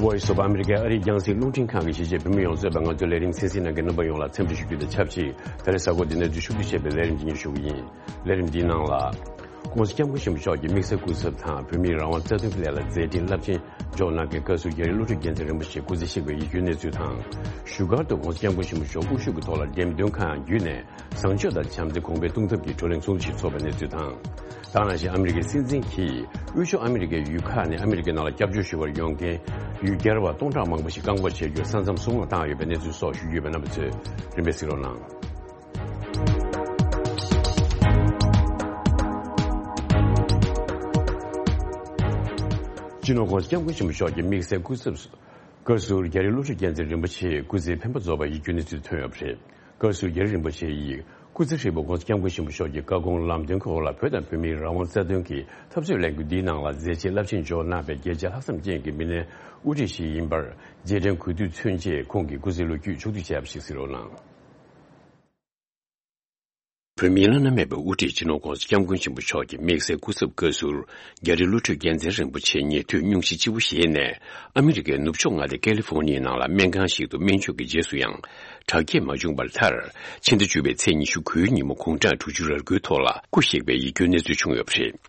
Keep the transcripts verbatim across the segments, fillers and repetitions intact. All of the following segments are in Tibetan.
Voice of America ཨ་རིའི་རྒྱང་སྲིང་རླུང་འཕྲིན་ཁང་གི་གཞིས་བྱེས་བོད་མི་ཡོངས་གཙོས་པའི་ང་ཚོའི་ལས་རིམ་གསན་གཟིགས་གནང་མཁན་རྣམ་པ་ཡོངས་ལ་འཚམས་འདྲི་ཞུ་རྒྱུ་དང་ཆབས་ཅིག་ད་རེས་གཟའ་འཁོར་འདིའི་གནས་ཚུལ་ཕྱོགས་བསྡུས་བྱས་པའི་ལས་རིམ་འདི་ཉིད་ཞུ་གི་ཡིན། ལས་རིམ་འདིའི་ནང་ལ།༸གོང་ས་༸སྐྱབས་མགོན་ཆེན་པོ་མཆོག་གིས་དམིགས་བསལ་སྐུ་ཚབ་དང་བོད་མིའི་རང་དབང་རྩ་དོན་གྱི་ལས་ལ་མཛད་འཕྲིན་རླབས་ཆེན་འཇོག་གནང་མཁན་བཀའ་ཟུར་རྒྱ་རི་བློ་གྲོས་རྒྱལ་མཚན་རིན་པོ་ཆེ་སྐུ་ཚེ་གཤེགས་པའི་ཡིད་སྐྱོའི་གནས་ཚུལ་དང་། བཞུགས་སྒར་དུ་༸གོང་ས་༸སྐྱབས་མགོན་ཆེན་པོ་མཆོག་དབུ་བཞུགས་ཀྱི་ཐོག་ལ་འགྲེམས་སྟོན་ཁང་བརྒྱུད་ནས་བཟང་སྤྱོད་དང་བྱམས་བརྩེ་གོང་འཕེལ་གཏོང་ཐབས་ཀྱི་བགྲོ་གླེང་ཚོགས་འདུ་ཞིག་འཚོགས་པའི་གནས་ཚུལ་དང་། དེ་ག་ནང་བཞིན་ཨ་མི་རི་ཀའི་སྲིད་འཛིན་གྱིས་དབུས་ཕྱོགས་ཨ་མི་རི་ཀའི་ཡུལ་ཁག་ནས་ཨ་མི་རི་ཀའི་ནང་ལ་སྐྱབས་བཅོལ་ཞུ་བར་ཡོང་མཁན་ཡུལ་གྱར་བ་སྟོང་ཕྲག་མང་པོ་ཞིག་བཀག་འགོག་བྱེད་རྒྱུར་ས་མཚམས་སྲུང་བར་བཏང་ཡོད་པའི་གནས་ཚུལ་སོགས་ཞུ་རྒྱུ་ཡོད་པས་རྣམ་པ་ཚོས་རིམ་པས་གཟིགས་རོགས་གནང་། སྤྱི་ནོར་༸གོང་ས་༸སྐྱབས་མགོན་ཆེན་པོ་མཆོག་གི་དམིགས་བསལ་སྐུ་ཚབ་བཀའ་ཟུར་རྒྱ་རི་བློ་གྲོས་རྒྱལ་མཚན་རིན་པོ་ཆེ་སྐུ་ཚེ་འཕེན་པ་རྫོགས་པའི་ཡིད་སྐྱོའི་གནས་ཚུལ་ཐོན་ཡོད་པ་རེད། བཀའ་ཟུར་རྒྱ་རི་རིན་པོ་ཆེ་ཡིས་སྐུ་ཚེ་ཧྲིལ་པོ་༸གོང་ས་༸སྐྱབས་མགོན་ཆེན་པོ་མཆོག་གི་བཀའ་དགོངས་ལམ་སྟོན་གྱི་འོག་ལ་བོད་དང་བོད་མིའི་རང་དབང་རྩ་དོན་གྱི་འཐབ་རྩོད་ལས་འགུལ་འདིའི་ནང་ལ་མཛད་རྗེས་རླབས་ཆེན་འཇོག་གནང་བའི་རྒྱལ་གཅེས་ལྷག་བསམ་ཅན་གྱི་མི་སྣའི་དབུ་ཁྲིད་ཞིག་ཡིན་པར་རྗེས་དྲན་གུས་འདུད་མཚོན་ཆེད་ཁོང་གི་སྐུ་ཚེའི་ལོ་རྒྱུས་ཕྱོགས་བསྡུས་བྱས་པ་ཞིག་གཟིགས་རོགས་གནང་། བོད་མིའི་བླ་ན་མེད་པའི་དབུ་ཁྲིད་སྤྱི་ནོར་༸གོང་ས་༸སྐྱབས་མགོན་ཆེན་པོ་མཆོག་གི་དམིགས་བསལ་སྐུ་ཚབ་བཀའ་ཟུར་རྒྱ་རི་བློ་གྲོས་རྒྱལ་མཚན་རིན་པོ་ཆེ་ཉེ་དུས་སྙུང་གཞི་ལྕི་བོ་ཞིག་ནས་ཨ་མི་རི་ཀའི་ནུབ་ཕྱོགས་མངའ་སྡེ་ཀ་ལི་ཧྥོ་ནི་ཡའི་ནང་ལ་སྨན་ཁང་ཞིག་ཏུ་སྨན་བཅོས་ཀྱི་རྗེས་སུ་ཡང་དྲག་སྐྱེད་མ་བྱུང་བར་མཐར་ཕྱི་ཟླ་བཅུ་པའི་ཚེས་ཉི་ཤུ་དགུའི་ཉིན་མོ་དགུང་གྲངས་དྲུག་ཅུ་རེ་དགུའི་ཐོག་ལ་སྐུ་གཤེགས་པའི་ཡིད་སྐྱོའི་གནས་ཚུལ་བྱུང་ཡོད་པ་རེད།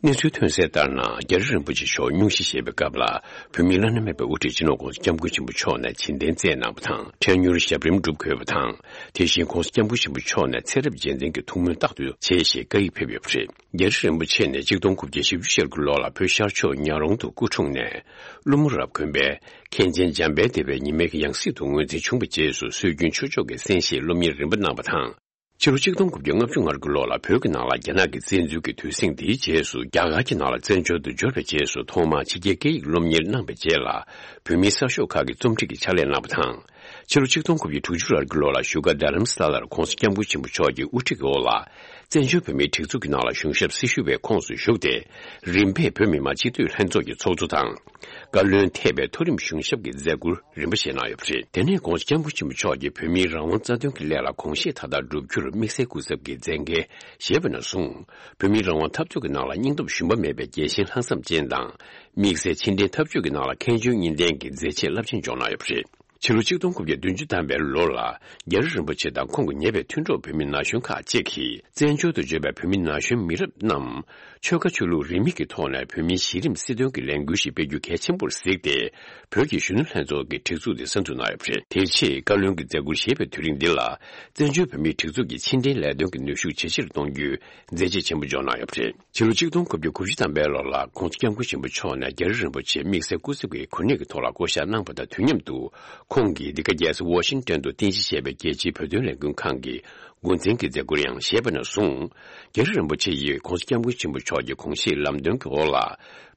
གནས་ཚུལ་ཐོན་གསལ་ལྟར་ན་རྒྱ་རི་རིན་པོ་ཆེ་མཆོག་སྙུང་གཞི་བཞེས་པའི་སྐབས་ལ་བོད་མིའི་བླ་ན་མེད་པའི་དབུ་ཁྲིད་སྤྱི་ནོར་༸གོང་ས་༸སྐྱབས་མགོན་ཆེན་པོ་མཆོག་ནས་བྱིན་རྟེན་སྩལ་གནང་བ་དང་འཕྲལ་མྱུར་ཞབས་རིམ་སྒྲུབ་དགོས་པ་དང་། དེ་བཞིན་༸གོང་ས་༸སྐྱབས་མགོན་ཆེན་པོ་མཆོག་ནས་ཚེ་རབས་རྗེས་དྲན་གྱི་ཐུགས་སྨོན་རྟག་ཏུ་བྱེད་ཞེས་བཀའ་ཡིག་ཕེབས་ཡོད་པ་རེད། རྒྱ་རི་རིན་པོ་ཆེ་ནས་གཅིག་སྟོང་དགུ་བརྒྱ་བཞི་བཅུ་ཞེ་དགུ་ལོ་ལ་བོད་ཤར་ཕྱོགས་ཉག་རོང་དུ་སྐུ་འཁྲུངས་ནས། ཀླུ་མོ་རབ་དགོན་པའི་མཁན་ཆེན་འཇམ་དཔལ་སྡེ་པའི་ཉི་མའི་ཡང་སྲིད་དུ་ངོས་འཛིན་བྱུང་བའི་རྗེས་སུ་སྲོལ་རྒྱུན་ཆོས་ཕྱོགས་ཀྱི་གསན་བཞེས་སློབ་གཉེར་རིམ་པ་གནང་བ་དང་། ཕྱི་ལོ་གཅིག་སྟོང་དགུ་བརྒྱ་ལྔ་བཅུ་ང་དགུ་ལོ་ལ་བོད་ཀྱི་ནང་ལ་རྒྱ་ནག་གི་བཙན་འཛུལ་གྱི་དུས་ཟིང་དེའི་རྗེས་སུ་རྒྱ་གར་གྱི་ནང་ལ་བཙན་བྱོལ་དུ་འབྱོར་བའི་རྗེས་སུ་ཐོག་མར་ཕྱི་རྒྱལ་སྐད་ཡིག་སློབ་གཉེར་གནང་བའི་རྗེས་ལ་བོད་མིའི་གསར་ཤོག་ཁག་གི་རྩོམ་སྒྲིག་གི་ཕྱག་ལས་གནང་བ་དང་། ཕྱི་ལོ་གཅིག་སྟོང་དགུ་བརྒྱ་དྲུག་ཅུ་རེ་དགུ་ལོ་ལ་བཞུགས་སྒར་རྡ་རམ་ས་ལར་༸གོང་ས་༸སྐྱབས་མགོན་ཆེན་པོ་མཆོག་གི་དབུ་ཁྲིད་ཀྱི་འོག་ལ་བཙན་བྱོལ་བོད་མིའི་སྒྲིག་འཛུགས་ཀྱི་ནང་ལ་གཞུང་ཞབས་སྲི་ཞུ་བའི་ཁོངས་སུ་ཞུགས་ཏེ། རིམ་པས་བོད་མི་མང་སྤྱི་འཐུས་ལྷན་ཚོགས་ཀྱི་ཚོགས་གཙོ་དང་། བཀའ་བློན་ཐེ་བའི་མཐོ་རིམ་གཞུང་ཞབས་ཀྱི་མཛད་ཁུར་རིམ་པ་བཞེས་གནང་ཡོད་པ་རེད། དེ་ནས་༸གོང་ས་༸སྐྱབས་མགོན་ཆེན་པོ་མཆོག་གིས་བོད་མིའི་རང་དབང་རྩ་དོན་གྱི་ལས་ལ་དགོངས་བཞེས་མཐའ་དག་བསྒྲུབ་རྒྱུར་དམིགས་བསལ་སྐུ་ཚབ་ཀྱི་མཛད་འགན་བཞེས་པ་ནས་བཟུང་། བོད་མིའི་རང་དབང་འཐབ་རྩོད་ཀྱི་ནང་ལ་སྙིང་སྟོབས་ཞུམ་པ་མེད་པའི་རྒྱལ་ཞེན་ལྷག་བསམ་ཅན་དང་། དམིགས་བསལ་ཕྱི་འབྲེལ་འཐབ་ཇུས་ཀྱི་ནང་ལ་མཁས་འཇོན་གཉིས་ལྡན་གྱི་མཛད་རྗེས་རླབས་ཆེན་འཇོག་གནང་ཡོད་པ་རེད། ཕྱི་ལོ་གཅིག་སྟོང་དགུ་བརྒྱ་བདུན་ཅུ་ཐམ་པའི་ལོ་ལ། རྒྱ་རི་རིན་པོ་ཆེ་དང་ཁོང་གི་ཉེ་བའི་མཐུན་གྲོགས་བོད་མི་ན་གཞོན་ཁག་ཅིག་གིས་བཙན་བྱོལ་དུ་བྱོན་པའི་བོད་མི་ན་གཞོན་མི་རབས་རྣམས་ཆོལ་ཁ་ཆོས་ལུགས་རིས་མེད་ཀྱི་ཐོག་ནས་བོད་མིའི་གཞི་རིམ་སྲིད་དོན་གྱི་ལས་འགུལ་ཞིག་སྤེལ་རྒྱུ་གལ་ཆེན་པོར་གཟིགས་ཏེ། བོད་ཀྱི་གཞོན་ནུ་ལྷན་ཚོགས་ཀྱི་སྒྲིག་འཛུགས་དེ་གསར་འཛུགས་གནང་ཡོད་པ་རེད། དེ་རྗེས་བཀའ་བློན་གྱི་མཛད་ཁུར་བཞེས་པའི་དུས་རིང་འདི་ལ། བཙན་བྱོལ་བོད་མིའི་སྒྲིག་འཛུགས་ཀྱི་ཕྱི་འབྲེལ་ལས་དོན་གྱི་ནུས་ཤུགས་ཇེ་ཆེར་གཏོང་རྒྱུའི་མཛད་རྗེས་ཆེན་པོ་འཇོག་གནང་ཡོད་པ་རེད། ཕྱི་ལོ་གཅིག་སྟོང་དགུ་བརྒྱ་དགུ་བཅུ་ཐམ་པའི་ལོ་ལ་༸གོང་ས་༸སྐྱབས་མགོན་ཆེན་པོ་མཆོག་ནས་རྒྱ་རི་རིན་པོ་ཆེ་དམིགས་བསལ་སྐུ་ཚབ་ཀྱི་གོ་གནས་ཀྱི་ཐོག་ལ་བསྐོ་གཞག་གནང་བ་དང་དུས་མཉམ་དུ། ཁོང་གིས་འདི་ག་རྒྱལ་ས་ཝ་ཤིང་ཏོན་དུ་རྟེན་གཞི་བྱས་པའི་རྒྱལ་སྤྱིའི་བོད་དོན་ལས་འགུལ་ཁང་གི་འགོ་འཛིན་གྱི་མཛད་ཁུར་ཡང་བཞེས་པ་ནས་བཟུང་། རྒྱ་རི་རིན་པོ་ཆེ་ཡིས་༸གོང་ས་༸སྐྱབས་མགོན་ཆེན་པོ་མཆོག་གི་དགོངས་བཞེས་ལམ་སྟོན་གྱི་འོག་ལ།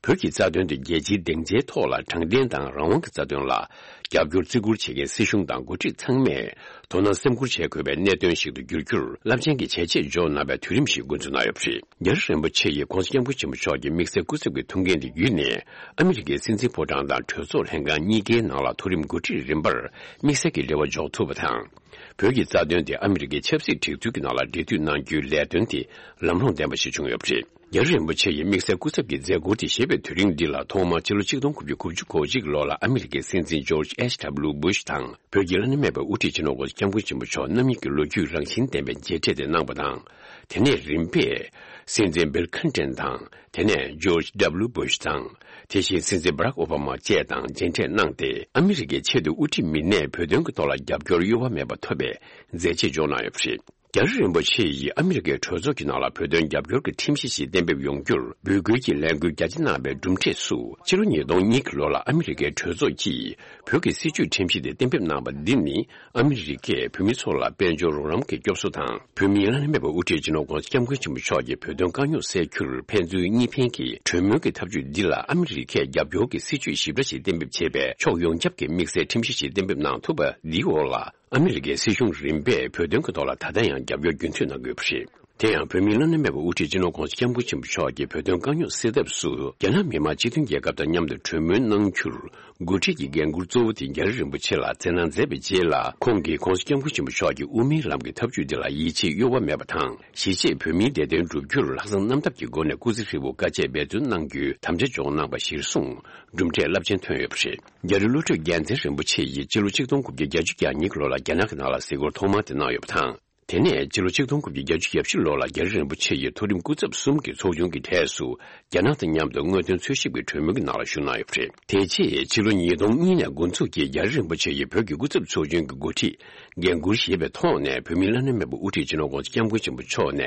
བོད་ཀྱི་རྩ་དོན་དེ་རྒྱལ་སྤྱིའི་སྡིངས་ཆའི་ཐོག་ལ་དྲང་བདེན་དང་རང་དབང་གི་རྩ་དོན་ལ་རྒྱབ་སྐྱོར་བརྩི་བཀུར་བྱེད་མཁན་སྲིད་གཞུང་དང་འགོ་ཁྲིད་ཚང་མས་དོ་སྣང་སེམས་ཁུར་བྱེད་དགོས་པའི་གནད་དོན་ཞིག་ཏུ་འགྱུར་རྒྱུར་རླབས་ཆེན་གྱི་བྱས་རྗེས་འཇོག་གནང་བའི་དུས་རིམ་ཞིག་འགོ་འཛུགས་གནང་ཡོད་པ་རེད། རྒྱ་རི་རིན་པོ་ཆེ་ཡིས་༸གོང་ས་༸སྐྱབས་མགོན་ཆེན་པོ་མཆོག་གི་དམིགས་བསལ་སྐུ་ཚབ་ཀྱི་ཐུགས་འགན་དེ་བརྒྱུད་ནས་ཨ་མི་རི་ཀའི་སྲིད་འཛིན་ཕོ་བྲང་དང་གྲོས་ཚོགས་ལྷན་ཁང་གཉིས་ཀའི་ནང་ལ་མཐོ་རིམ་འགོ་ཁྲིད་རིམ་པར་དམིགས་བསལ་གྱི་རེ་བ་འཇོག་ཐུབ་པ་དང་། བོད་ཀྱི་རྩ་དོན་དེ་ཨ་མི་རི་ཀའི་ཆབ་སྲིད་སྒྲིག་འཛུགས་ཀྱི་ནང་ལ་འབྲེལ་མཐུད་གནང་རྒྱུའི་ལས་དོན་དེ་ལམ་ལྷོང་ལྡན་པ་ཞིག་བྱུང་ཡོད་པ་རེད། རྒྱ་རི་རིན་པོ་ཆེ་ཡི་དམིགས་བསལ་སྐུ་ཚབ་ཀྱི་མཛད་ཁུར་དེ་བཞེས་པའི་དུས་རིང་འདི་ལ་ཐོག་མར་ཕྱི་ལོ་གཅིག་སྟོང་དགུ་བརྒྱ་དགུ་བཅུ་གོ་གཅིག་ལོ་ལ་ཨ་མི་རི་ཀའི་སྲིད་འཛིན་ཇོརྗ་ཨེཆ་ཌབ་ལིའུ་བུ་ཤ་དང་། བོད་ཀྱི་བླ་ན་མེད་པའི་དབུ་ཁྲིད་སྤྱི་ནོར་༸གོང་ས་༸སྐྱབས་མགོན་ཆེན་པོ་མཆོག་རྣམ་གཉིས་ཀྱི་ལོ་རྒྱུས་རང་བཞིན་ལྡན་པའི་མཇལ་འཕྲད་དེ་གནང་བ་དང་། དེ་ནས་རིམ་པས། སྲིད་འཛིན་བིལ་ཁིན་ཏན་དང་། དེ་ནས་ཇོརྗ་ཌབ་ལིའུ་བུ་ཤ་དང་། དེ་བཞིན་སྲིད་འཛིན་བྷ་རག་ཨོ་བྷ་མ་བཅས་དང་མཇལ་འཕྲད་གནང་སྟེ། ཨ་མི་རི་ཀའི་ཆེས་མཐོའི་དབུ་ཁྲིད་མི་སྣས་བོད་དོན་གྱི་ཐོག་ལ་རྒྱབ་སྐྱོར་གཡོ་བ་མེད་པ་ཐོབ་པའི་མཛད་རྗེས་འཇོག་གནང་ཡོད་པ་རེད། རྒྱ་རི་རིན་པོ་ཆེ་ཡིས་ཨ་མི་རི་ཀའི་གྲོས་ཚོགས་ཀྱི་ནང་ལ་བོད་དོན་རྒྱབ་སྐྱོར་གྱི་ཁྲིམས་གཞི་ཞིག་གཏན་འབེབས་ཡོང་རྒྱུར་འབོད་སྐུལ་གྱི་ལས་འགུལ་རྒྱ་ཆེ་གནང་བའི་གྲུབ་འབྲས་སུ། ཕྱི་ལོ་ཉིས་སྟོང་གཉིས་ཀྱི་ལོ་ལ་ཨ་མི་རི་ཀའི་གྲོས་ཚོགས་ཀྱིས་བོད་ཀྱི་སྲིད་བྱུས་ཁྲིམས་གཞི་དེ་གཏན་འབེབས་གནང་བ་འདི་ནི། ཨ་མི་རི་ཀས་བོད་མི་ཚོ་ལ་དཔལ་འབྱོར་རོགས་རམ་གྱི་སྐྱོབ་གསོ་དང་། བོད་མིའི་བླ་ན་མེད་པའི་དབུ་ཁྲིད་སྤྱི་ནོར་༸གོང་ས་༸སྐྱབས་མགོན་ཆེན་པོ་མཆོག་གིས་བོད་དོན་དཀའ་རྙོག་སེལ་རྒྱུར་ཕན་ཚུན་གཉིས་ཕན་གྱི་གྲོས་མོལ་གྱི་ཐབས་ཇུས་འདི་ལ་ཨ་མི་རི་ཀས་རྒྱབ་སྐྱོར་གྱི་སྲིད་བྱུས་ཞིབ་ཕྲ་ཞིག་གཏན་འབེབས་བྱས་པའི་ཕྱོགས་ཡོངས་ཁྱབ་ཀྱི་དམིགས་བསལ་ཁྲིམས་གཞི་ཞིག་གཏན་འབེབས་གནང་ཐུབ་པ་འདིའི་འོག་ལ། ཨ་མི་རི་ཀའི་སྲིད་གཞུང་རིམ་པས་བོད་དོན་གྱི་ཐོག་ལ་ད་ལྟ་ཡང་རྒྱབ་སྐྱོར་རྒྱུན་མཐུད་གནང་དགོས་པ་རེད། དེ་ཡང་བོད་མིའི་བླ་ན་མེད་པའི་དབུ་ཁྲིད་སྤྱི་ནོར་༧གོང་ས་༧སྐྱབས་མགོན་ཆེན་པོ་མཆོག་གིས་བོད་དོན་དཀའ་རྙོག་སེལ་ཐབས་སུ་རྒྱ་ནག་མི་དམངས་སྤྱི་མཐུན་རྒྱལ་ཁབ་དང་མཉམ་དུ་གྲོས་མོལ་གནང་རྒྱུར་འགོ་ཁྲིད་ཀྱི་འགན་འཁུར་གཙོ་བོ་དེ་རྒྱ་རི་རིན་པོ་ཆེ་ལ་བསྩལ་གནང་མཛད་པའི་རྗེས་ལ། ཁོང་གིས་༧གོང་ས་༧སྐྱབས་མགོན་ཆེན་པོ་མཆོག་གི་དབུ་མའི་ལམ་གྱི་ཐབས་ཇུས་འདི་ལ་ཡིད་ཆེས་གཡོ་བ་མེད་པ་དང་། གཞིས་བྱེས་བོད་མིའི་བདེ་དོན་བསྒྲུབ་རྒྱུར་ལྷག་བསམ་རྣམ་དག་གི་སྒོ་ནས་སྐུ་ཚེ་ཧྲིལ་པོ་དཀའ་སྤྱད་འབད་བརྩོན་གནང་རྒྱུའི་དམ་བཅའ་འཇོག་གནང་པ་གཞིར་བཟུང་གྲུབ་འབྲས་རླབས་ཆེན་ཐོན་ཡོད་པ་རེད། རྒྱ་རི་བློ་གྲོས་རྒྱལ་མཚན་རིན་པོ་ཆེ་ཡིས་སྤྱི་ལོ་ཆིག་སྟོང་དགུ་བརྒྱ་བརྒྱད་ཅུ་གྱ་གཉིས་ལོ་ལ་རྒྱ་ནག་གི་ནང་ལ་གཟིགས་སྐོར་ཐོག་མ་དེ་གནང་ཡོད་པ་དང་། དེ་ནས་སྤྱི་ལོ་ཆིག་སྟོང་དགུ་བརྒྱ་བརྒྱད་ཅུ་གྱ་བཞི་ལོ་ལ་རྒྱ་རི་རིན་པོ་ཆེ་ཡི་མཐོ་རིམ་སྐུ་ཚབ་གསུམ་གྱི་ཚོགས་ཆུང་གི་གྲས་སུ་རྒྱ་ནག་དང་མཉམ་དུ་དངོས་དོན་འཚོལ་ཞིབ་ཀྱི་གྲོས་མོལ་གྱི་ནང་ལ་ཞུགས་གནང་ཡོད་པ་རེད། དེ་རྗེས་ཕྱི་ལོ་ཉིས་སྟོང་གཉིས་ནས་འགོ་འཛུགས་ཀྱིས་རྒྱ་རི་རིན་པོ་ཆེ་ཡིས་བོད་ཀྱི་སྐུ་ཚབ་ཚོགས་ཆུང་གི་འགོ་ཁྲིད་འགན་འཁུར་བཞེས་པའི་ཐོག་ནས། བོད་མིའི་བླ་ན་མེད་པའི་དབུ་ཁྲིད་སྤྱི་ནོར་༧གོང་ས་༧སྐྱབས་མགོན་ཆེན་པོ་མཆོག་ནས་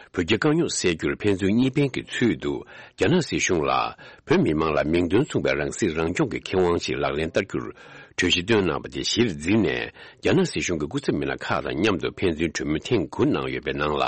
བོད་རྒྱའི་དཀའ་རྙོག་སེལ་རྒྱུར་ཕན་ཚུན་གཉིས་ཕན་གྱི་ཚུལ་དུ་རྒྱ་ནག་སྲིད་གཞུང་ལ་བོད་མི་མང་ལ་མིང་དོན་མཚུངས་པའི་རང་སྲིད་རང་སྐྱོང་གི་ཁེ་དབང་ཞིག་ལག་ལེན་བསྟར་རྒྱུར་གྲོས་གཞི་བཏོན་གནང་བ་དེ་གཞིར་འཛིན་ནས། རྒྱ་ནག་སྲིད་གཞུང་གི་སྐུ་ཚབ་མི་སྣ་ཁག་དང་མཉམ་དུ་ཕན་ཚུན་གྲོས་མོལ་ཐེངས་དགུ་གནང་ཡོད་པའི་ནང་ལ་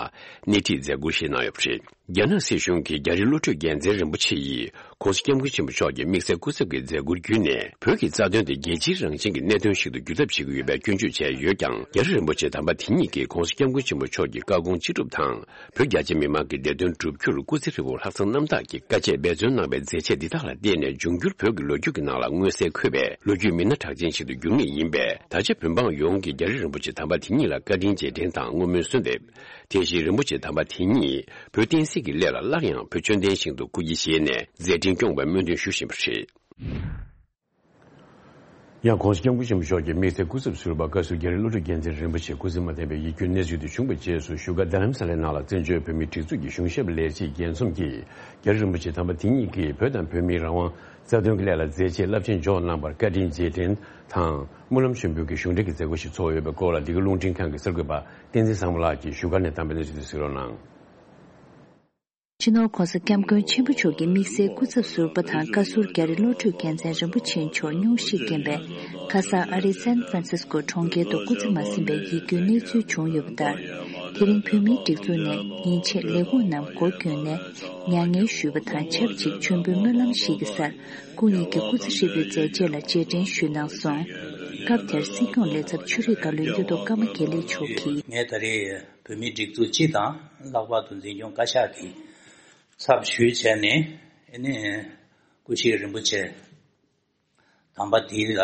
སྣེ་ཁྲིད་མཛད་ཁུར་བཞེས་གནང་ཡོད་པ་རེད། རྒྱ་ནག་སྲིད་གཞུང་གིས་རྒྱ་རི་བློ་གྲོས་རྒྱལ་མཚན་རིན་པོ་ཆེ་ཡིས་༧གོང་ས་༧སྐྱབས་མགོན་ཆེན་པོ་མཆོག་གི་དམིགས་བསལ་སྐུ་ཚབ་ཀྱི་མཛད་ཁུར་བརྒྱུད་ནས། བོད་ཀྱི་རྩ་དོན་དེ་རྒྱལ་སྤྱིའི་རང་བཞིན་གྱི་གནད་དོན་ཞིག་ཏུ་འགྱུར་ཐབས་བྱེད་ཀྱི་ཡོད་པའི་སྐྱོན་བརྗོད་བྱས་ཡོད་ཀྱང་། རྒྱ་རི་རིན་པོ་ཆེ་དམ་པ་དེ་ཉིད་ཀྱིས་༧གོང་ས་༧སྐྱབས་མགོན་ཆེན་པོ་མཆོག་གི་བཀའ་དགོངས་ཅི་སྒྲུབ་དང་། བོད་རྒྱ་ཆེ་མི་མང་གི་བདེ་དོན་བསྒྲུབ་རྒྱུར་སྐུ་ཚེ་ཧྲིལ་པོ་ལྷག་བསམ་རྣམ་དག་གིས་དཀའ་སྤྱད་འབད་བརྩོན་གནང་བའི་མཛད་རྗེས་འདི་དག་ལ་བརྟེན་ནས། འབྱུང་འགྱུར་བོད་ཀྱི་ལོ་རྒྱུས་ཀྱི་ནང་ལ་མངོན་གསལ་འཁོད་པའི་ལོ་རྒྱུས་མི་སྣ་གྲགས་ཅན་ཞིག་ཏུ་འགྱུར་ངེས་ཡིན་པས། ད་ཆ་བོད་འབངས་ཡོངས་ཀྱིས་རྒྱ་རི་རིན་པོ་ཆེ་དམ་པ་དེ་ཉིད་ལ་བཀའ་དྲིན་རྗེས་དྲན་དང་བསྔོ་སྨོན་གསོལ་འདེབས། དེ་བཞིན་རིན་པོ་ཆེ་དམ་པ་དེ་ཉིད་བོད་བསྟན་སྲིད་ཀྱི་སླད་ལ་སླར་ཡང་བོད་ཆོས་ལྡན་ཞིང་དུ་སྐུ་སྐྱེ་བཞེས་ནས་མཛད་འཕྲིན་སྐྱོང་བའི་སྨོན་འདུན་ཞུ་བཞིན་པ་རེད། ཡང་༧གོང་ས་༧སྐྱབས་མགོན་ཆེན་པོ་མཆོག་གི་དམིགས་བསལ་སྐུ་ཚབ་ཟུར་པ་བཀའ་ཟུར་རྒྱ་རི་བློ་གྲོས་རྒྱལ་མཚན་རིན་པོ་ཆེ་སྐུ་ཚེ་མ་བརྟན་པའི་ཡིད་སྐྱོའི་གནས་ཚུལ་དེ་བྱུང་བའི་རྗེས་སུ། བཞུགས་སྒར་རྡ་རམ་ས་ལའི་ནང་ལ་བཙན་བྱོལ་བོད་མིའི་སྒྲིག་འཛུགས་ཀྱི་གཞུང་ཞབས་ལས་བྱེད་རྒྱལ་འཛོམས་ཀྱིས། རྒྱ་རི་རིན་པོ་ཆེ་དམ་པ་དེ་ཉིད་ཀྱིས་བོད་དང་བོད་མིའི་རང་དབང་རྩ་དོན་གྱི་སླད་ལ་མཛད་རྗེས་རླབས་ཆེན་འཇོག་གནང་བར་བཀའ་དྲིན་རྗེས་དྲན་དང་སྨོན་ལམ་ཆེན་པོའི་གི་གཞུང་འབྲེལ་གྱི་མཛད་སྒོ་ཞིག་ཚོགས་ཡོད་པའི་སྐོར་ལ། འདི་ག་རླུང་འཕྲིན་ཁང་གི་གསར་འགོད་པ་བསྟན་འཛིན་བཟང་མོ་ལགས་ཀྱིས་བཞུགས་སྒར་ནས་བཏང་པའི་གནས་ཚུལ་དེ་གཟིགས་རོགས་གནང་། སྤྱི་ནོར་༧གོང་ས་༧སྐྱབས་མགོན་ཆེན་པོ་མཆོག་གི་དམིགས་བསལ་སྐུ་ཚབ་ཟུར་པ་དང་བཀའ་ཟུར་རྒྱ་རི་བློ་གྲོས་རྒྱལ་མཚན་རིན་པོ་ཆེ་མཆོག་སྙུང་གཞིས་དགོན་པའི་ཁ་སང་ཨ་རིའི་སན་ཧྥ་རན་སིས་ཀོ་གྲོང་ཁྱེར་དུ་སྐུ་ཚེ་མ་ཟིན་པའི་ཡིད་སྐྱོའི་གནས་ཚུལ་བྱུང་ཡོད་པ་ལྟར། དེ་རིང་བོད་མིའི་སྒྲིག་འཛུགས་ནས་ཉིན་ཕྱེད་ལས་ཁུངས་རྣམས་སྒོ་བསྐྱོན་ནས་མྱ་ངན་ཞུས་པ་དང་ཆབས་ཅིག་མཆོད་འབུལ་སྨོན་ལམ་ཞིག་གི་སར་སྐུ་ཉིད་ཀྱི་སྐུ་ཚེ་ཧྲིལ་པོའི་མཛད་རྗེས་ལ་རྗེས་དྲན་ཞུས་གནང་སོང་། སྐབས་དེར་སྲིད་སྐྱོང་ལས་ཚབ་ཆོས་རིག་བཀའ་བློན་གཡུ་ཐོག་ཀརྨ་དགེ་ལེགས་མཆོག་གིས། ངས་ད་རེས་བོད་མིའི་སྒྲིག་འཛུགས་སྤྱི་དང་ལྷག་པར་དུ་འཛིན་སྐྱོང་བཀའ་ཤག་གི་ཚབ་ཞུས་བྱས་ནས། ཨ་ནི་སྐུ་བཞུགས་རིན་པོ་ཆེ་དམ་པ་འདི་ལ་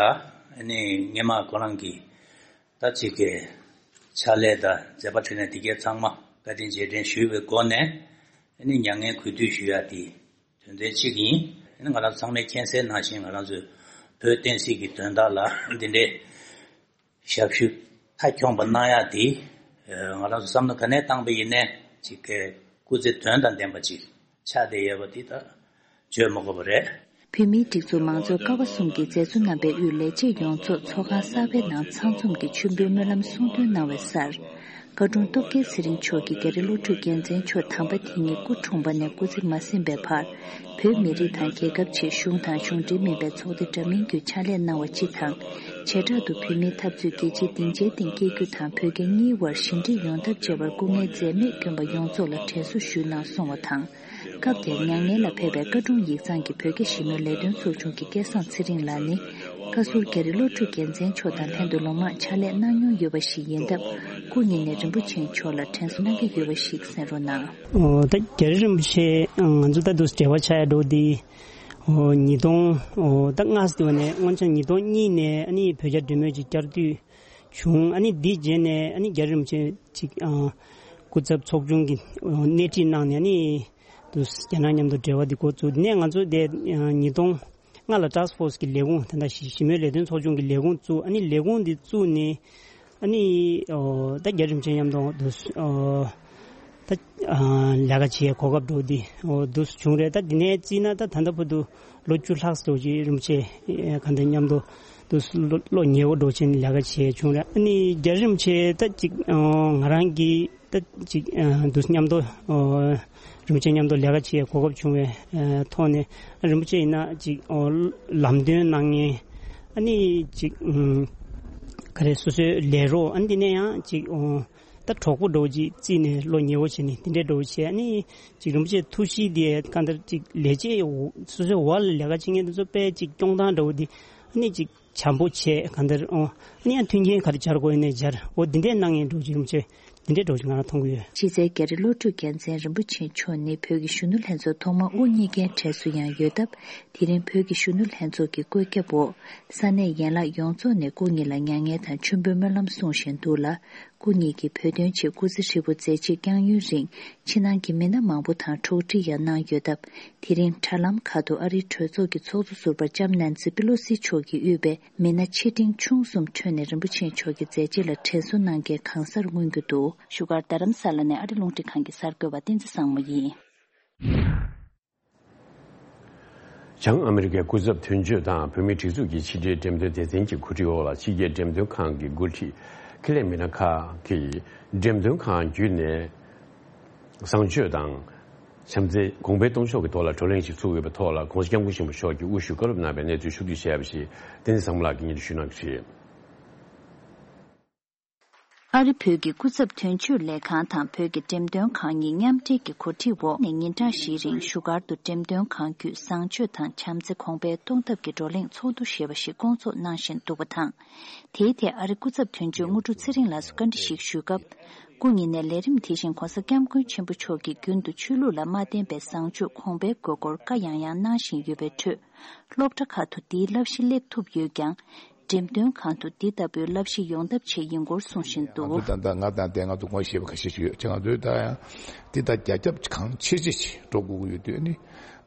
ཨ་ནི་སྔས་མ་ཁོ་རང་གི་ད་ཅིག་གི་ཕྱག་ལས་དང་མཛད་པ་འཕྲིན་ལས་དེ་གའི་ཚང་མ་བཀའ་དྲིན་རྗེས་དྲན་ཞུས་པའི་སྒོ་ནས། ཨ་ནི་མྱ་ངན་གུས་འདུད་ཞུ་ཡ་དེ་དོན་ཚན་གཅིག་ཡིན། ཨ་ནི་ང་རང་ཚང་མས་མཁྱེན་གསལ་ནང་བཞིན། ང་རང་ཚོའི་བོད་བསྟན་སྲིད་ཀྱི་དོན་དག་ལ་འདི་འདྲའི་ཞབས་ཞུ་མཐའ་འཁྱོངས་པ་གནང་ཡག་དེ། ང་རང་ཚོ་བསམ་བློ་ག་ནས་བཏང་པ་ཡིན་ནའི་ཅིག་གི་སྐུ་ཚེ་དོན་དང་ལྡན་པ་ཅིག་ཆགས་བསྡད་ཡོད་པ་འདི་ད་བརྗོད་མ་དགོས་པ་རེད། བོད་མིའི་སྒྲིག་འཛུགས་མང་གཙོའི་ཀ་བ་གསུམ་གྱི་མཛད་གཙོ་རྣམ་པའི་དབུས་ལས་བྱེད་ཡོངས་རྫོགས་ཚོགས་ཁང་གསར་པའི་ནང་ཚང་འཛོམས་ཀྱིས་མཆོད་འབུལ་སྨོན་ལམ་གསུང་འདོན་གནང་བའི་སར། བཀའ་དྲུང་སྟོབས་རྒྱལ་ཚེ་རིང་མཆོག་གིས་རྒྱ་རི་བློ་གྲོས་རྒྱལ་མཚན་མཆོག་དམ་པ་དེ་ཉིད་སྐུ་འཁྲུངས་པ་ནས་སྐུ་ཚེ་མ་ཟིན་པའི་བར། བོད་མི་རིགས་དང་རྒྱལ་ཁབ་ཆེད་གཞུང་དང་གཞུང་འབྲེལ་མིན་པའི་ཚོགས་སྡེ་འདྲ་མིན་བརྒྱུད་ཕྱག་ལས་གནང་བ་སྤྱི་དང་། བྱེ་བྲག་ཏུ་བོད་མིའི་འཐབ་རྩོད་རྒྱལ་སྤྱིའི་སྡིངས་ཆའི་སྟེང་སྐྱེལ་རྒྱུ་དང་བོད་རྒྱ་གཉིས་དབར་ཞི་འགྲིག་ཡོང་ཐབས་བྱེད་པར་སྐུ་ངལ་འཛེམས་མེད་བསྐྱོན་པ་ཡོངས་རྫོགས་ལ་དྲན་གསོ་ཞུས་གནང་སོང་བ་དང་། སྐབས་དེར་མྱ་ངན་ལ་ཕེབས་པའི་བཀའ་དྲུང་ཡིག་ཚང་གི་བོད་རྒྱ་ཞི་མོལ་ལས་དོན་ཚོགས་ཆུང་གི་སྐལ་བཟང་ཚེ་རིང་ལགས་ནི། བཀའ་ཟུར་རྒྱ་རི་བློ་གྲོས་རྒྱལ་མཚན་མཆོག་དང་ལྷན་དུ་ལོ་མང་ཕྱག་ལས་གནང་མྱོང་ཡོད་པ་ཞིག་ཡིན་སྟབས། སྐུ་ཉིད་ནས་རིན་པོ་ཆེ་མཆོག་ལ་དྲན་གསོ་གནང་གི་ཡོད་པ་ཞིག་གསན་རོགས་གནང་། ཨོ། ད་རྒྱ་རི་རིན་པོ་ཆེ་ང་ཚོ་ད་དུ་འབྲེལ་བ་ཆགས་ཡ་འགྲོ་དེ། ཨོ། ཉིས་སྟོང་། ཨོ། ད་སྔ་ས་དེ་བ་ནས་སྔོན་ཆད་ཉིས་སྟོང་གཉིས་ནས་ཨ་ནི་བོད་རྒྱ་འབྲེལ་མོལ་ཅིག་བསྐྱར་ཟློས་བྱུང་། ཨ་ནི་འདིའི་རྗེས་ནས་ཨ་ནི་རྒྱ་རི་རིན་པོ་ཆེ་ཅིག་ཨ། སྐུ་ཚབ་ཚོགས་ཆུང་གི་སྣེ་ཁྲིད་གནང་ནས་ཨ་ནི་དུ་རྒྱ་ནག་མཉམ་དུ་འབྲེལ་བ་འདི་འགོ་བཙུགས། དེ་ནས་ང་ཚོ་དེ་ཉིས་སྟོང་ལྔ་ལ་ཊཱསྐ་ཕོར་སི་གི་ལས་ཁུངས། ད་ལྟ་ཞི་ཞི་མོལ་ལས་དོན་ཚོགས་ཆུང་གི་ལས་ཁུངས་བཙུགས། ཨ་ནི་ལས་ཁུངས་འདི་བཙུགས་ནས་ཨ་ནི་ཨོ་ད་རྒྱ་རི་རིན་པོ་ཆེ་མཉམ་དུ་དུ་ཨོ་ད་ཨ་ལས་ཀ་བྱེད་གོ་སྐབས་འགྲོ་འདི་ཨོ་དུ་བྱུང་རེད། ད་འདི་ནས་བརྩིས་ན་ད་ད་ལྟ་བར་དུ་ལོ་བཅུ་ལྷག་ཙམ་ཅིག་རིན་པོ་ཆེ་ག་འདྲ་མཉམ་དུ་དུ་བློ་ཉེ་བོ་འགྲོ་བྱས་ནས་ལས་ཀ་བྱས་བྱུང་རེད། ཨ་ནི་རྒྱ་རི་རིན་པོ་ཆེ་ད་ཅིག་ཨོ་ང་རང་གི་ད་ཅིག་ཨ་དུ་མཉམ་དུ་ཨོ་རིན་པོ་ཆེ་མཉམ་དུ་ལས་ཀ་བྱེད་གོ་སྐབས་བྱུང་བའི་ཨ་ཐོག་ནས། ཨ་རིན་པོ་ཆེ་ཡིན་ན་ཅིག་ཨོ་ལམ་སྟོན་གནང་མཁན། ཨ་ནི་ཅིག་ཨུམ་ག་རེ་སོ་སོའི་ལས་རོགས། ཨ་ནི་དེ་ནས་ཡང་ཅིག་ཨོ་ད་གྲོགས་པོ་འདྲ་བོ་ཅིག་བརྩིས་ནས་བློ་ཉེ་བོ་བྱས་ནས་དེ་འདྲའི་འདྲ་བོ་བྱས། ཨ་ནི་ཅིག་རིན་པོ་ཆེ་ཐུགས་གཤིས་དེ་གང་ལྟར་ཅིག་ལས་བྱེད་སོ་སོའི་འོག་ལ་ལས་ཀ་བྱེད་མཁན་དེ་ཚོ་དཔེ་ཅིག་སྐྱོང་སྟངས་འདྲ་བོ་དེ་ཨ་ནི་ཅིག་བྱམས་པོ་བྱས། གང་ལྟར་ཨོ་ཨ་ནི་ཡང་མཐུན་རྐྱེན་ག་རེ་སྦྱར་དགོས་ཡིན་ནའི་སྦྱར། འོ་འདི་འདྲས་གནང་ཡིན་འགྲོ་ཅིག་རིན་པོ་ཆེ་ འདི་འདྲའི་འགྲོ་ཞིག་ང་རང་མཐོང་གི་ཡོད། ཕྱི་གསལ་རྒྱ་རི་བློ་གྲོས་རྒྱལ་མཚན་རིན་པོ་ཆེ་མཆོག་ནི་བོད་ཀྱི་གཞོན་ནུ་ལྷན་ཚོགས་ཐོག་མ་དབུ་བརྙེས་མཁན་གྲས་སུ་ཡང་ཡོད་སྟབས། དེ་རིང་བོད་ཀྱི་གཞོན་ནུ་ལྷན་ཚོགས་ཀྱི་བཀོད་ཁྱབ་འོག་ས་གནས་ཡན་ལག་ཡོངས་རྫོགས་ནས་སྐུ་ཉིད་ལ་མྱ་ངན་དང་མཆོད་འབུལ་སྨོན་ལམ་གསུང་བཞིན་འདུག་ལ། སྐུ་ཉིད་ཀྱིས་བོད་དོན་ཆེད་སྐུ་ཚེ་ཧྲིལ་པོ་མཛད་རྗེས་བསྐྱངས་ཡུན་རིང་ཕྱི་ནང་གི་མི་སྣ་མང་པོ་དང་གྲོགས་འདྲིས་ཡང་གནང་ཡོད་སྟབས། དེ་རིང་དྲ་ལམ་ཁག་ཏུ་ཨ་རིའི་གྲོས་ཚོགས་ཀྱི་ཚོགས་གཙོ་ཟུར་པ་ལྕམ་ནན་སི་པི་ལོ་སི་མཆོག་གིས་དབུས་པའི་མི་སྣ་ཆེ་འབྲིང་ཆུང་གསུམ་ཁྲོད་ནས་རིན་པོ་ཆེ་མཆོག་གི་མཛད་རྗེས་ལ་དྲན་གསོ་གནང་མཁན་གང་སར་མངོན་གྱི་འདུག་བཞུགས་སྒར་རྡ་རམ་ས་ལ་ནས་ཨ་རི་རླུང་འཕྲིན་ཁང་གི་གསར་འགོད་པ་བསྟན་འཛིན་བཟང་མོ་ཡིན། བྱང་ཨ་མི་རི་ཀའི་སྐུ་ཚབ་དོན་གཅོད་དང་བོད་མིའི་སྒྲིག་འཛུགས་ཀྱི་ཕྱི་དྲིལ་འགྲེམས་སྟོན་སྡེ་ཚན་གྱི་གོ་སྒྲིག་འོག་ལ་ཕྱི་རྒྱལ་འགྲེམས་སྟོན་ཁང་གི་འགོ་ཁྲིད་ཁེ་ལས་མི་སྣ་ཁག་གིས་འགྲེམས་སྟོན་ཁང་བརྒྱུད་ནས་བཟང་སྤྱོད་དང་བྱམས་བརྩེ་གོང་འཕེལ་གཏོང་ཕྱོགས་ཀྱི་ཐོག་ལ་བགྲོ་གླེང་ཞིག་ཚུགས་ཡོད་པའི་ཐོག་ལ་༸གོང་ས་༸སྐྱབས་མགོན་ཆེན་པོ་མཆོག་གིས་དབུ་བཞུགས་བཀའ་སློབ་གནང་བའི་གནས་ཚུལ་ཕྱོགས་བསྡུས་བྱས་པ་ཞིག་བསྟན་འཛིན་བཟང་མོ་ལགས་ཀྱིས་སྙན་སྒྲོན་ཞུ་གནང་གི་རེད། ཨ་རི་བོད་ཀྱི་སྐུ་ཚབ་དོན་གཅོད་ལས་ཁང་དང་བོད་ཀྱི་འགྲེམས་སྟོན་ཁང་གཉིས་མཉམ་འབྲེལ་གྱི་གོ་སྒྲིག་འོག་ནས་ཉིན་གྲངས་བཞིའི་རིང་བཞུགས་སྒར་དུ་འགྲེམས་སྟོན་ཁང་བརྒྱུད་བཟང་སྤྱོད་དང་བྱམས་བརྩེ་གོང་འཕེལ་གཏོང་ཐབས་ཀྱི་བགྲོ་གླེང་ཚོགས་འདུ་ཞེས་པ་ཞིག་བསྐོང་ཚོགས་གནང་བཞིན་འདུག་པ་དང་། དེའི་ཐད་ཨ་རི་སྐུ་ཚབ་དོན་གཅོད་དངོས་གྲུབ་ཚེ་རིང་ལགས་སུ་བཀའ་འདྲི་ཞིག་ཞུས་སྐབས། སྐུ་ཉིད་ནས་ལས་རིམ་དེ་བཞིན་༸གོང་ས་༸སྐྱབས་མགོན་ཆེན་པོ་མཆོག་གིས་རྒྱུན་དུ་ཆོས་ལུགས་ལ་མ་བརྟེན་པའི་བཟང་སྤྱོད་གོང་འཕེལ་དགོས་སྐོར་བཀའ་ཡང་ཡང་གནང་བཞིན་ཡོད་པའི་ཁྲོད། སློབ་གྲྭ་ཁག་ཏུ་འདིའི་བསླབ་གཞི་སླེབས་ཐུབ་ཡོད་ཀྱང་། འགྲེམས་སྟོན་ཁང་དུ་འདི་ལྟ་བུའི་བསླབ་གཞི་ཡོང་ཐབས་ཆེད་ཡིན་སྐོར་གསུངས་བཞིན་འདུག་ང་ཚོ་ད་ལྟ་ང་དང་དེ་ང་ཚོ་ངོ་ཤེས་པ་ཁ་ཤས་ཤིག་ཡོད་ཅེ། ང་ཚོའི་ད་ཡང་འདི་ད་རྒྱ་ཁྱབ་གང་ཆེ་ཆེ་ཞིག་འགྲོ་དགོས་ཀྱི་ཡོད་དུས་ནི།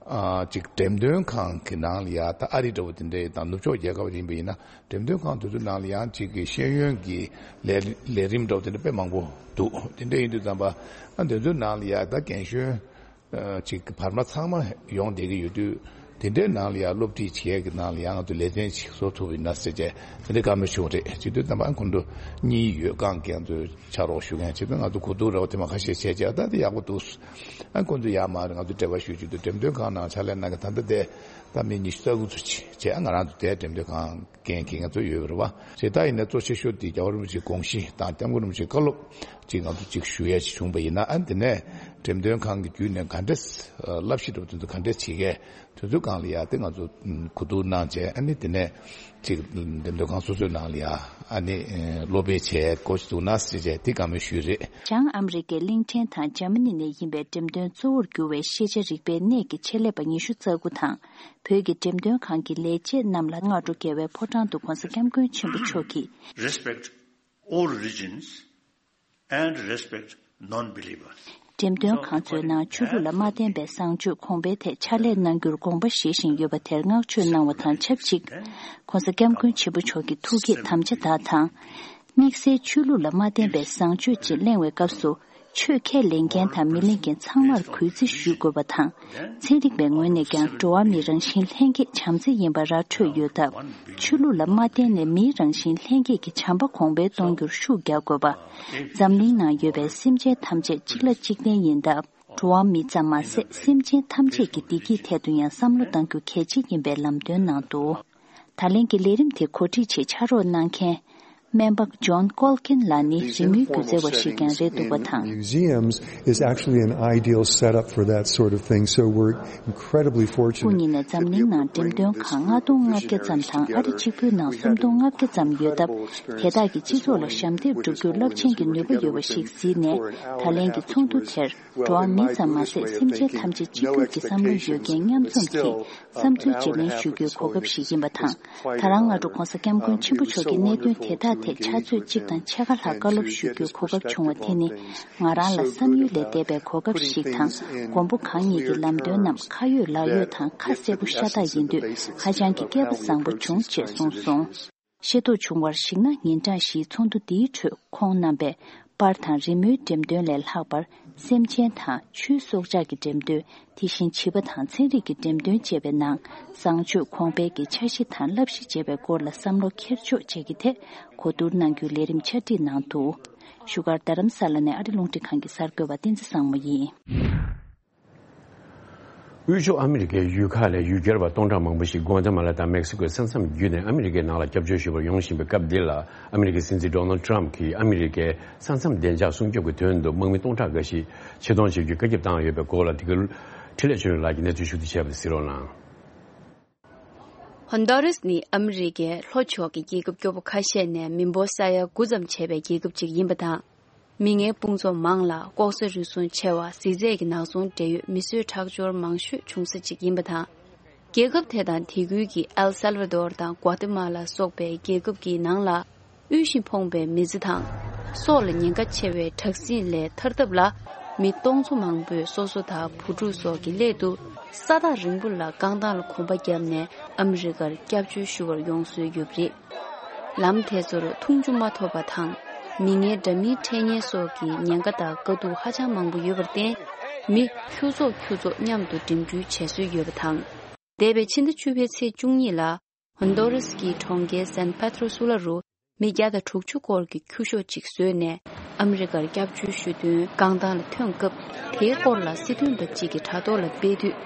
ཨ་ཅིག་འགྲེམས་སྟོན་ཁང་གི་ནང་ལ་ཡ་ད་ཨ་རི་འདྲ་བོ་དེ་འདྲ་ཡི་དང་ནུབ་ཕྱོགས་རྒྱལ་ཁབ་ཡིན་པ་ཡིན་ན་འགྲེམས་སྟོན་ཁང་དེ་ཚོའི་ནང་ལ་ཡང་ཅིག་གི་ཤེས་ཡོན་གྱི་ལས་ལས་རིམ་འདྲ་བོ་དེ་འདྲ་དཔེ་མང་པོ་འདུག་དེ་འདྲ་ཡིན་དུས་ཙམ་པ་ཨ་དེ་ཚོའི་ནང་ལ་ཡ་ད་རྒན་གཞོན། ཅིག་བར་མ་ཚང་མ་ཡོང་བསྡད་ཀྱི་ཡོད་དུས། དེ་འདྲའི་ནང་ལ་ཡང་སློབ་ཁྲིད་བྱེད་ཡས་ཀྱི་ནང་ལ་ཡང་ང་ཚོ་ལེ་ཚན་ཅིག་བཟོ་ཐུབ་ཡིན་ན་ཟེར་བྱས་དེ་འདྲའི་བཀའ་མོལ་ཞུ་བ་རེད། བྱེད་དུས་ཙམ་པ་ཁོང་ཚོ་གཉིས་ཡོད་ཀྱང་ཁྱེད་ཚོ་ཕྱག་རོགས་ཞུ་མཁན་བྱེད་དུས་ང་ཚོ་གོ་བསྡུར་རེ་བ་དེ་མ་ཁ་ཤས་བྱས་བྱས་ད་དེ་ཡག་པོ་འདུག་ཨ་ཁོང་ཚོ་ཡར་མར་ང་ཚོ་འབྲེལ་བ་ཞུ་རྒྱུ་དུ་འགྲེམས་སྟོན་ཁང་ནང་ཕྱག་ལས་གནང་མཁན་ད་ལྟ་དེ་ད་མི་ཉི་ཤུ་རྩ་དགུ་ཚོ་ཅིག་བྱས་ང་རང་ཚོ་དེ་འགྲེམས་སྟོན་ཁང་འགན་འཁྱེར་མཁན་ཚོ་ཡོད་པ་རེད་བ། བྱས་ད་ཡིན་ན་གཙོ་ཆེ་ཤོས་དེ་རྒྱལ་བ་རིན་པོ་ཆེའི་དགོངས་གཞི་དང་༸སྐྱབས་མགོན་རིན་པོ་ཆེའི་བཀའ་སློབ། ཅིག་ང་ཚོ་ཅིག་ཞུ་ཡ་ཅིག་བྱུང་པ་ཡིན་ན་ཨ་འདི་ནས་འགྲེམས་སྟོན་ཁང་གི་བརྒྱུད་ནས་ག་འདྲས་བསླབ་གཞི་འདྲ་བོ་དེ་ཚོ་ག་འདྲས་བྱེད་མཁན་དེ་ཚོའི་སྒང་ལ་ཡ་དེ་ང་ཚོ་གོ་བསྡུར་གནང་བྱས་ཨ་ནི་དེ་ནས་ཅིག་འགྲེམས་སྟོན་ཁང་སོ་སོའི་ནང་ལ་ཡ་ཨ་ནི་སློབ་སྤེལ་བྱས་འགོ་ཞིག་བཙུགས་ན་ཟེར་བྱས་དེ་བཀའ་མོལ་ཞུས་རེད། བྱང་ཨ་མི་རི་ཀའི་གླིང་ཕྲན་དང་འཇར་མ་ནི་ནས་ཡིན་པའི་འགྲེམས་སྟོན་གཙོ་བོར་གྱུར་བའི་ཤེས་བྱ་རིག་པའི་གནས་ཀྱི་ཆེད་ལས་པ་ཉི་ཤུ་རྩ་དགུ་དང་བོད་ཀྱི་འགྲེམས་སྟོན་ཁང་གི་ལས་བྱེད་རྣམས་ལ་སྔ་དྲོ་རྒྱལ་བའི་ཕོ་བྲང་དུ་༸གོང་ས་༸སྐྱབས་མགོན་ཆེན་པོ་མཆོག་གིས། Respect all religions and respect non-believers. འགྲེམས་སྟོན་ཁང་ཚོའི་ནང་ཆོས་ལུགས་ལ་མ་བརྟེན་པའི་བཟང་སྤྱོད་གོང་འཕེལ་ཐད་ཕྱག་ལས་གནང་རྒྱུར་དགོངས་པ་བཞེས་བཞིན་ཡོད་པ་དེར་བསྔགས་བརྗོད་གནང་བ་དང་ཆབས་ཅིག ༸གོང་ས་༸སྐྱབས་མགོན་ཆེན་པོ་མཆོག་གི་ཐུགས་བསྐྱེད་དམ་བཅའ་དག་དང་། དམིགས་བསལ་ཆོས་ལུགས་ལ་མ་བརྟེན་པའི་བཟང་སྤྱོད་ཅེས་གླེང་བའི་སྐབས་སུ། ཆོས་ཁས་ལེན་མཁན་དང་མི་ལེན་མཁན་ཚང་མར་གུས་བརྩི་ཞུ་དགོས་པ་དང་། ཚན་རིག་པའི་ངོས་ནས་ཀྱང་འགྲོ་བ་མིའི་རང་བཞིན་ལྷན་སྐྱེས་བྱམས་བརྩེ་ཡིན་པ་ར་འཕྲོད་ཡོད་སྟབས། ཆོས་ལུགས་ལ་མ་བརྟེན་ནས་མིའི་རང་བཞིན་ལྷན་སྐྱེས་ཀྱི་བྱམས་པ་གོང་འཕེལ་གཏོང་རྒྱུར་ཤུགས་རྒྱག་དགོས་པ། འཛམ་གླིང་ནང་ཡོད་པའི་སེམས་ཅན་ཐམས་ཅད་གཅིག་ལ་གཅིག་བརྟེན་ཡིན་སྟབས། འགྲོ་བ་མི་ཙམ་མ་ཟད་སེམས་ཅན་ཐམས་ཅད་ཀྱི་བདེ་སྐྱིད་ཐད་དུ་ཡང་བསམ་བློ་གཏང་རྒྱུ་གལ་ཆེ་ཡིན་པའི་ལམ་སྟོན་གནང་འདུག་ད་ལན་གྱི་ལས་རིམ་དེ་གོ་སྒྲིག་ཆེད་ཕྱག་རོགས་གནང་མཁན། སྨན་པ་ཇོན་ཀོལ་ཀིན་ལགས་ནི་རི་མོའི་སྒྱུ་རྩལ་བ་ཞིག་ཀྱང་རེད་འདུག་པ་དང་། Museums is actually an ideal setup for that sort of thing, so we're incredibly fortunate. སྐུ་ཉིད་ནས་འཛམ་གླིང་ནང་འགྲེམས་སྟོན་ཁང་ལྔ་སྟོང་ལྔ་བརྒྱ་ཙམ་དང་ཨ་རི་གཅིག་པུའི་ནང་སུམ་སྟོང་ལྔ་བརྒྱ་ཙམ་ཡོད་སྟབས། དེ་དག་གིས་སྤྱི་ཚོགས་ལ་ཞབས་འདེགས་སྒྲུབ་རྒྱུར་རླབས་ཆེན་གྱི་ནུས་པ་ཡོད་པ་ཞིག་གཟིགས་ནས། ད་ལན་གྱི་ཚོགས་འདུ་དེར། འགྲོ་བ་མི་ཙམ་མ་ཟད་སེམས་ཅན་ཐམས་ཅད་གཅིག་གྱུར་གྱི་བསམ་བློ་ཡོད་མཁན་མཉམ་འཛོམས་ཀྱིས་བསམ་ཚུལ་བརྗེ་ལེན་ཞུ་རྒྱུའི་གོ་སྐབས་ཤིག་ཡིན་པ་དང་། ད་རང་སྔ་དྲོ་༸གོང་ས་༸སྐྱབས་མགོན་ཆེན་པོ་མཆོག་གི་གནད་དོན་དེ་དག་ཐད་ཕྱག་ཚོད་གཅིག་དང་ཕྱེད་ཀ་ལྷག་བཀའ་སློབ་ཞུ་རྒྱུའི་གོ་སྐབས་བྱུང་བ་དེ་ནི་ང་རང་ལ་བསམ་ཡུལ་ལས་འདས་པའི་གོ་སྐབས་ཤིག་དང་། མགོན་པོ་གང་ཉིད་ཀྱི་ལམ་སྟོན་རྣམས་ཁ་ཡོད་ལག་ཡོད་དང་ཁ་གསལ་པོ་ཤ་སྟག་ཡིན་དུས་ཧ་ཅང་གི་སྐལ་པ་བཟང་པོ་བྱུང་ཅེས་གསུངས་སོང་། ཤེས་རྟོགས་བྱུང་བར་གཞིགས་ན་ཉིན་གྲངས་བཞིའི་ཚོགས་འདུ་འདིའི་ཁྲོད་ཁོང་རྣམ་པས་པར་དང་རི་མོའི་འགྲེམས་སྟོན་ལས་ལྷག་པར་སེམས་ཅན་དང་ཆོས་སྲོག་ཆགས་ཀྱི་འགྲེམས་སྟོན། དེ་བཞིན་བྱིས་པ་དང་ཚན་རིག་གི་འགྲེམས་སྟོན་བཅས་པའི་ནང་བཟང་སྤྱོད་གོང་འཕེལ་གྱི་འཆར་གཞི་དང་བསླབ་གཞི་བཅས་པའི་སྐོར་ལ་བསམ་བློ་འཁྱེར་ཕྱོགས་བཅས་ཀྱི་ཐད་གོ་བསྡུར་གནང་རྒྱུའི་ལས་རིམ་ཆ་སྒྲིག་གནང་འདུག་བཞུགས་སྒར་རྡ་རམ་ས་ལ་ནས་ཨ་རི་རླུང་འཕྲིན་ཁང་གི་གསར་འགོད་པ་བསྟན་འཛིན་བཟང་མོ་ཡིན། དབུས་ཕྱོགས་ཨ་མི་རི་ཀའི་ཡུལ་ཁག་ལས་ཡུལ་གྱར་བ་སྟོང་ཕྲག་མང་པོ་ཞིག་གུ་ཨ་ཏི་མ་ལ་དང་མེག་སི་ཀོའི་ས་མཚམས་བརྒྱུད་ནས་ཨ་མི་རི་ཀའི་ནང་ལ་སྐྱབས་བཅོལ་ཞུ་བར་ཡོང་བཞིན་པའི་སྐབས་འདི་ལ། ཨ་མི་རི་ཀའི་སྲིད་འཛིན་ཌོ་ནལ་ཌི་ཊརམ་ཕི་གྱིས་ཨ་མི་རི་ཀའི་ས་མཚམས་བདེ་འཇགས་སྲུང་སྐྱོབ་ཀྱི་དོན་དུ་དམག་མི་སྟོང་ཕྲག་འགའ་ཞིག་ཆེད་གཏོང་བྱེད་རྒྱུའི་བཀའ་ཁྱབ་བཏང་ཡོད་པའི་སྐོར་ལ། དེ་ག་འཕྲིན་ལས་ཆོས་སྒྲོན་ལགས་ཀྱིས་གནས་ཚུལ་ཞིབ་ཕྲ་བྱས་པ་དེ་གསན་རོགས་གནང་། ཧོན་ཌུ་རཱས་ནི་ཨ་མི་རི་ཀའི་ལྷོ་ཕྱོགས་ཀྱི་རྒྱལ་ཁབ་སྐྱོ་པོ་ཁ་ཤས་ནས་མི་འབོར་ས་ཡ་དགུ་ཙམ་བྱས་པའི་རྒྱལ་ཁབ་ཅིག་ཡིན་པ་དང་། མི་ངན་དཔུང་ཚོགས་མང་ལ་ལྐོག་ཟ་རུལ་སུངས་ཆེ་བ། གཟི་རྫས་ཀྱི་ནག་ཚོང་འབྲེལ་ཡོད་མི་གསོད་ཁྲག་སྦྱོར་མང་ཤོས་བྱུང་ས་ཅིག་ཡིན་པ་དང་། རྒྱལ་ཁབ་དེ་དང་དེ་ཁུལ་གྱི་ཨེལ་སལ་ཝ་དོར་དང་ཀོ་ཏི་མ་ལ་སོགས་པའི་རྒྱལ་ཁབ་ཀྱི་ནང་ལ། དབུལ་ཞིང་ཕོངས་པའི་མི་ཚེ་དང་། སྲོག་ལ་ཉེན་ཁ་ཆེ་བའི་དྲག་ཟིང་ལས་ཐར་ཐབས་ལ། མི་སྟོང་ཚོ་མང་པོས་སོ་སོ་དང་བུ་ཕྲུག་སོགས་ཀྱི་སླད་དུ། ས་ཐག་རིང་པོ་ལ་རྐང་ཐང་ལ་གོམ་པ་བརྒྱབ་ནས་ཨ་མི་རི་ཀར་སྐྱབས་བཅོལ་ཞུ་བར་ཡོང་སྲོལ་ཡོད་པ་རེད། ལམ་དེ་ཚོར་འཐུང་ཆུ་མ་ཐོབ་པ་དང་། མི་ངན་འདྲ་མིན་འཕྲད་ཉེན་སོགས་ཀྱི་ཉེན་ཁ་དང་དཀའ་སྡུག་ཧ་ཅང་མང་པོ་ཡོད་པར་བརྟེན། མི་ཁྱུ་ཚོགས་ཁྱུ་ཚོགས་མཉམ་དུ་འགྲིམ་འགྲུལ་བྱེད་སྲོལ་ཡོད་པ་དང་། འདས་པའི་ཕྱི་ཟླ་བཅུ་པའི་ཚེས་བཅུ་གཉིས་ལ། ཧོན་ཌོ་རེས་ཀྱི་གྲོང་ཁྱེར་སན་པེ་ཏྲོ་སུ་ལ་རུ། མི་བརྒྱ་དང་དྲུག་ཅུ་སྐོར་གྱི་ཁྱུ་ཤོག་ཅིག་བཟོས་ནས་ཨ་མི་རི་ཀར་སྐྱབས་བཅོལ་ཞུ་དོན་རྐང་ཐང་ལ་ཐོན་སྐབས། དེའི་སྐོར་ལ་སྲིད་དོན་པ་གཅིག་གིས་དྲ་ཐོག་ལ་སྤེལ་དུས།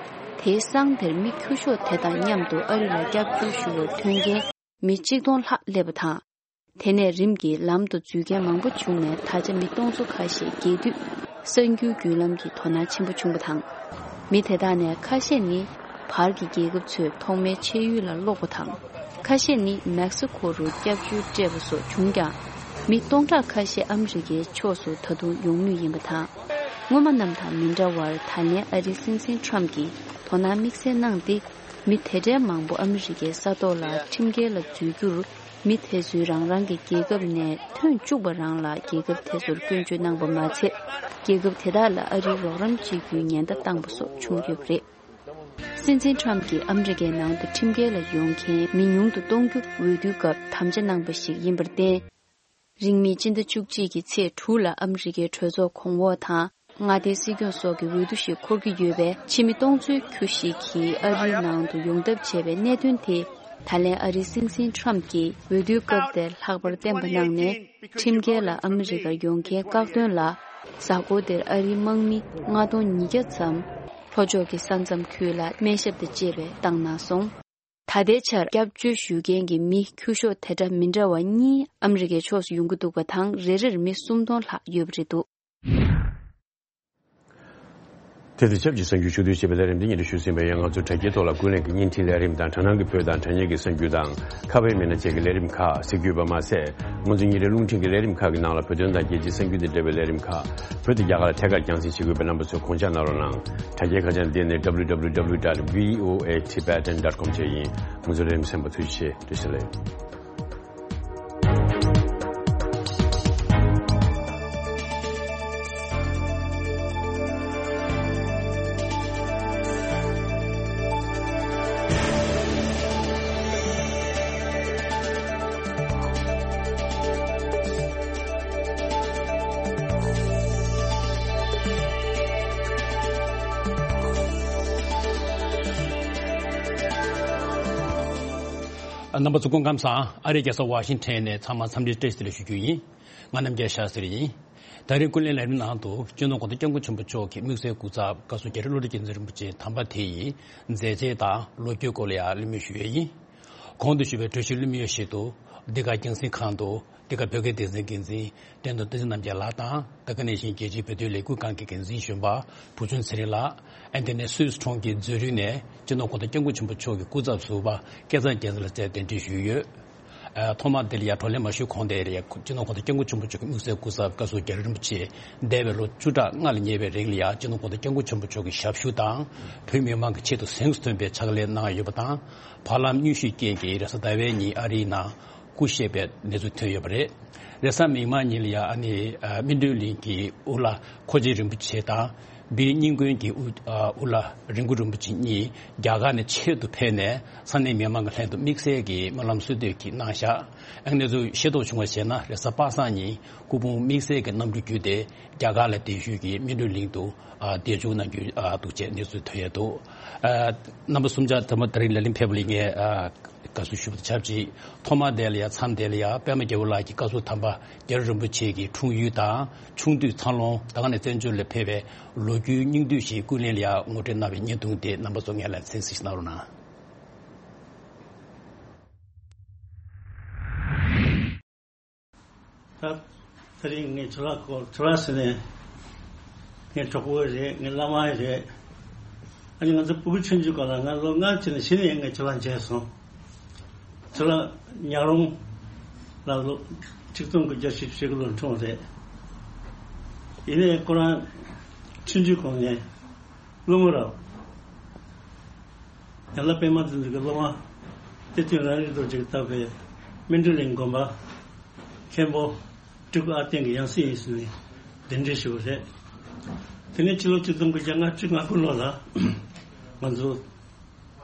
དེའི་སང་དེར་མི་ཁྱུ་ཤོག་དེ་དང་མཉམ་དུ་ཨ་རི་ལ་སྐྱབས་བཅོལ་ཞུ་བར་ཐོན་མཁན་མི་གཅིག་སྟོང་ལྷག་སླེབས་པ་དང་། དེ་ནས་རིམ་གྱིས་ལམ་དུ་འཛུལ་མཁན་མང་པོ་བྱུང་ནས། ད་ཆ་མི་སྟོང་ཚོ་ཁ་ཤས་རྒྱས་བསྡུས་གསར་འགྱུར་བརྒྱུད་ལམ་གྱི་དོ་སྣང་ཆེན་པོ་བྱུང་བ་དང་། མི་དེ་དག་ནས་ཁ་ཤས་ནི། བར་གྱི་རྒྱལ་ཁབ་ཚོས་ཐོག་མའི་ཆད་ཡུལ་ལ་སློག་པ་དང་། ཁ་ཤས་ནི་མེག་སི་ཁོ་རུ་སྐྱབས་བཅོལ་སྤྲད་པ་སོགས་བྱུང་ཀྱང་། མི་སྟོང་ཕྲག་ཁ་ཤས་ཨ་མི་རི་ཀའི་ཕྱོགས་སུ་ད་དུང་ཡོང་མུས་ཡིན་པ་དང་། སྔོན་མ་རྣམས་དང་མི་འདྲ་བར། ད་ལན་ཨ་རིའི་སྲིད་འཛིན་ཁྲམ་གྱིས་དོ་སྣང་དམིགས་བསལ་གནང་སྟེ། མི་དེ་འདྲའི་མང་པོ་ཨ་མི་རི་ཀའི་ས་ཐོག་ལ་ཁྲིམས་འགལ་ལ་འཛུལ་རྒྱུར། མི་དེ་ཚོས་རང་རང་གི་རྒྱལ་ཁབ་ནས་ཐོན་བཅུག་པ་རང་ལ། རྒྱལ་ཁབ་དེ་ཚོར་སྐྱོན་བརྗོད་གནང་པ་མ་ཚད། རྒྱལ་ཁབ་དེ་དག་ལ་ཨ་རིའི་རོགས་རམ་བྱེད་རྒྱུའི་ཉེན་བརྡ་བཏང་པ་སོགས་བྱུང་ཡོད་པ་རེད། སྲིད་འཛིན་ཁྲམ་གྱིས་ཨ་མི་རི་ཀའི་ནང་དུ་ཁྲིམས་འགལ་ལ་ཡོང་མཁན་མི་ཉུང་དུ་གཏོང་རྒྱུ་འོས་བསྡུའི་སྐབས་དམ་བཅའ་གནང་པ་ཞིག་ཡིན་པར་བརྟེན། རིང་མིན་སྤྱི་ཟླ་བཅུ་གཅིག་གི་ཚེས་དྲུག་ལ་ཨ་མི་རི་ཀའི་གྲོས་ཚོགས་གོང་འོག་དང་མངའ་སྡེའི་སྲིད་སྐྱོང་སོགས་ཀྱི་འོས་བསྡུ་ཞིག་འཁོར་གྱི་ཡོད་པས། ཕྱི་མི་སྟོང་ཚོའི་ཁྱུ་ཞིག་གིས་ཨ་རིའི་ནང་དུ་ཡོང་ཐབས་བྱས་པའི་གནད་དོན་དེ། ད་ལན་ཨ་རིའི་སྲིད་འཛིན་ཁྲམ་གྱིས་འོས་བསྡུའི་སྐབས་དེར་ལྷག་པར་བསྟན་པ་གནང་ནས། ཁྲིམས་འགལ་ལ་ཨ་མི་རི་ཀར་ཡོང་མཁན་བཀག་སྡོམ་ལ། གཟའ་འཁོར་དེར་ཨ་རིའི་དམག་མི་ལྔ་སྟོང་ཉིས་བརྒྱ་ཙམ་ལྷོ་ཕྱོགས་ཀྱི་ས་མཚམས་ཁུལ་ལ་སྨན་ཞབས་དང་བཅས་པས་བཏང་གནང་སོང་། ད་ལྟའི་ཆར་སྐྱབས་བཅོལ་ཞུ་མཁན་གྱི་མི་ཁྱུ་ཤོག་དེ་འདྲ་མི་འདྲ་བ་གཉིས་ཨ་མི་རི་ཀའི་ཕྱོགས་སུ་ཡོང་གི་འདུག་པ་དང་། རེ་རེར་མི་སུམ་སྟོང་ལྷག་ཡོད་པ་རེད་འདུག། དེ་དང་ཆབས་ཅིག་གསར་འགྱུར་ཕྱོགས་བསྡུས་བྱས་པའི་ལས་རིམ་འདི་སྙན་སྒྲོན་ཞུས་ཟིན་པ་ཡིན། ང་ཚོ་དྲ་རྒྱའི་ཐོག་ལ་ཀུན་གླེང་གི་བརྙན་འཕྲིན་ལས་རིམ་དང་། དྲ་སྣང་གི་བོད་དང་དྲ་བརྙན་གྱི་གསར་འགྱུར་དང་། ཁ་པར་མི་སྣ་བཅས་ཀྱི་ལས་རིམ་ཁག་གཟིགས་རྒྱུ་ཡོད་པ་མ་ཟད། ང་ཚོ་ཉིན་རེའི་རླུང་འཕྲིན་གྱི་ལས་རིམ་ཁག་གི་ནང་ལ་བོད་དོན་དང་རྒྱལ་སྤྱིའི་གསར་འགྱུར་དང་འབྲེལ་བའི་ལས་རིམ་ཁག་བོད་དང་རྒྱ་གར་ལ་ཐད་ཀར་རྒྱང་སྲིང་བྱེད་དགོས་པས། རྣམ་པ་ཚོས་དགོངས་འཇགས་གནང་རོགས་གནང་། དྲ་རྒྱའི་ཁ་བྱང་འདི་ནི་W W W dot V O A Tibetan dot com བཅས་ཡིན། ང་ཚོའི་ལས་རིམ་གསན་པར་ཐུགས་རྗེ་ཆེ། བཀྲ་ཤིས་བདེ་ལེགས། རྣམ་པ་ཚོ་སྐུ་ཁམས་བཟང་། ཨ་རིའི་རྒྱལ་ས་ཝ་ཤིང་ཊོན་ནས་ཚང་མར་འཚམས་འདྲི་བཀྲ་ཤིས་བདེ་ལེགས་ཞུ་རྒྱུ་ཡིན། ང་རྣམ་རྒྱལ་ཤཱ་སྟྲི་ཡིན། ད་རིང་ཀུན་གླེང་ལས་རིམ་ནང་དུ་སྤྱི་ནོར་གོང་ས་སྐྱབས་མགོན་ཆེན་པོ་མཆོག་གི་དམིགས་བསལ་སྐུ་ཚབ་བཀའ་ཟུར་རྒྱ་རི་བློ་གྲོས་རྒྱལ་མཚན་རིན་པོ་ཆེ་དམ་པ་དེ་ཡི་མཛད་རྗེས་དང་ལོ་རྒྱུས་སྐོར་ལ་ཡང་གླེང་མོལ་ཞུ་ཡས་ཡིན། གོང་དུ་ཞུས་པའི་གྲོས་ཆོད་གླེང་མོལ་ཞིག་ཏུ། འདི་ག་རྒྱང་སྲིང་ཁང་དུ་འདི་ག་བོད་སྐད་སྡེ་ཚན་འགན་འཛིན་བསྟན་དོན་བསྟན་འཛིན་རྣམ་རྒྱལ་ལགས་དང་། དེ་ག་ནང་བཞིན་རྒྱལ་སྤྱིའི་བོད་དོན་ལས་འགུལ་ཁང་གི་འགན་འཛིན་གཞོན་པ་བུ་ཆུང་ཚེ་རིང་ལགས། ཨ་ནི་དེ་ནས་སུད་སི་གྲོང་ཁྱེར་ཛུ་རིག་ནས་སྤྱི་ནོར་གོང་ས་སྐྱབས་མགོན་ཆེན་པོ་མཆོག་གི་སྐུ་ཚབ་ཟུར་པ་སྐལ་བཟང་རྒྱལ་མཚན་ལགས་བཅས་གདན་འདྲེན་ཞུས་ཡོད། ཨ། ཐོག་མར་འདི་ལ་ཡང་བགྲོ་གླེང་མ་ཞུས་གོང་དེ་ལ་ཡང་སྤྱི་ནོར་གོང་ས་སྐྱབས་མགོན་ཆེན་པོ་མཆོག་གི་དམིགས་བསལ་སྐུ་ཚབ་བཀའ་ཟུར་རྒྱ་རི་རིན་པོ་ཆེ་འདས་པའི་ལོ་བཅུ་ཕྲག་ལྔ་ལ་ཉེ་བའི་རིང་ལ་ཡང་སྤྱི་ནོར་གོང་ས་སྐྱབས་མགོན་ཆེན་པོ་མཆོག་གི་ཞབས་ཞུ་དང་། བོད་མི་མང་གི་ཆེད་དུ་གཟེངས་སུ་ཐོན་པའི་ཕྱག་ལས་གནང་ཡོད་པ་དང་། བར་ལམ་མྱུལ་ཞུའི་རྐྱེན་གྱིས་རེས་གཟའ་ཟླ་བའི་ཉིན་ཨ་རིའི་ནང་སྐུ་གཤེགས་པའི་གནས་ཚུལ་ཐོན་ཡོད་པ་རེད། རེས་གཟའ་མིག་དམར་ཉིན་ལ་ཡང་ཨ་ནི་སྨིན་གྲོལ་གླིང་གི་དབུ་བླ་ཁོ་ཆེན་རིན་པོ་ཆེ་དང་། བིར་རྙིང་དགོན་གྱི་དབུ་ཨ་དབུ་བླ་རིན་པོ་རིན་པོ་ཆེ་གཉིས་རྒྱ་གར་ནས་ཆེད་དུ་ཕེབས་ནས་ས་གནས་མི་མང་གི་ལྷན་དུ་དམིགས་བསལ་གྱི་སྨོན་ལམ་གསོལ་འདེབས་ཀྱིས་གནང་བཞག་ཨ་ནི་གནས་ཚུལ་ཤེས་རྟོགས་བྱུང་བ་བྱས་ན། རེས་གཟའ་པ་སངས་ཉིན་སྐུ་ཕུང་དམིགས་བསལ་གྱི་གནམ་གྲུ་བརྒྱུད་དེ་རྒྱ་གར་ལ་གདན་ཞུས་ཀྱིས་སྨིན་གྲོལ་གླིང་དུ་ཨ་གདན་འཇོག་གནང་རྒྱུ་ཨ་འདུག་ཅེས་གནས་ཚུལ་ཐོན་ཡོད་འདུག་ཨ་རྣམ་པ་གསུམ་ཆར་ཐོག་མར་ད་རིང་ལས་རིམ་ཕེབས་པ་ལ་ངས་ཨ་དགའ་བསུ་ཞུ་བ་དང་ཆབས་ཅིག་ཐོག་མར་དེ་ལ་ཡང་མཚམས་དེ་ལ་ཡང་པདྨ་རྒྱལ་པོ་ལགས་ཀྱིས་བཀའ་ཟུར་དམ་པ་རྒྱ་རི་རིན་པོ་ཆེ་གི་འཁྲུངས་ཡུལ་དང་ཆུང་དུས་འཚར་ལོངས། ད་ག་ནས་བཙན་བྱོལ་ལ་ཕེབས་པའི་ལོ་རྒྱུས་སྙིང་བསྡུས་ཤིག་ཀུན་གླེང་ལ་ཡང་ངོ་སྤྲོད་གནང་བའི་བརྙན་ཐུང་དེ་རྣམ་པ་ཚོ་སྔོན་ལ་གསན་གཟིགས་གནང་རོགས་གནང་། ད་དེ་རིང་ངས་ཁྱོད་ལ་གོ་ཁྱོད་ལ་ཟེར་ནས། ངའི་གྲོགས་པོ་རེད། ངའི་བླ་མ་རེད། ཨ་ནི་ང་ཚོ་ཕྲུ་གུ་ཆུང་ཆུང་སྐབས་ལ་ང་ལོ་ལྔ་ཅིག་ནས་གཞི་ནས་ངས་ཁྱོད་ལ་མཇལ་སོང་། ཁྱོད་ལ་ཉག་རོང་ལ་ལོ་ཆིག་སྟོང་དགུ་བརྒྱ་བཞི་བཅུ་ཞེ་དགུ་ལོར་འཁྲུངས་རེད། ཡིན་ནའི་ཁོ་རང་ཆུང་ཆུང་གོང་ནས་སློབ་མ་རབ། ཡང་ལ་པདྨ་འཛིན་གྱི་སློབ་མ་གཏེར་སྟོན་རང་རིག་རྡོ་རྗེས་བཏབ་པའི་སྨིན་གྲོལ་གླིང་དགོན་པ་མཁན་པོ་སྤྲུལ་སྐུ་ཨ་བརྟན་གྱི་ཡང་སྲིད་ཡིན་ཟེར་ནས་གདན་འདྲེན་ཞུས་པ་རེད། དེ་ནས་ཕྱི་ལོ་ཆིག་སྟོང་དགུ་བརྒྱ་ལྔ་བཅུ་ང་དགུ་ལོ་ལ་ང་ཚོ་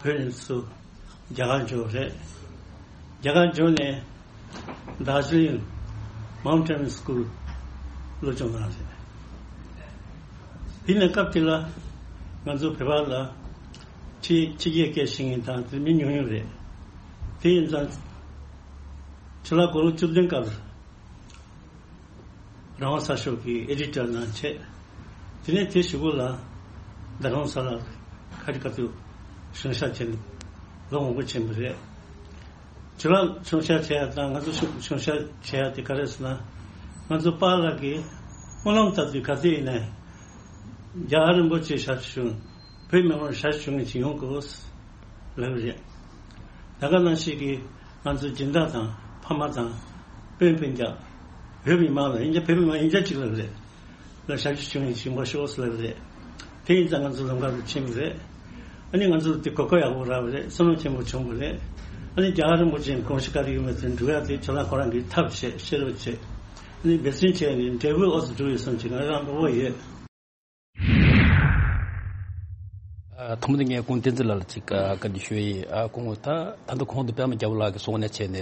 བོད་ནས་ཚུར་རྒྱ་གར་འབྱོར་བ་རེད། རྒྱ་གར་འབྱོར་ནས་དར་ཇི་ལིང་མའུན་ཊེན་སི་ཀུལ་སློབ་སྦྱོང་གནང་རེད། དེ་ནས་སྐབས་དེ་ལ་ང་ཚོ་བོད་པ་ལ་ཕྱི་ཕྱི་རྒྱལ་སྐད་ཤེས་མཁན་དང་དེ་མི་ཉུང་ཉུང་རེད། དེ་ཡིན་ཙང་ཕྱི་ལོ་དགུང་ལོ་བཅུ་བདུན་སྐབས་རང་དབང་གསར་ཤོག་གི་ཨེ་ཌི་ཊར་གནང་བྱས། དེ་ནས་དེ་གཞུག་གུ་ལ་རྡ་རམ་ས་ལར་ཁ་ཅིག་ཁ་ཐུག་བྱང་ཤར་བྱས་ནས་ལོ་མང་པོ་ཕྱིན་པ་རེད། ཇོ་ལགས་བྱང་ཤར་བྱས་ཡ་དང་ང་ཚོ་བྱང་ཤར་བྱས་ཡ་དེ་ག་རེ་ཟེར་ན། ང་ཚོ་པཱ་ལགས་ཀྱིས་སྨོན་ལམ་བཏབ་དུས་ག་ཚོད་ཡིན་ནའི་རྒྱལ་བ་རིན་པོ་ཆེ་ཞབས་ཞུ་བྱུང་། བོད་མི་མང་ཞབས་ཞུ་མཁན་ཞིག་ཡོང་དགོས་ལབ་རེད། ད་ག་ནང་བཞིན་གྱི་ང་ཚོ་སྦྱིན་བདག་དང་ཕ་མ་དང་སྤུན་སྤུན་ཀྱག་བོད་མི་མང་ལ་ཡིན་གྱི་བོད་མི་མང་ཡིན་གྱི་གཅིག་ལབ་རེད། ལ་ཞབས་ཞུ་བྱུང་ཡིན་ཞིང་པ་ཤོག་ལབ་རེད། དེ་ཡིན་ཙང་ང་ཚོ་ལམ་ཁ་རུ་ཕྱིན་པ་རེད། ཨ་ནི་ང་ཚོ་དེ་གོ་སྐབས་ཡག་པོ་རག་པ་རེད། བསོད་ནམས་ཆེན་པོ་བྱུང་བ་རེད། ཨ་ནི་རྒྱལ་བ་རིན་པོ་ཆེའི་དགོངས་གཞི་ག་རེ་ཡོད་མེད་དེ་འགྲུབ་ཡག་དེ་ཁྱེད་རང་ཁོ་རང་གིས་ཐབས་བྱེད་ཤེས་རབ་བྱེད། ཨ་ནི་འབད་བརྩོན་བྱས་ནས་འབྲས་བུ་ཨོ་ཙམ་འགྲུབ་ཡོད་བསམ་གྱི་ང་རང་དགའ་པོ་ཡོད། ཐོག་མ་དེ་ངས་ཁོང་བསྟན་འཛིན་ལགས་ལ་ཅིག་བཀའ་འདྲི་ཞུ་ཡི། ཁོང་ད་ད་ལྟ་གོང་དུ་པད་མ་རྒྱལ་པོ་ལགས་ཀྱིས་གསུངས་ནས་བྱས་ནས།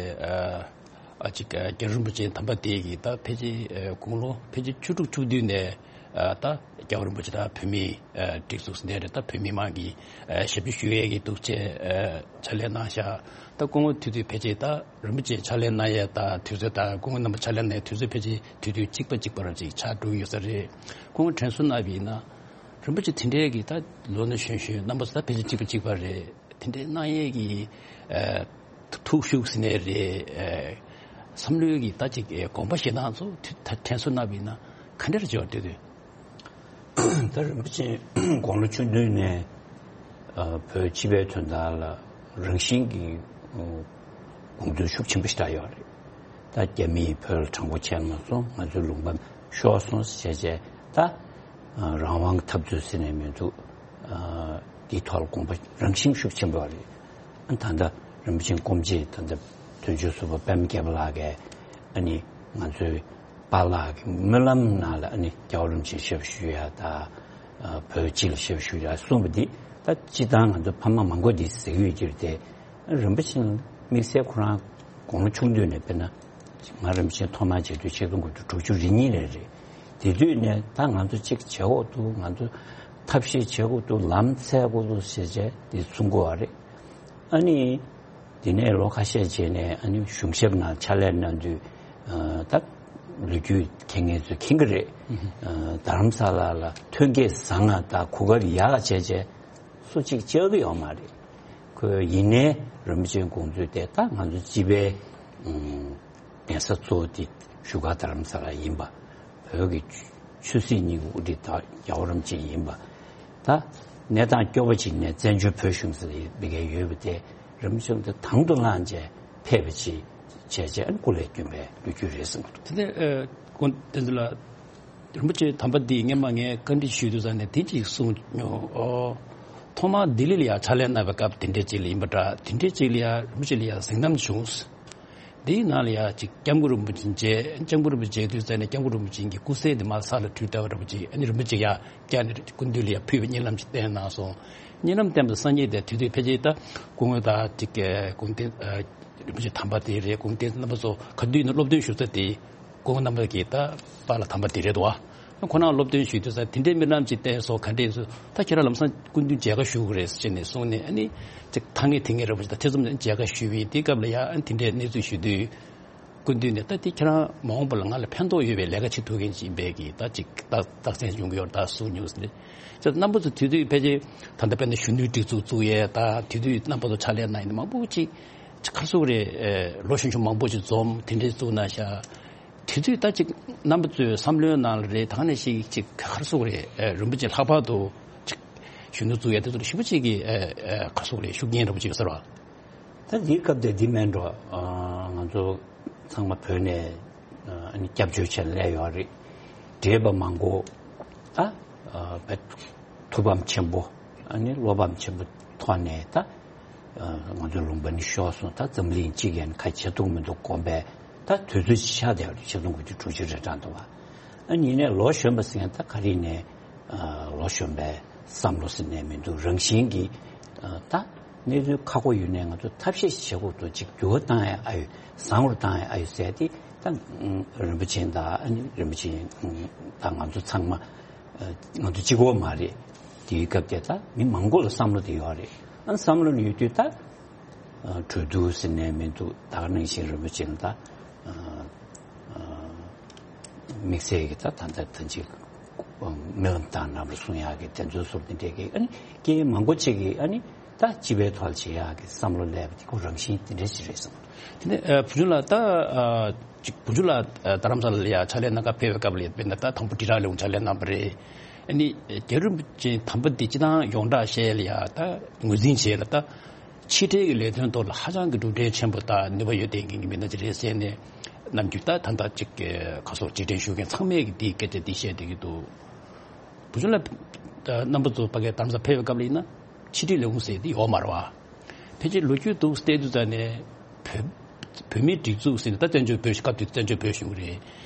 ཨ་ཅིག་རྒྱལ་བ་རིན་པོ་ཆེ་དམ་པ་དེ་གིས་ད་ཕལ་ཆེར་དགུང་ལོ་ཕལ་ཆེར་བཅུ་དྲུག་བཅུ་བདུན་ནས་ད་རྒྱལ་བ་རིན་པོ་ཆེ་ད་བོད་མིའི་སྒྲིག་འཛུགས་ཟེར་ནས་རེད། ད་བོད་མི་མང་གི་ཞབས་ཞུ་ཞུ་ཡས་ཀྱི་འདུག་ཅེས་ཕྱག་ལས་གནང་ཤག་ད་སྐུ་ངོ་དེ་དུས་ཕལ་ཆེར་ད་རིན་པོ་ཆེ་ཕྱག་ལས་གནང་ཡས་ད་དུས་ཚོད་ད་སྐུ་ངོ་རྣམ་པ་ཕྱག་ལས་གནང་ཡས་དུས་ཚོད་ཕལ་ཆེར་དུས་དུས་གཅིག་པ་གཅིག་པ་ར་ཅིག་ཆགས་འགྲོ་གི་ཡོད་ས་རེད། སྐུ་ངོ་དྲན་གསོ་གནང་བ་ཡིན་ན་རིན་པོ་ཆེ་དེ་འདྲའི་གི་ད་ལོ་ན་གཞོན་གཞོན་རྣམ་པ་ཚོ་ད་ཕལ་ཆེར་གཅིག་པ་གཅིག་པ་རེད། དེ་འདྲའི་གནང་ཡས་ཀྱི་ཨ་ཐུགས་ཤུགས་ཟེར་ནའི་རེད། ཨ་བསམ་བློའི་གི་ད་ཅིག་ཨ་དགོངས་པ་བཞེས་སྟངས་ཚོ་དུ་ད་དྲན་གསོ་གནང་བ་ཡིན་ན་ག་འདྲ་བྱེད་པ་འདོད་འདོད། ད་རིན་པོ་ཆེ་དགུང་ལོ་ཆུང་དུས་ནས་ཨ་བོད་སྤྱི་པའི་དོན་དག་ལ་རང་བཞིན་གྱིས་ཨ་དགོངས་ཚུལ་ཤུགས་ཆེན་པོ་ཞིག་བསྒྲགས་ཡོད་རེད། ད་རྒྱ་མིས་བོད་ལ་དྲང་པོ་བྱས་མ་སོང་། ང་ཚོའི་ལུང་པ་ཤོར་སོང་ཟེར་བྱས་ད་ཨ་རང་དབང་གི་འཐབ་རྩོད་ཟེར་ནས་མི་འདུག་ཨ་འདིའི་ཐོག་ལ་དགོངས་པ་རང་བཞིན་ཤུགས་ཆེན་པོ་རེད། ཨ་ད་ལྟ་རིན་པོ་ཆེ་སྐུ་མཆེད་ད་ལྟ་དོན་གཅོད་ཟུར་པ་པད་མ་རྒྱལ་པོ་ལགས་ཀྱིས་ཨ་ནི་ང་ཚོའི་པཱ་ལགས་ཀྱི་སྨོན་ལམ་ནང་ལ་ཨ་ནི་རྒྱལ་བ་རིན་པོ་ཆེ་ཞབས་ཞུ་ཡ་ད་ཨ་བོད་སྤྱི་ལ་ཞབས་ཞུ་ཡ་གསུངས་པ་འདི་ད་སྤྱིར་བཏང་ང་ཚོ་ཕ་མ་མང་པོ་འདི་ཟེར་གྱི་ཡོད་ཀྱི་རེད་དེ། རིན་པོ་ཆེ་དམིགས་བསལ་ཁོ་རང་དགུང་ལོ་ཆུང་དུས་ནས་དཔེར་ན་ང་རིན་པོ་ཆེ་ཐོག་མར་མཇལ་དུས་ཆིག་སྟོང་དགུ་བརྒྱ་དྲུག་ཅུ་རེ་གཉིས་ལ་རེད། དེ་དུས་ནས་ད་ང་ཚོ་གཅིག་བྱེད་དགོས་འདུག་ང་ཚོ་ཐབས་ཤེས་བྱེད་དགོས་འདུག་ལམ་འཚོལ་དགོས་འདུག་ཟེར་བྱས་དེ་གསུང་གི་ཡོད་རེད། ཨ་ནི་དེ་ནས་ལོ་ཁ་ཤས་རྗེས་ནས་ཨ་ནི་གཞུང་ཞབས་ནང་ཕྱག་ལས་གནང་དུས་ཨ་ད་ལོ་རྒྱུས་མཁྱེན་མཁན་ཚོས་མཁྱེན་གྱི་རེད། ཨ་རྡ་རམ་ས་ལ་ལ་ཐོན་སྐྱེད་བཟང་ང་དང་གོ་སྐབས་ཡག་ག་བྱས་བྱས་སུ་གཅིག་བཅར་གི་ཡོད་མ་རེད། ཁོས་ཡིན་ནའི་རིན་པོ་ཆེའི་དགོངས་ཚུལ་དེ་ད་ང་ཚོ་སྤྱི་པའི་ཨུམ་གདན་ས་གཙོ་བོ་དེ་བཞུགས་སྒར་རྡ་རམ་ས་ལ་ཡིན་པ། བོད་ཀྱི་ཆོས་སྲིད་གཉིས་ཀྱི་དབུ་ཁྲིད་ད་རྒྱལ་བ་རིན་པོ་ཆེ་ཡིན་པ། ད་གནས་སྟངས་སྐྱོ་པོ་ཅིག་ནས་བཙན་བྱོལ་བོད་གཞུང་ཟེར་ཡོད་པའི་གི་ཡོད་པ་དེ་རིན་པོ་ཆེ་དེ་དང་དུ་བླངས་བྱས་ཕེབས་པ་ཅིག་བྱས་བྱས་སྐུ་ལས་བསྐྱོན་པའི་ལོ་རྒྱུས་རེད་གསུངས་འདུག་དེ་ནས་ཨ་སྐུ་ངོ་བསྟན་འཛིན་ལགས། རིན་པོ་ཆེ་དམ་པ་འདིས་སྔས་མ་ངས་བཀའ་འདྲི་ཞུས་དུས་ཙང་ནས་དེ་གཅིག་གསུངས་མྱོང་། ཨོ། ཐོག་མར་ལྡི་ལི་ལ་ཡང་ཕྱག་ལས་གནང་བའི་སྐབས་དེ་འདྲའི་ཅིག་ལ་ཡིན་པ་འདྲ། དེ་འདྲའི་ཅིག་ལ་ཡང་རིན་པོ་ཆེ་ལ་ཡང་གཟིགས་གནང་བྱུང་། དེའི་ནང་ལ་ཡང་ཅིག་སྐྱབས་མགོན་རིན་པོ་ཆེ་མཇལ། སྐྱབས་མགོན་རིན་པོ་ཆེ་མཇལ་དུས་ཙང་ནས་སྐྱབས་མགོན་རིན་པོ་ཆེ་གི་སྐུ་སྲས་དེ་མར་ས་ལ་དྲུད་བསྡད་པ་འདྲ་པོ་ཅིག་ཨ་ནི་རིན་པོ་ཆེ་ཡང་བཀྱག་ནས་སྐུ་མདུན་ལ་ཡང་ཕུལ་བའི་གཉིད་ལམ་ཅིག་བསྟན་གནང་སོང་། གཉིད་ལམ་བསྟན་པ་སང་ཉིན་དེ་དུས་དུས་ཕལ་ཆེར་ད་སྐུ་ངོ་དང་ཅིག་སྐུ་ངོ་བསྟན་རིན་པོ་ཆེ་དམ་པ་དེ་རེད། སྐུ་ངོ་བསྟན་རྣམ་པ་ཚོ་ག་དུས་ནས་སློབ་སྟོན་ཞུ་ས་དེ། སྐུ་ངོ་རྣམ་པ་གིས་ད་པཱ་ལགས་དམ་པ་དེ་རེད་དོ། ཁོ་རང་སློབ་སྟོན་ཞུས་དུས་ཙང་དེ་འདྲའི་རྨི་ལམ་ཅིག་བསྟན་སོང་། ག་འདྲས་སོང་། ད་ཁྱེད་རང་ལམ་སང་སྐུ་མདུན་མཇལ་ཁ་ཞུ་དགོས་རེད་ཟེར་ནས་གསུངས་ནས། ཨ་ནི་ཅིག་ཐ་སྙད་དེ་ངས་རེད་པ་ཅིག་ད་ཐེ་ཚོམ་ནས་མཇལ་ཁ་ཞུས་པས། དེའི་སྐབས་ལ་ཡང་ཨ་ནི་དེ་འདྲའི་གནས་ཚུལ་ཞུ་དུས་སྐུ་མདུན་ནས་ད་དེ་ཁྱེད་རང་མ་འོངས་པ་ལ་ང་ལ་ཕན་ཐོགས་ཡོད་པའི་ལས་ཀ་བྱེད་ཐུབ་མཁན་ཅིག་ཡིན་པས་ཀྱི་ད་ཅིག་ད་རྟགས་མཚན་ཡོང་གི་ཡོད་རེད་ད་གསུངས་མྱོང་ཟེར་ནས། ཅིག་རྣམ་པ་ཚོ་དེ་དུས་ཕལ་ཆེར་ད་ལྟ་དཔེར་ན་གཞོན་ནུའི་སྒྲིག་འཛུགས་བཙུགས་ཡས་ད་དེ་དུས་རྣམ་པ་ཚོ་ཕྱག་ལས་གནང་ཡས་མང་པོ་ཅིག་ཅིག་ག་རེ་ཟེར་དགོས་རེད། ལོ་གཞོན་གཞོན་མང་པོ་ཅིག་འཛོམས་དེ་འདྲའི་བཙུགས་གནང་ཤག་དེ་དུས་ད་ཅིག་རྣམ་པ་ཚོའི་བསམ་བློའི་ནང་ལ་རེད། ད་ག་ནང་བཞིན་ཅིག་ག་རེ་ཟེར་དགོས་རེད། ཨ་རིན་པོ་ཆེ་ལྷག་པར་དུ་ཅིག་གཞོན་ནུ་བཙུགས་ཡ་དེ་ཚོ་ལ་ཞེ་པོ་ཅིག་གི་ཨ་ཨ་ག་རེ་ཟེར་དགོས་རེད། ཤུགས་རྐྱེན་འདྲ་པོ་ཅིག་ཡོད་ས་རེད་པ། ད་འདིའི་སྐབས་དེ་འདི་མིན་འགྲོ། ཨ་ང་ཚོ་ཚང་མ་བོད་ནས་ཨ་ནི་སྐྱབས་བཅོལ་བྱས་སླེབས་ཡོད་རེད། བགྲེས་པ་མང་པོ་ད་ཨ་བས་ཐུགས་ཕམ་ཆེན་པོ། ཨ་ནི་བློ་ཕམ་ཆེན་པོ་ཐོག་ནས་ད་ཨ་ང་ཚོའི་ལུང་པ་ནས་ཤོར་སོང་། ད་འཛམ་གླིང་སྤྱི་ཡོངས་ཁ་བྱེད་ཐུབ་མི་འདུག་དགོངས་པས། ད་དུས་ཚོད་ཅིག་ཆགས་བསྡད་པ་རེད། ཆིག་སྟོང་དགུ་བརྒྱ་དྲུག་ཅུ་རེ་གྲངས་འདུག་བ། ཨ་ནི་ཡིན་ནའི་ལོ་གཞོན་པ་ཟེར་མཁན་ད་ག་རེ་ནས་ཨ་ལོ་གཞོན་པའི་བསམ་བློ་ཟེར་ནས་མི་འདུག་རང་བཞིན་གྱིས་ཨ་ད་གནད་དོན་ཁག་པོ་ཡོད་ནའི་ང་ཚོ་ཐབས་ཤེས་བྱེད་དགོས་འདུག་ཅིག་འགྱུར་བ་བཏང་ཡ་ཨ་ཡོད། བཟང་བོར་བཏང་ཡ་ཨ་ཡོད་ཟེར་ཏེ་ད་ཨ་རིན་པོ་ཆེ་དང་ཨ་ནི་རིན་པོ་ཆེ་ཨ་དང་ང་ཚོ་ཚང་མ་ཨ་ང་ཚོ་གཅིག་པོ་མ་རེད། དེའི་སྐབས་དེ་ད་མི་མང་པོ་ལ་བསམ་བློ་དེ་ཡོད་རེད། ཨ་བསམ་བློ་ནི་ཡོད་དུས་ད་ཨ་གྲོས་བསྡུར་ཟེར་ནས་མི་འདུག་ད་ག་ནང་བཞིན་རིན་པོ་ཆེ་ལ་ད་ཨ་ཨ་དམིགས་བསལ་གྱི་ད་ད་ལྟ་ད་ཅིག་རྨི་ལམ་དང་ནང་ལ་གསུང་ཡག་གི་དེ་ཚོའི་ཟུར་དེ་འདྲས་ཀྱི་ཨ་ནི་སྐད་མང་པོ་ཅིག་གིས་ཨ་ནི་ད་སྤྱི་པའི་ཐོག་ལ་བྱེད་ཡག་གི་བསམ་བློ་སླེབས་པ་དེ་ཁོ་རང་བཞིན་དེ་འདྲས་ཅིག་རེད་བསམ། དེ་ནས་ཨ་བུ་ཆུང་ལགས་ད་ཨ་ཅིག་བུ་ཆུང་ལགས་ཨ་རྡ་རམ་ས་ལ་ལ་ཡ་ཕྱག་ལས་གནང་ག་ཕེབས་པའི་སྐབས་ལ་དཔེར་ན་ད་དང་པོ་དྲིལ་བསྒྲགས་ལས་ཁུངས་ཕྱག་ལས་གནང་བ་རེད། ཨ་ནི་རྒྱལ་བ་རིན་པོ་ཆེ་དམ་པ་འདི་སྤྱི་བཏང་ཡོངས་གྲགས་བཤད་ལ་ཡ་ད་ངོས་འཛིན་བྱས་ལ་ད་ཕྱི་འབྲེལ་གྱི་ལས་དོན་ཐོག་ལ་ཧ་ཅང་གི་གྲུབ་འབྲས་ཆེན་པོ་དང་ནུས་པ་ཡོད་བསྡད་མཁན་གྱི་མི་སྣ་ཅིག་རེད་ཟེར་ནས་ནམ་རྒྱུན་ད་ད་ལྟ་ཅིག་ག་སོགས་རྗེས་དྲན་ཞུ་མཁན་ཚང་མས་ཀྱི་འདིའི་སྐད་ཆ་འདི་བཤད་བསྡད་ཀྱི་འདུག་བུ་ཆུང་ལགས་རྣམ་པ་ཚོ་ཕ་གིར་རྡ་རམ་ས་ལ་ཕེབས་པའི་སྐབས་ལ་ཡིན་ན་ཕྱི་འབྲེལ་ལས་ཁུངས་ཟེར་དེ་ཡོད་མ་རེད་བ། ཕལ་ཆེར་ལོ་རྒྱུས་འདུག་བལྟས་དུས་ཙ་ནས་བོད་བོད་མིའི་སྒྲིག་འཛུགས་ཟེར་ནས་ད་བཙན་བྱོལ་བོད་སྐབས་དེ་བཙན་བྱོལ་བོད་གཞུང་རེད།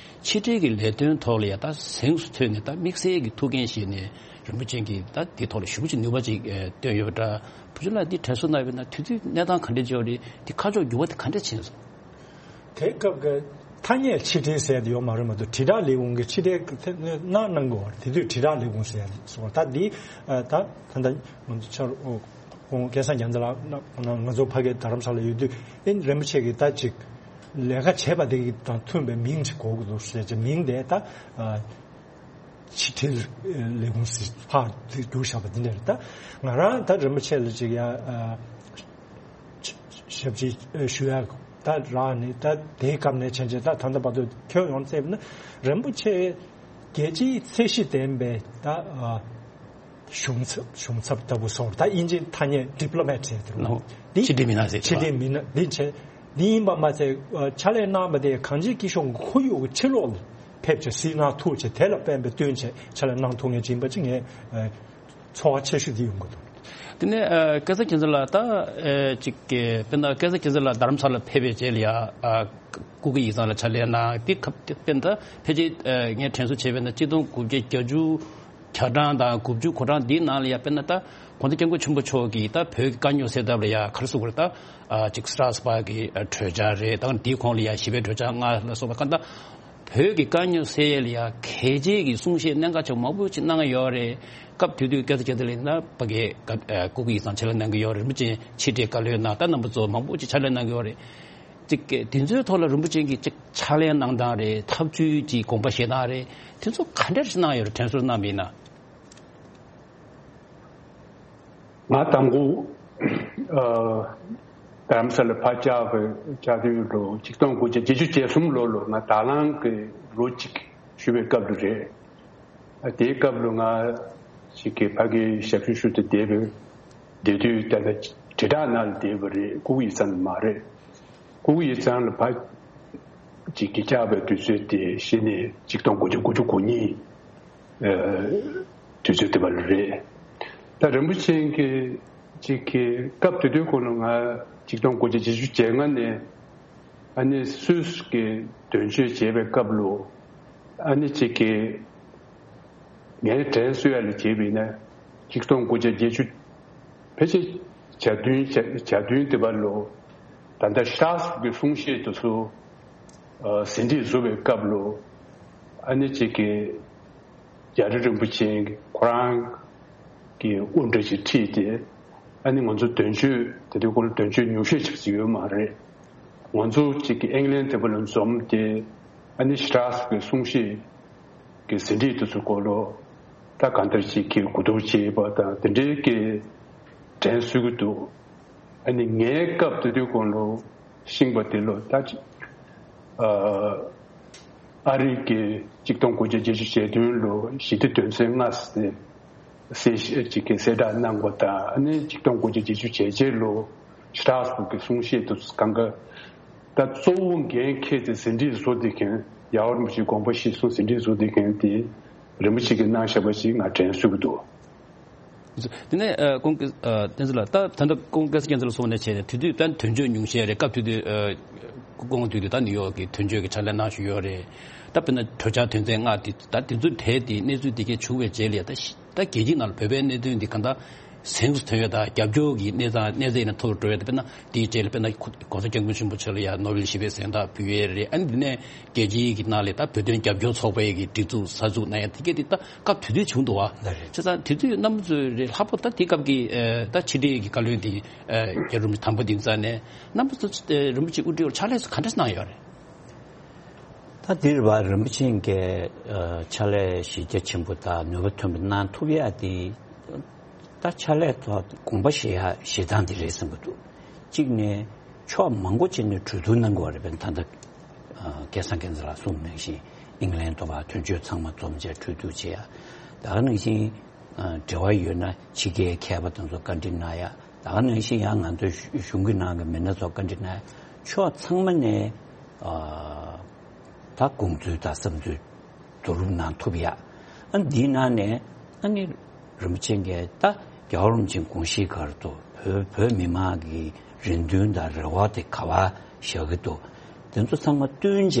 ཕྱི་འབྲེལ་གྱི་ལས་དོན་ཐོག་ལ་ཡ་ད་གཟེངས་སུ་ཐོན་ནས་ད་དམིགས་བསལ་གྱི་ཐུགས་འགན་བཞེས་ནས་རིན་པོ་ཆེ་གིས་ད་དེ་ཐོག་ལ་ཞེ་པོ་ཅིག་ནུས་པ་ཅིག་བཏོན་ཡོད་པ་འདྲ། བུ་ཆུང་ལགས་འདི་དྲན་གསོ་གནང་བས་ན་དུས་ཚོད་གནས་སྟངས་ག་འདྲ་ཅིག་ཡོད་རེད། དེ་ཁ་ཕྱོགས་འགྱུར་བ་དེ་ག་འདྲ་ཕྱིན་སོང་། དེ་སྐབས་ཀྱི་ཐ་སྙད་ཕྱི་འབྲེལ་ཟེར་དེ་ཡོད་མ་རེད་མ་གཏོགས་དྲིལ་བསྒྲགས་ལས་ཁུངས་ཀྱི་ཕྱི་འབྲེལ་གནང་གནང་དགོས་པ་རེད། དེ་དུས་དྲིལ་བསྒྲགས་ལས་ཁུངས་ཟེར་སོང་བ། ད་འདི་ད་ད་ལྟ་ང་ཚོ་ཕྱག་ཁོང་སྐལ་བཟང་རྒྱལ་མཚན་ལགས་ང་ཚོ་ཕ་གི་རྡ་རམ་ས་ལ་ཡོད་དུས་ཨེ་རིན་པོ་ཆེ་གིས་ད་ཅིག་ལས་ཀ་བྱས་པ་དེ་དང་མཐུན་པའི་མིང་ཅིག་དགོས་ཀྱི་འདུག་ཟེར་ཅིག་མིང་དེ་ད། ཕྱི་འབྲེལ་ལས་ཁུངས་སུ་ཕར་བསྒྱུར་བཞག་པ་འདི་འདྲ་རེད། ད་ང་རང་ད་རིན་པོ་ཆེ་ལ་ཅིག་ཡ་ཞབས་ཕྱི་ཞུ་ཡ་ད་རག་ནས་ད་དེའི་སྐབས་ནས་བྱས་བྱས་ད་ད་ལྟ་བར་དུ་ཁྱོན་ཡོངས་བཙལ་ན་རིན་པོ་ཆེ་རྒྱལ་སྤྱིའི་ཚད་གཞི་ལྡན་པའི་ད་གཞུང་ཚབ་གཞུང་ཚབ་ལྟ་བུ་སོགས་ད་དབྱིན་ཇིའི་ཐ་སྙད་ཌི་པི་ལོ་མེ་ཊི་ཟེར་དེ་རེད། འོ། འདི་ཕྱི་འབྲེལ་མི་སྣ་ཟེར་ཕྱི་འབྲེལ་མི་སྣ་འདི་བྱས་འདི་ཡིན་པ་མ་ཚད་ཕྱག་ལས་གནང་བ་དེ་གངས་ཅན་སྐྱིད་གཤོངས་ཁོར་ཡུག་གི་ཕྱི་ལོགས་ལ་ཕེབས་བྱས་གཟིགས་གནང་ཐུབ་བྱས་དེ་ལ་ཕན་པའི་བསྟུན་བྱས་ཕྱག་ལས་གནང་ཐུབ་མཁན་ཅིག་ཡིན་པ་ཅིག་ངས་ཚོར་བ་ཆེ་ཤོས་འདི་ཡོང་གི་འདུག་དེ་ནས་སྐལ་བཟང་རྒྱལ་མཚན་ལགས་ད་ཅིག་དཔེར་ན་སྐལ་བཟང་རྒྱལ་མཚན་ལགས་རྡ་རམ་ས་ལ་ཕེབས་པའི་རྗེས་ལ་ཡ་སྐུ་སྒེར་ཡིག་ཚང་ལ་ཕྱག་ལས་གནང་དེ་སྐབས་དེ་དཔེར་ན་ད་ཕལ་ཆེར་ངས་དྲན་གསོ་བྱས་པས་ན་གཅིག་སྟོང་དགུ་བརྒྱ་བརྒྱད་ཅུ་གྱ་གྲངས་དང་དགུ་བཅུ་གོ་གྲངས་འདིའི་ནང་ལ་ཡ་དཔེར་ན་ད་གོང་ས་སྐྱབས་མགོན་ཆེན་པོ་མཆོག་གིས་ད་བོད་ཀྱི་དཀའ་རྙོག་སེལ་ཐབས་ལ་ཡ་ག་རེ་ཟེར་དགོས་རེད། ད་ཅིག་སི་ཊ་ར་སི་བྷག་གི་གྲོས་འཆར་རེད། ད་འདིའི་གོང་ལ་ཡ་ཞི་བའི་གྲོས་འཆར་ལྔ་ལ་སོགས་པ་ག་ད་བོད་ཀྱི་དཀའ་རྙོག་སེལ་ཡ་ལ་ཡ་གལ་ཆེ་གི་གསུང་བཤད་གནད་འགག་ཆེ་བ་མང་པོ་ཅིག་གནང་གི་ཡོད་རེད། སྐབས་དེ་དུས་སྐལ་བཟང་རྒྱལ་མཚན་ལགས་ཡིན་ན་ཕ་གིའི་སྐུ་སྒེར་ཡིག་ཚང་ཕྱག་ལས་གནང་གི་ཡོད་རེད། རིན་པོ་ཆེ་ཕྱི་འབྲེལ་བཀའ་བློན་གནང་། ད་རྣམ་པ་ཚོ་མང་པོ་ཅིག་ཕྱག་ལས་གནང་གི་ཡོད་རེད། ཅིག་གི་དེ་ཚོའི་ཐོག་ལ་རིན་པོ་ཆེ་གིས་ཅིག་ཕྱག་ལས་གནང་སྟངས་རེད། ཐབས་ཇུས་ཀྱི་དགོངས་པ་བཞེས་སྟངས་རེད། དེ་ཚོ་ག་འདྲ་ཞིག་གནང་ཡོད་རེད། དྲན་གསོ་གནང་བ་ཡིན་ན། ང་དང་པོ་ཨ་རྡ་རམ་ས་ལ་ཕར་བཅར་བའི་བཅར་དུས་ལོ་ཆིག་སྟོང་དགུ་བརྒྱ་བརྒྱད་ཅུ་གྱ་གསུམ་ལོ་ལོ་ང་དྭགས་ལང་གི་ལོ་གཅིག་བཞུགས་པའི་སྐབས་ལ་རེད། ཨ་དེའི་སྐབས་ལ་ང་ཞིག་གི་ཕ་གིའི་ཞབས་ཞུ་ཞུ་དུ་བསྡད་པའི་བསྡད་དུས་ད་ལྟ་དྲིལ་བསྒྲགས་ནང་ལ་བསྡད་པ་རེད། སྐུ་སྒེར་ཡིག་ཚང་མ་རེད། སྐུ་སྒེར་ཡིག་ཚང་ལ་ཕར་ཅིག་གི་བཅར་བའི་དུས་ཚོད་དེ་གཞི་ནས་ཆིག་སྟོང་དགུ་བརྒྱ་དགུ་བཅུ་གོ་གཉིས་ཨ་དུས་ཚོད་དེ་བ་ལ་རེད། ད་རིན་པོ་ཆེ་གིས་ཅིག་གི་སྐབས་དེ་དུས་ཁོ་ན་ང་ཆིག་སྟོང་དགུ་བརྒྱ་བརྒྱད་ཅུ་གྱ་ལྔ་ནས་ཨ་ནི་སུད་སི་གི་དོན་གཅོད་བྱེད་པའི་སྐབས་ལ་ཨ་ནི་ཅིག་གི་ངའི་དྲན་གསོ་ཡ་ལ་བྱས་པ་ཡིན་ན་ཆིག་སྟོང་དགུ་བརྒྱ་བརྒྱད་ཅུ་ཕལ་ཆེར་གྱ་བདུན་གྱ་གྱ་བདུན་དེ་བ་ལ་ད་ལྟ་སི་ཊ་ར་སི་བྷག་གི་གསུང་བཤད་དེ་ཚོ་ཨ་ཟིན་བྲིས་བཟོ་བའི་སྐབས་ལ་ཨ་ནི་ཅིག་གི་རྒྱ་རི་རིན་པོ་ཆེ་ཁོ་རང་གི་དབུ་འདྲ་ཅིག་ཁྲིད་དེ་ཨ་ནི་ང་ཚོ་དོན་གཅོད་དེ་དུས་ཁོ་ལ་དོན་གཅོད་ཉུང་ཤས་ཅིག་ཅིག་ཡོད་མ་རེད། ང་ཚོ་ཅིག་གི་ཨིང་ལན་དེ་བ་ལ་འཛོམས་ཏེ་ཨ་ནི་སི་ཊ་ར་སི་བྷག་གི་གསུང་བཤད་གི་ཟིན་བྲིས་དེ་ཚོ་སྐོར་ལ་ད་གང་ལྟར་ཅིག་གི་གོ་བསྡུར་བྱས་པ་དང་དེ་འདྲའི་གི་དྲན་གསོ་གི་འདུག་ཨ་ནི་ངའི་སྐབས་དེ་དུས་གོང་ལ་ཤིང་པ་དེ་ལ་ད་ཅིག་ཨ་ཨ་རི་གི་ཆིག་སྟོང་དགུ་བརྒྱ་བརྒྱད་ཅུ་གྱ་བདུན་ལོ་ཞི་བདེ་དོན་ཚན་ལྔ་ཟེར་གསལ་བཤད་ཅིག་གི་གསལ་བསྒྲགས་གནང་བ་དང་ཨ་ནི་ཆིག་སྟོང་དགུ་བརྒྱ་བརྒྱད་ཅུ་གྱ་བརྒྱད་ལོ་སི་ཊ་ར་སི་བྷག་གི་གསུང་བཤད་དུ་གང་ག་ད་གཙོ་བོ་འགན་འཁྱེར་ཏེ་ཟིན་བྲིས་བཟོ་བསྡད་མཁན་ རྒྱལ་བ་རིན་པོ་ཆེའི་དགོངས་པ་གཞིར་བཟུང་ཟིན་བྲིས་བཟོ་བསྡད་མཁན་དེ་རིན་པོ་ཆེ་གིས་གནང་བཞག་པ་ཞིག་ང་དྲན་གསོས་ཀྱི་འདུག། དེ་ནས་ཨ་ཁོང་གི་ཨ་བསྟན་འཛིན་ལགས། ད་ད་ལྟ་ཁོང་སྐལ་བཟང་རྒྱལ་མཚན་ལགས་གསུངས་ནས་བྱས་ནས་དེ་དུས་ད་དོན་གཅོད་ཉུང་ཤས་རེད། སྐབས་དེ་དུས་ཨ་ཁོང་དུས་དུས་ད་ནིའུ་ཡོག་གི་དོན་གཅོད་ཀྱི་ཕྱག་ལས་གནང་བཞིན་ཡོད་རེད། ད་དཔེར་ན་གྲོས་འཆར་དོན་ཚན་ལྔ་དེ་ད་དེ་ཚོ་གྲས་དེ་གནས་ཚུལ་དེ་གས་བྱུང་བའི་རྗེས་ལ་ཡ་ད་ཤི་ད་རྒྱལ་སྤྱིའི་ནང་ལ་བོད་པའི་གནད་དོན་འདི་གང་ལྟར་གཟེངས་སུ་ཐོན་ཡོད། ད་རྒྱབ་སྐྱོར་གྱི་གནས་སྟངས་གནས་ཚད་ཡིན་ན་མཐོ་རུ་འགྲོ་ཡོད། ད་དཔེར་ན་དེའི་གྲས་ལ་དཔེར་ན་༸གོང་ས་༸སྐྱབས་མགོན་ཆེན་པོ་མཆོག་ལ་ཡང་ནོ་བེལ་ཞི་བདེའི་གཟེངས་རྟགས་ཕུལ་ཡོད་རེད། ཨ་ནི་འདི་ནས་རྒྱལ་སྤྱིའི་གི་ནང་ལ་ད་བོད་དོན་རྒྱབ་སྐྱོར་ཚོགས་པའི་གི་སྒྲིག་འཛུགས་གསར་འཛུགས་གནང་ཡ་དེ་གས་དེ་ད་སྐབས་དེ་དུས་བྱུང་འདུག་བ། ལགས་རེད། བྱས་ཙང་དེ་དུས་རྣམ་པ་ཚོས་རེད་ལྷག་པར་ད་དེ་སྐབས་ཀྱི་ཨ་ད་ཕྱི་དྲིལ་གྱི་བཀའ་བློན་དེ་ཨ་རྒྱལ་བ་རིན་པོ་ཆེ་དམ་པ་དེ་ཙང་ནས་རྣམ་པ་ཚོ་ཨ་རིན་པོ་ཆེ་དབུ་ཁྲིད་འོག་ཕྱག་ལས་སུ་ག་འདྲ་གནང་ཡོད་རེད། ད་འདིར་བ་རིན་པོ་ཆེ་གིས་ཨ་ཕྱག་ལས་གཞི་རྒྱ་ཆེན་པོ་དང་ནུས་པ་ཐོན་པ་གནང་ཐུབ་ཡ་དེ་ད་ཕྱག་ལས་ཐོག་དགོངས་པ་བཞེས་ཡ་བཞེས་སྟངས་དེ་རེད་བསམ་གྱི་འདུག། གཅིག་ནས་ཕྱོགས་མང་པོ་ཅིག་ནས་གྲོས་བསྡུར་གནང་དགོས་རེད། དཔེར་ན་ད་ལྟ་ཨ་སྐལ་བཟང་སྒེར་འཛིན་ལགས་གསུངས་ནང་བཞིན་ཨིང་ལན་དུ་བ་དོན་གཅོད་ཚང་མ་འཛོམས་བྱས་གྲོས་བསྡུར་བྱེད་ཡ། ད་ག་ནང་བཞིན་ཨ་འབྲེལ་བ་ཡོད་ན་ཕྱི་རྒྱལ་མཁས་པ་དེ་ཚོ་བཀའ་འདྲི་གནང་ཡ། ད་ག་ནང་བཞིན་ཡང་ང་ཚོའི་གཞུང་གི་ནང་གི་མི་སྣ་ཚོ་བཀའ་འདྲི་གནང་ཡ། ཕྱོགས་ཚང་མ་ནས་ཨ་ད་དགོངས་ཚུལ་དང་བསམ་ཚུལ་བསྡུ་རུབ་གནང་ཐུབ་ཡ། ཨ་འདིའི་ནང་ནས་ཨ་ནི་རིན་པོ་ཆེ་གིས་ད་རྒྱལ་བ་རིན་པོ་ཆེའི་དགོངས་གཞིའི་སྒང་དུ་བོད་བོད་མི་མང་གི་རེ་འདུན་དང་རེ་བ་དེ་ག་པར་བཞག་གི་འདུག། དེ་ཚོ་ཚང་མ་བསྟུན་བྱས་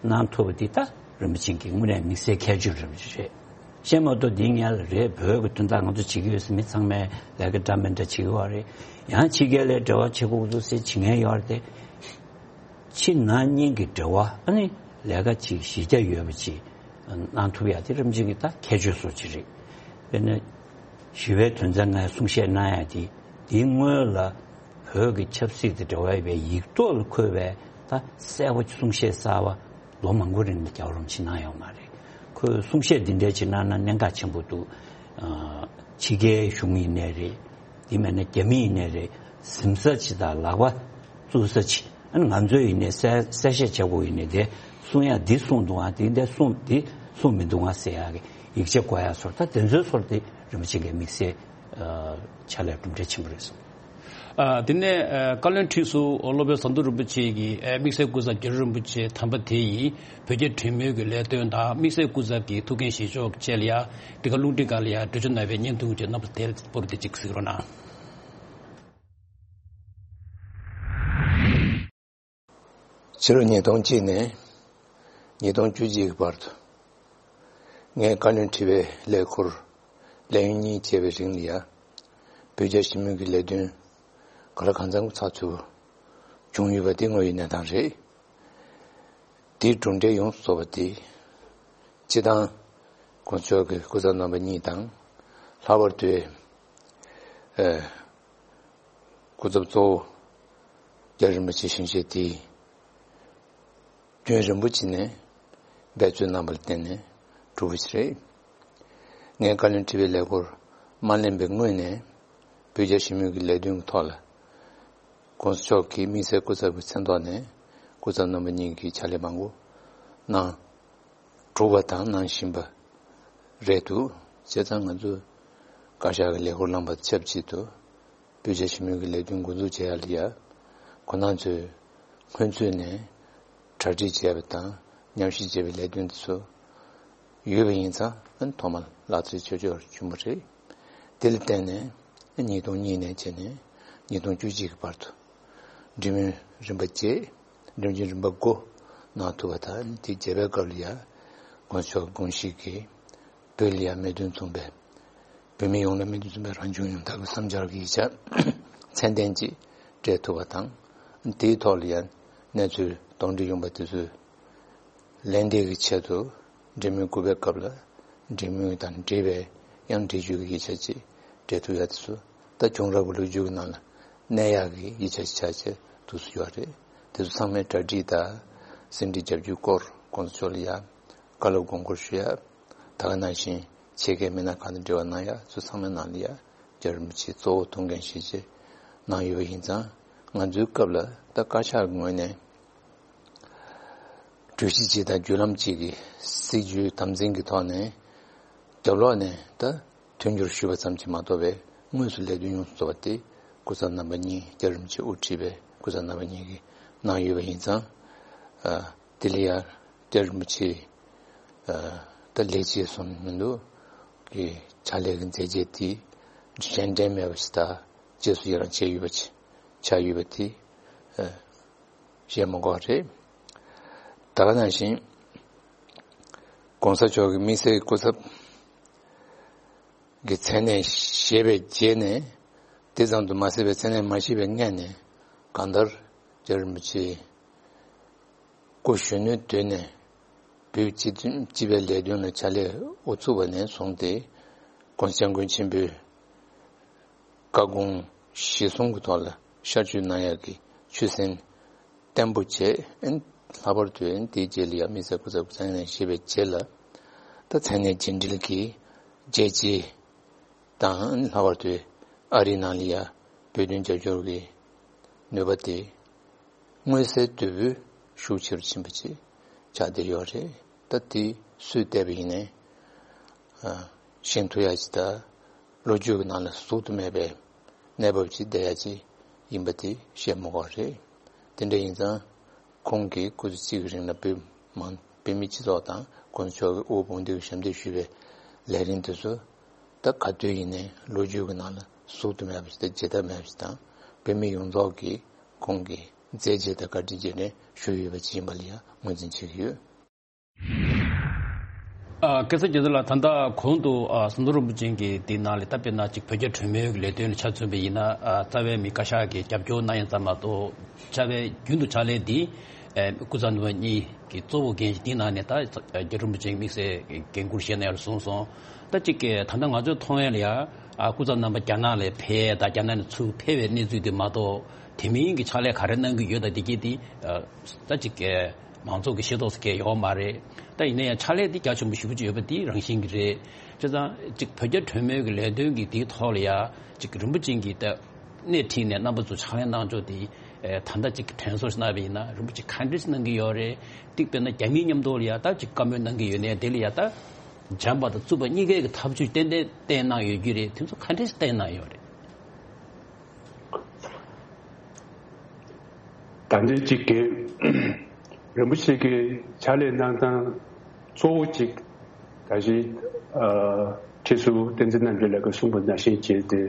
གནང་ཐུབ་པ་འདི་ད་རིན་པོ་ཆེ་གི་དངོས་གནས་དམིགས་བསལ་ཁྱད་ཆོས་རེད། བཤད་མ་གཏོགས་འདི་ངས་ལ་རེད། བོད་ཀྱི་དོན་དག་ང་ཚོ་བྱེད་ཀྱི་ཡོད་ཟེར་མི་ཚང་མས་ལས་ཀ་འདྲ་མི་འདྲ་བྱེད་ཀྱི་ཡོད་རེད། ཡང་ཕྱི་རྒྱལ་ལ་འབྲེལ་བ་བྱེད་དགོས་འདུག་ཟེར་བྱེད་མཁན་ཡོད་རེད་དེ། ཕྱི་ནང་གཉིས་ཀྱི་འབྲེལ་བ་ཨ་ནི་ལས་ཀ་ཅིག་གཞི་རྒྱ་ཡོད་པ་ཅིག་གནང་ཐུབ་ཡ་དེ་རིན་པོ་ཆེ་གི་ད་ཁྱད་ཆོས་སུ་ཅིག་རེད། དཔེར་ན་ཞི་བའི་དོན་ཚན་ལྔའི་གསུང་བཤད་གནང་ཡ་དེ་དེའི་སྔོན་ལ་བོད་ཀྱི་ཆབ་སྲིད་དང་འབྲེལ་བ་ཡོད་པའི་ཡིག་ཐོག་ལ་འཁོད་པའི་ད་གསལ་པོ་གསུང་བཤད་གསར་པ་ལོ་མང་པོ་རིང་ལ་རྒྱལ་བ་རིན་པོ་ཆེས་གནང་ཡོད་མ་རེད། ཁོས་གསུང་བཤད་འདི་འདྲའི་ཅིག་གནང་ན་གནད་འགག་ཆེན་པོ་འདུག། ཨ་ཕྱི་རྒྱལ་གཞུང་ཡིན་ནའི་རེད། དེ་མིན་ན་རྒྱ་མི་ཡིན་ནའི་རེད། གཟིམ་ས་ཅིག་དང་ལག་པ་བཙུགས་ས་ཅིག། ཨ་ནི་ང་ཚོས་ཡིན་ནའི་གསལ་གསལ་བཤད་བྱ་དགོས་ཡིན་ནའི་དེ་གསུང་ཡ་འདི་གསུངས་འདུག་ཨ། དེ་འདྲ་གསུངས་འདི་གསུངས་མི་འདུག་ཨ་ཟེར་ཡ་གི་ཡིག་ཆ་དགོས་ཡ་ཚོར། ད་དེ་ཚོའི་ཚོར་དེ་རིན་པོ་ཆེ་གི་དམིགས་བསལ་ཨ་ཕྱག་ལས་གྲུབ་འབྲས་ཆེན་པོ་རེད་གསུངས། ཨ་དེ་ནས་ཨ་བཀའ་བློན་ཁྲི་ཟུར་སློབ་དཔོན་ཟམ་གདོང་རིན་པོ་ཆེ་གིས་ཨ་དམིགས་བསལ་སྐུ་ཚབ་རྒྱལ་བ་རིན་པོ་ཆེ་དམ་པ་དེ་ཡིས་བོད་རྒྱ་གྲོས་མོལ་གྱི་ལས་དོན་དང་དམིགས་བསལ་སྐུ་ཚབ་ཀྱི་ཐུགས་འགན་བཞེས་ཕྱོགས་བཅས་ལ་ཡང་འདི་ག་རླུང་འཕྲིན་ཁང་ལ་ཡང་འགྲེལ་བརྗོད་གནང་བའི་བརྙན་ཐུང་བཅས་རྣམ་པ་དེ་སྤོར་ཏེ་གཅིག་གཟིགས་རོགས་གནང་། ཕྱི་ལོ་ཉིས་སྟོང་གཅིག་ནས་ཉིས་སྟོང་བཅུ་གཅིག་གི་བར་དུ་ངས་བཀའ་བློན་ཁྲི་པའི་ལས་འཁུར་ལས་ཡུན་གཉིས་བྱས་པའི་རིང་ལ་ཡང་བོད་རྒྱ་ཞི་མོལ་གྱི་ལས་དོན་ག་ལ་གང་འཚམ་ཚགས་ཚུད་པོ་བྱུང་ཡོད་པ་དེ་དངོས་ཡོད་གནས་སྟངས་རེད། དེའི་གྲུབ་འབྲས་ཡོངས་སུ་རྫོགས་པ་དེ་སྤྱི་བཏང་གོང་ས་མཆོག་གི་སྐུ་ཚབ་རྣམ་པ་གཉིས་དང་། ལྷག་པར་དུ་ཨ་སྐུ་ཚབ་གཙོ་བོ་རྒྱལ་བ་རིན་པོ་ཆེ་ཞིང་གཤེགས་དེས་རྒྱུན་རིང་པོ་ཅིག་ནས་འབད་རྩོལ་གནང་བ་ལ་བརྟེན་ནས་གྲུབ་པ་ཞིག་རེད། ངས་བཀའ་བློན་ཁྲི་པའི་ལས་འཁུར་མ་ལེན་པའི་སྔོན་ནས་བོད་རྒྱ་ཞི་མོལ་གྱི་ལས་དོན་གྱི་ཐོག་ལ་གོང་ས་མཆོག་གིས་དམིགས་བསལ་སྐུ་ཚབ་ཀྱི་མཚན་ཐོག་ནས་སྐུ་ཚབ་རྣམ་པ་གཉིས་ཀྱིས་ཕྱག་ལས་མང་པོ་གནང་གྲུབ་པ་དང་གནང་བཞིན་པ་རེད་འདུག། བྱས་ཙང་ང་ཚོ་བཀའ་ཤག་གི་ལས་འཁུར་བླངས་པ་དང་ཆབས་ཅིག་ཏུ་བོད་རྒྱ་ཞི་མོལ་གྱི་ལས་དོན་འགོ་འཛུགས་བྱེད་ཡ་ལ་ཡ་ཁོང་རྣམ་ཚོས་སྔོན་ཚུད་ནས་གྲ་སྒྲིག་བྱས་པ་དང་ཉམས་ཞིབ་བྱས་པའི་ལས་དོན་དེ་ཚོ་ཡོད་པ་ཡིན་ཙང་ཨ་ནི་ཐོག་མར་ལག་རྩལ་ཆོས་ཕྱོགས་བྱུང་བ་རེད། དེ་ལ་བརྟེན་ནས་ཉིས་སྟོང་གཉིས་ནས་བྱས་ནས་ཉིས་སྟོང་བཅུ་གཅིག་གི་བར་དུ་འབྲེལ་མོལ་རིམ་པ་བརྒྱད། འབྲེལ་མོལ་རིམ་པ་དགུ་གནང་ཐུབ་པ་དང་། དེ་བརྒྱད་པའི་སྐབས་ལ་ཡང་གོང་ས་མཆོག་དགོངས་གཞི་གིས་བོད་ལ་ཡང་མོས་མཐུན་མཚུངས་པའི་བོད་མི་ཡོངས་ལ་མོས་མཐུན་མཚུངས་པའི་རང་སྐྱོང་ཡོང་ཐབས་ཀྱི་བསམ་འཆར་གྱི་ཡིག་ཆ་ཚད་ལྡན་ཅིག་སྤྲད་ཐུབ་པ་དང་། དེའི་ཐོག་ལ་ཡང་གནས་ཚུལ་གདོན་འདྲེ་ཡོང་པ་དེ་ཚོའི་ལན་འདེབས་ཀྱི་ཆེད་དུ་འབྲེལ་མོལ་དགུ་པའི་སྐབས་ལ་འབྲེལ་མོལ་དང་འབྲེལ་བའི་ཡང་འགྲེལ་བརྗོད་ཀྱི་ཡིག་ཆ་ཅིག་སྤྲད་ཐུབ་ཡ་དེ་ཚོ་ད་བྱུང་རབས་ཀྱི་ལོ་རྒྱུས་ཀྱི་ནང་ལ་གནས་ཡག་གི་ཡིག་ཆ་ཞིག་ཆགས་བྱས་འདུག་སེ་ཡོད་རེད། དེ་ཚོ་ཚང་མའི་གྲ་སྒྲིག་དང་ཟིན་བྲིས་རྒྱབ་སྐྱོར་སྐོར་གོང་ས་མཆོག་ལ་ཡ་བཀའ་སློབ་དགོངས་སྐོར་ཞུ་ཡ། ད་ག་ནང་བཞིན་ཆེད་མཁས་མི་སྣ་གང་དང་འབྲེལ་བ་གནང་ཡ་ཚོ་ཚང་མའི་ནང་ལ་ཡ་རྒྱལ་བ་རིན་པོ་ཆེས་གཙོ་བོ་ཐུགས་འགན་བཞེས་བྱས་གནང་ཡོད་པ་ཡིན་ཙང་། ང་ཚོའི་སྐབས་ལ་ད་བཀའ་ཤག་གི་ངོས་ནས་གྲོས་གཞི་གཅིག་དང་བརྒྱུད་ལམ་གཅིག་གི་སྲིད་ཇུས་དམ་འཛིན་གྱི་ཐོག་ནས་རྒྱབ་ལོགས་ནས་ད་མཐུན་འགྱུར་ཞུས་པ་ཙམ་གྱིས་མ་གཏོགས་པའི་དངོས་སུ་ལས་དོན་ཡོངས་སུ་རྫོགས་པ་དེ་སྐུ་ཚབ་རྣམ་པ་གཉིས། རྒྱལ་བ་རིན་པོ་ཆེ་དབུ་ཁྲིད་པའི་སྐུ་ཚབ་རྣམ་པ་གཉིས་ཀྱིས་གནང་ཡོད་པ་ཡིན་ཙང་། ཨ་དེ་ལ་ཡང་ རྒྱ་རིན་པོ་ཆེ་ད་ལས་བྱེད་སོང་མི་འདུག་གི་ཕྱག་ལས་ཀྱི་མཛད་རྗེས་དེ་གཞན་འགྲན་མེད་པ་ཞིག་དང་རྗེས་སུ་ཡི་རང་བྱས་ཡོད་པ་ཆགས་ཡོད་པ་དེ་བཤད་མ་དགོས་རེད། ད་ག་ནང་བཞིན་༸གོང་ས་མཆོག་གི་དམིགས་བསལ་སྐུ་ཚབ་ཀྱི་མཚན་གནས་བཞེས་པའི་རྗེས་ནས་དེ་ཙམ་དུ་མ་ཟད་པའི་མཚན་གནས་མ་བཞེས་པའི་སྔས་ནས་གང་ལྟར་རྒྱ་རིན་པོ་ཆེ་སྐུ་གཞོན་ནུའི་དུས་ནས་བོད་སྤྱི་མཐུན་སྤྱི་པའི་ལས་དོན་ལ་ཕྱག་ལས་དབུ་ཚུགས་པ་ནས་བཟུང་སྟེ་༸གོང་ས་༸སྐྱབས་མགོན་ཆེན་པོའི་བཀའ་དགོངས་གཞིར་བཟུང་གི་ཐོག་ལ་ཤར་བསྐྱོད་གནང་ཡག་གི་ཆོད་སེམས་བརྟན་པོ་བྱས། ཨན་ལྷག་པར་དུ་ཨན་དེའི་རྗེས་ལ་ཡང་དམིགས་བསལ་སྐུ་ཚབ་མཚན་གནས་བཞེས་པའི་རྗེས་ལ་ད་མཚན་གནས་རྗེས་འབྲེལ་གྱི་རྒྱལ་སྤྱི་དང་ཨན་ལྷག་པར་དུ་ཨ་རིའི་ནང་ལ་ཡང་བོད་དོན་རྒྱབ་སྐྱོར་གྱི་ནུས་པ་དེ་མངོན་གསལ་དོད་པོས་ཤུགས་ཆེ་རུ་ཕྱིན་པ་ཅིག་ཆགས་བསྡད་ཡོད་རེད། ད་དེ་སུས་བལྟས་པ་ཡིན་ནའི་ཤེས་ཐུབ་ཡག་ཅིག་དང་ལོ་རྒྱུས་ཀྱི་ནང་ལ་ཟུག་ཏུ་མེད་པའི་གནས་བབ་ཅིག་བསྡད་ཡག་ཅིག་ཡིན་པ་དེ་བཤད་མ་དགོས་རེད། དེ་འདྲ་ཡིན་ཙང་ཁོང་གིས་སྐུ་ཚེ་གཅིག་གི་རིང་ལ་བོད་མང་བོད་མི་སྤྱི་ཚོགས་དང་༸གོང་ས་མཆོག་གི་དབུ་འོས་དཔོན་འདེགས་ཞབས་འདེགས་ཞུས་པའི་ལས་རིམ་དེ་ཚོ་ད་ག་དུས་ཡིན་ནའི་ལོ་རྒྱུས་ཀྱི་ནང་ལ་ཟུག་ཏུ་མེད་པ་ཞིག་དང་བརྗེད་ཐབས་མེད་པ་ཞིག་དང་བོད་མི་ཡོངས་རྫོགས་ཀྱིས་ཁོང་གི་མཛད་རྗེས་དང་བཀའ་དྲིན་རྗེས་དྲན་ཞུ་ཡོད་པ་ཅིག་ཡིན་པ་ལ་ཡང་ངོས་འཛིན་བྱེད་ཀྱི་ཡོད། ཨ། སྐལ་བཟང་རྒྱ་མཚོ་ལགས། ད་ལྟ་གོང་དུ་ཨ་ཟམ་གདོང་རིན་པོ་ཆེ་གིས་འདི་ནང་ལ་ད་དཔེར་ན་ཅིག་བོད་རྒྱ་གྲོས་མོལ་གྱི་ལས་དོན་ལ་ཆ་མཚོན་པ་ཡིན་ན། ཨ། རྩ་བའི་མི་བཀའ་ཤག་གིས་རྒྱབ་སྐྱོར་གནང་ཡ་ཙམ་མ་གཏོགས་རྩ་བའི་རྒྱུན་དུ་ཕྱག་ལས་འདི་ཨ་སྐུ་ཚབ་ནུས་པ་གཉིས་ཀྱི་གཙོ་བོ་འགན་ཞིག་འདི་ནང་ནས་ད་རྒྱ་རིན་པོ་ཆེ་དམིགས་བསལ་འགན་འཁུར་བཞེས་གནང་ཡ་ལ་བཟུང་སོང་། ད་ཅིག་གི་ད་ལྟ་ང་ཚོས་མཐོང་ཡ་ལ་ཡ། ཨ། སྐུ་ཚབ་རྣམ་པ་རྒྱ་ནག་ལ་ཕེབས་ད་རྒྱ་ནག་ནས་ཚུར་ཕེབས་པའི་གནས་ཚུལ་དེ་མ་གཏོགས་དེ་མིན་གྱི་ཕྱག་ལས་ག་རེ་གནང་གི་ཡོད་ད་འདི་གྱད་དེ་ཨ་ད་ཅིག་གི་མང་ཚོགས་ཀྱིས་ཤེས་རྟོགས་སུ་གང་ཡོད་མ་རེད། ད་ཡིན་ན་ཡང་ཕྱག་ལས་འདི་རྒྱ་ཆེན་པོ་ཞེ་པོ་ཅིག་ཡོད་པ་འདི་རང་བཞིན་གྱི་རེད། བྱས་ཙང་ཅིག་བོད་རྒྱ་གྲོས་མོལ་གྱི་ལས་དོན་གྱི་འདིའི་ཐོག་ལ་ཡ་ཅིག་རིན་པོ་ཆེ་གིས་ད་སྣེ་ཁྲིད་ནས་རྣམ་པ་ཚོ་ཕྱག་ལས་གནང་ཕྱོགས་འདི་ཨེ་ད་ལྟ་ཅིག་དྲན་གསོ་ཞིག་གནང་བ་ཡིན་ན་རིན་པོ་ཆེ་ག་འདྲས་གནང་གི་ཡོད་རེད། འདི་དཔེར་ན་རྒྱ་མིའི་མཉམ་དུ་ལ་ཡ་ད་ཅིག་བཀའ་མོལ་གནང་གི་ཡོད་ནའི་དེ་ལ་ཡ་ད་བྱམས་པ་དང་རྩུབ་པ་གཉིས་ཀའི་གི་ཐབས་ཇུས་ཏན་ཏན་བསྟན་གནང་ཡོད་ཀྱི་རེད། དེ་ཚོ་ག་འདྲས་བསྟན་གནང་ཡོད་རེད། ད་ལྟའི་གཅིག་གི་རིན་པོ་ཆེ་གི་ཕྱག་ལས་གནང་སྟངས་གཙོ་བོ་གཅིག་ད་གཞི་ཨ་ཁྲི་ཟུར་བསྟན་འཛིན་རྣམ་རྒྱལ་ལགས་ཀྱིས་གསུངས་པ་ནང་བཞིན་བྱས་ཏེ་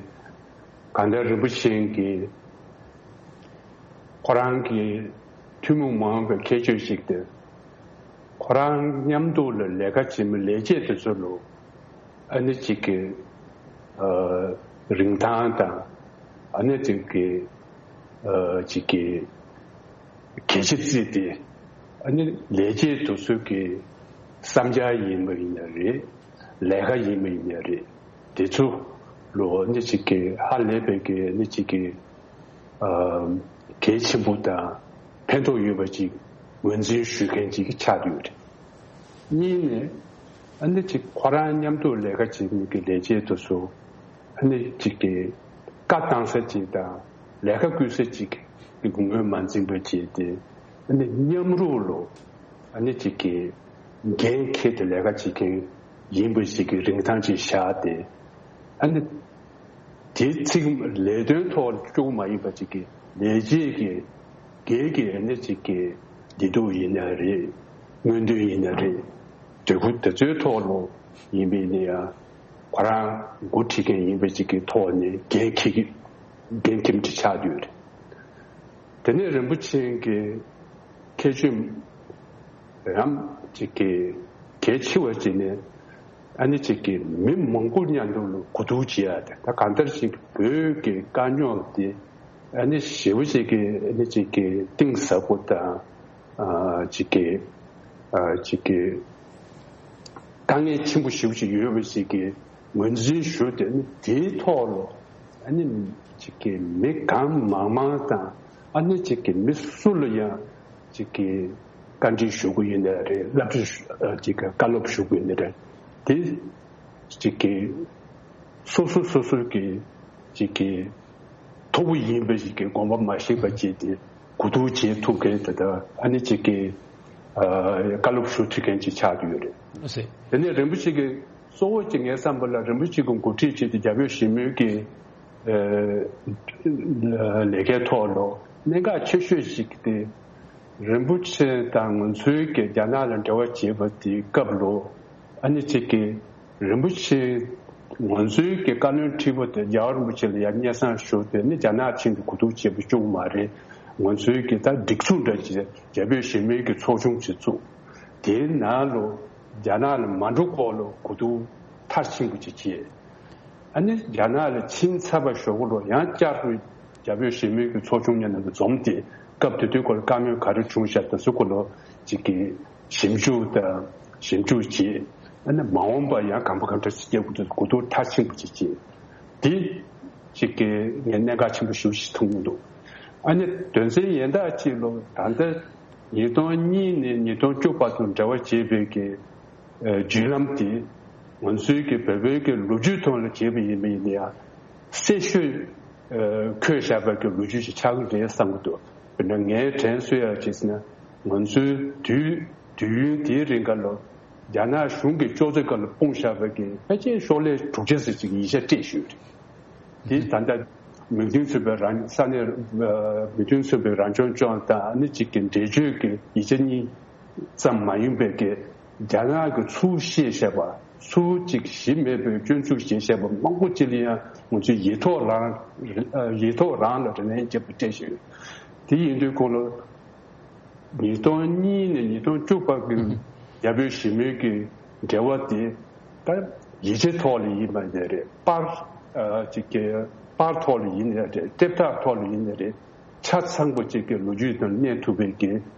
གང་ལྟར་རིན་པོ་ཆེ་གིས་ཁོ་རང་གི་ཐུན་མོང་མ་ཡིན་པའི་ཁྱད་ཆོས་ཤིག་སྟེ། ཁོ་རང་མཉམ་དུ་ལ་ལས་ཀ་བྱེད་མི་ལས་བྱེད་དེ་ཚོ་ལ་ཨ་ནི་གཅིག་གི་ཨ་རིན་ཐང་དང་ཨ་ནི་གཅིག་གི་ཨ་གཅིག་གི་གལ་ཆེ་བརྩིས་ཏེ་ཨ་ནི་ལས་བྱེད་དེ་ཚོ་གི་བསམ་འཆར་ཡིན་པ་ཡིན་ན་རེད། ལས་ཀ་ཡིན་པ་ཡིན་ན་རེད། དེ་ཚོ་ལ་ཨ་ནི་གཅིག་གི་ཧ་ལས་པའི་གི་ཨ་ནི་གཅིག་གི་ཨ་གལ་ཆེན་པོ་དང་ཕན་ཐོགས་ཡོད་པ་ཅིག་ངོས་འཛིན་ཞུ་མཁན་ཅིག་ཆགས་ཡོད་རེད། གཉིས་ནས་ཨ་ནི་ཅིག་ཁོ་རང་མཉམ་དུ་ལས་ཀ་བྱེད་མཁན་གྱི་ལས་བྱེད་དེ་ཚོ་ཨ་ནི་ཅིག་གི་བཀའ་བཏང་ས་ཅིག་དང་ལས་ཀ་བསྐུལ་ས་ཅིག་གི་ངོས་མ་འཛིན་པ་བྱས་ཏེ་ཨ་ནི་མཉམ་རུབ་ལ་ཨ་ནི་ཅིག་གི་འགན་འཁྱེར་ཏེ་ལས་ཀ་བྱེད་མཁན་ཡིན་པ་ཞིག་གི་རིན་ཐང་ཅིག་བཞག་སྟེ་ཨ་ནི། དེ་ཚིག་ལས་དོན་ཐོག་ལ་སྐྱོ་པོ་མ་ཡིན་པ་ཅིག་གི་ལས་བྱེད་ཀྱི་སྒེར་གྱི་ཨ་ནི་ཅིག་གི་བདེ་སྡུག་ཡིན་ན་རེད། མངོན་འདོད་ཡིན་ན་རེད། འབྲས་བུ་དེ་ཚོའི་ཐོག་ལ་ཡིན་པས་ན་ཡང་ཁོ་རང་འགོ་ཁྲིད་མཁན་ཡིན་པ་ཅིག་གི་ཐོག་ནས་འགན་འཁྱེར་གྱི་འགན་འཁྱེར་མཁན་ཅིག་ཆགས་བསྡད་ཡོད་རེད། དེ་ནས་རིན་པོ་ཆེ་གི་ཁྱད་ཆོས་ཡང་ཅིག་གི་གལ་ཆེ་བ་ཅིག་ནི་ཨ་ནི་ཅིག་གི་མི་མང་པོ་མཉམ་དུ་ལ་གོ་བསྡུར་བྱེད་ཡ་དེ་ད་གང་ལྟར་ཅིག་བོད་ཀྱི་དཀའ་རྙོག་དེ་ཨ་ནི་ཞེ་པོ་ཅིག་གི་ཨ་ནི་ཅིག་གི་གཏིང་ཟབ་པོ་དང་ཨ་ཅིག་གི་ཨ་ཅིག་གི་དཀའ་ངལ་ཆེན་པོ་ཞེ་པོ་ཅིག་ཡོད་པ་ཞིག་གི་ངོས་འཛིན་ཞུ་དེ་ནི་དེའི་ཐོག་ལ་ཨ་ནི་ཅིག་གི་མི་གང་མང་མང་དང་ཨ་ནི་ཅིག་གི་མི་སུ་ལ་ཡང་ཅིག་གི་བཀའ་འདྲི་ཞུ་གི་ཡིན་ནའི་རེད། བསླབ་བྱ་ཞུ་ཨ་ཅིག་གི་བཀའ་སློབ་ཞུ་གི་ཡིན་ནའི་རེད། དེ་ཅིག་གི་སོ་སོ་སོ་སོ་གི་ཅིག་གི་མཐོ་པོ་ཡིན་པ་ཞིག་གི་དགོངས་པ་མ་བཞེས་པ་བྱས་ཏེ་གོ་བསྡུར་བྱེད་ཐུབ་མཁན་དེ་དག་ཨ་ནི་ཅིག་གི་ཨ་བཀའ་སློབ་ཞུ་ཐུབ་མཁན་ཅིག་ཆགས་ཀྱི་ཡོད་རེད། ཨ་ཟེ། དེ་ནས་རིན་པོ་ཆེ་གི་གཙོ་བོ་ཅིག་ངའི་བསམ་པ་ལ་རིན་པོ་ཆེ་གི་འགོ་ཁྲིད་བྱས་ཏེ་རྒྱ་བོད་ཞི་མོལ་གྱི་ཨ་ལས་ཀའི་ཐོག་ལ་གནད་འགག་ཆེ་ཤོས་ཤིག་དེ་ རིན་པོ་ཆེ་དང་ང་ཚོའི་གི་རྒྱ་ནག་ལ་འབྲེལ་བ་བྱེད་པ་དེའི་སྐབས་ལོ། ཨ་ནི་གཅིག་གི་རིན་པོ་ཆེ་ང་ཚོའི་གི་བཀའ་བློན་ཁྲི་པ་དེ་རྒྱལ་བ་རིན་པོ་ཆེ་ལ་ཡར་སྙན་སེང་ཞུ་དེ་ནི་རྒྱ་ནག་ཆིངས་དེ་གོ་བསྡུར་བྱེད་པ་བྱུང་མ་རེད། ང་ཚོའི་གི་ད་སྒྲིག་འཛུགས་འདྲ་ཅིག་རྒྱ་བོད་ཞི་མོལ་གི་ཚོགས་ཆུང་ཅིག་བཙུགས། དེའི་ནང་ལོ་རྒྱ་ནག་ལ་མ་འགྲོ་སྐོར་ལ་གོ་བསྡུར་མཐར་ཕྱིན་པ་ཅིག་བྱས། ཨ་ནི་རྒྱ་ནག་ལ་ཕྱིན་ཚར་བ་ཞོག་ལོ་ཡང་བསྐྱར་དུ་རྒྱ་བོད་ཞི་མོལ་གྱི་ཚོགས་ཆུང་གཉིས་ནང་དུ་འཛོམས་ཏེ་སྐབས་དེ་དུས་སྐོར་བཀའ་མོལ་ག་རེ་བྱུང་ཤག་དང་སུ་སྐོར་ལོ་གཅིག་གི་ཞིབ་འཇུག་དང་ཞིབ་འཇུག་བྱས། ཨ་ནི་མ་འོངས་པ་ཡང་གང་པ་གང་འདྲ་ཞིག་སྐྱེ་དགོས་དུས་གོ་བསྡུར་མཐར་ཕྱིན་པ་ཅིག་བྱས། དེ་གཅིག་གི་ངས་གནད་འགག་ཆེན་པོ་ཞེ་པོ་ཞིག་མཐོང་གི་འདུག་ཨ་ནི་དོན་ཚན་གཞན་དག་ཅིག་ལོ་ད་ལྟ་ཉིས་སྟོང་གཉིས་ནས་ཉིས་སྟོང་བཅུ་བར་དུ་འབྲེལ་བ་བྱས་པའི་གི་བརྒྱུད་ལམ་དེ་ང་ཚོའི་གི་བོད་པའི་གི་ལོ་རྒྱུས་ཐོག་ལ་བྱས་པ་ཡིན་པ་ཡིན་ན་ཡང་གསལ་ཤོས་འཁོད་བཞག་པའི་གི་ལོ་རྒྱུས་ཤིག་ཆགས་ཀྱི་རེད་བསམ་གྱི་འདུག་དཔེར་ན་ངས་དྲན་གསོ་ཡག་བྱས་ཟིན་ན་ང་ཚོའི་དུས་དུས་ཡུན་དེའི་རིང་ག་ལ་རྒྱ་ནག་གཞུང་གི་ལྕོགས་ཚོད་སྐབས་ལ་སྤུངས་བཞག་པའི་གི་ཕལ་ཆེར་ཤོག་ལྷེ་དྲུག་ཅུ་ཙམ་ཅིག་ཡིག་ཆ་སྤྲད་ཞུས་རེད། དེ་ད་ལྟ་མིག་མདུན་ཚུད་པའི་རང་ས་གནས་མིག་མདུན་ཚུད་པའི་རང་སྐྱོང་ལྗོངས་དང་ཨ་ནི་གཅིག་གི་འགྲེལ་བརྗོད་ཀྱི་ཡིག་ཆ་གཉིས་ཙམ་མ་ཡིན་པའི་གི་རྒྱ་ནག་གི་ཚུར་བཤད་བཤད་པ་ཚུར་གཅིག་གཞི་མེད་པའི་སྐྱོན་འཛུགས་བྱེད་བཤད་པ་མང་པོ་ཅིག་ལ་ཡང་ང་ཚོས་ཡིག་ཐོག་རང་ཡིག་ཐོག་རང་ལ་དྲི་ལན་བརྒྱབ་པ་སྤྲད་བཞིན་ཡོད། དེ་ཡིན་དུས་ཁོང་ལ། ཉིས་སྟོང་གཉིས་ནས་ཉིས་སྟོང་བཅུ་བར་གྱི་རྒྱ་བོད་ཞི་མོལ་གྱི་འབྲེལ་བ་དེ་ད་ཡིག་ཆའི་ཐོག་ལ་ཡིན་པ་ནས་རེད། པར་ཅིག་གི་པར་ཐོག་ལ་ཡིན་ནས་རེད། དེབ་ཐེར་ཐོག་ལ་ཡིན་ནས་རེད། ཆ་ཚང་པོ་ཅིག་གི་ལོ་རྒྱུས་དང་གནས་ཐུབ་པའི་གི་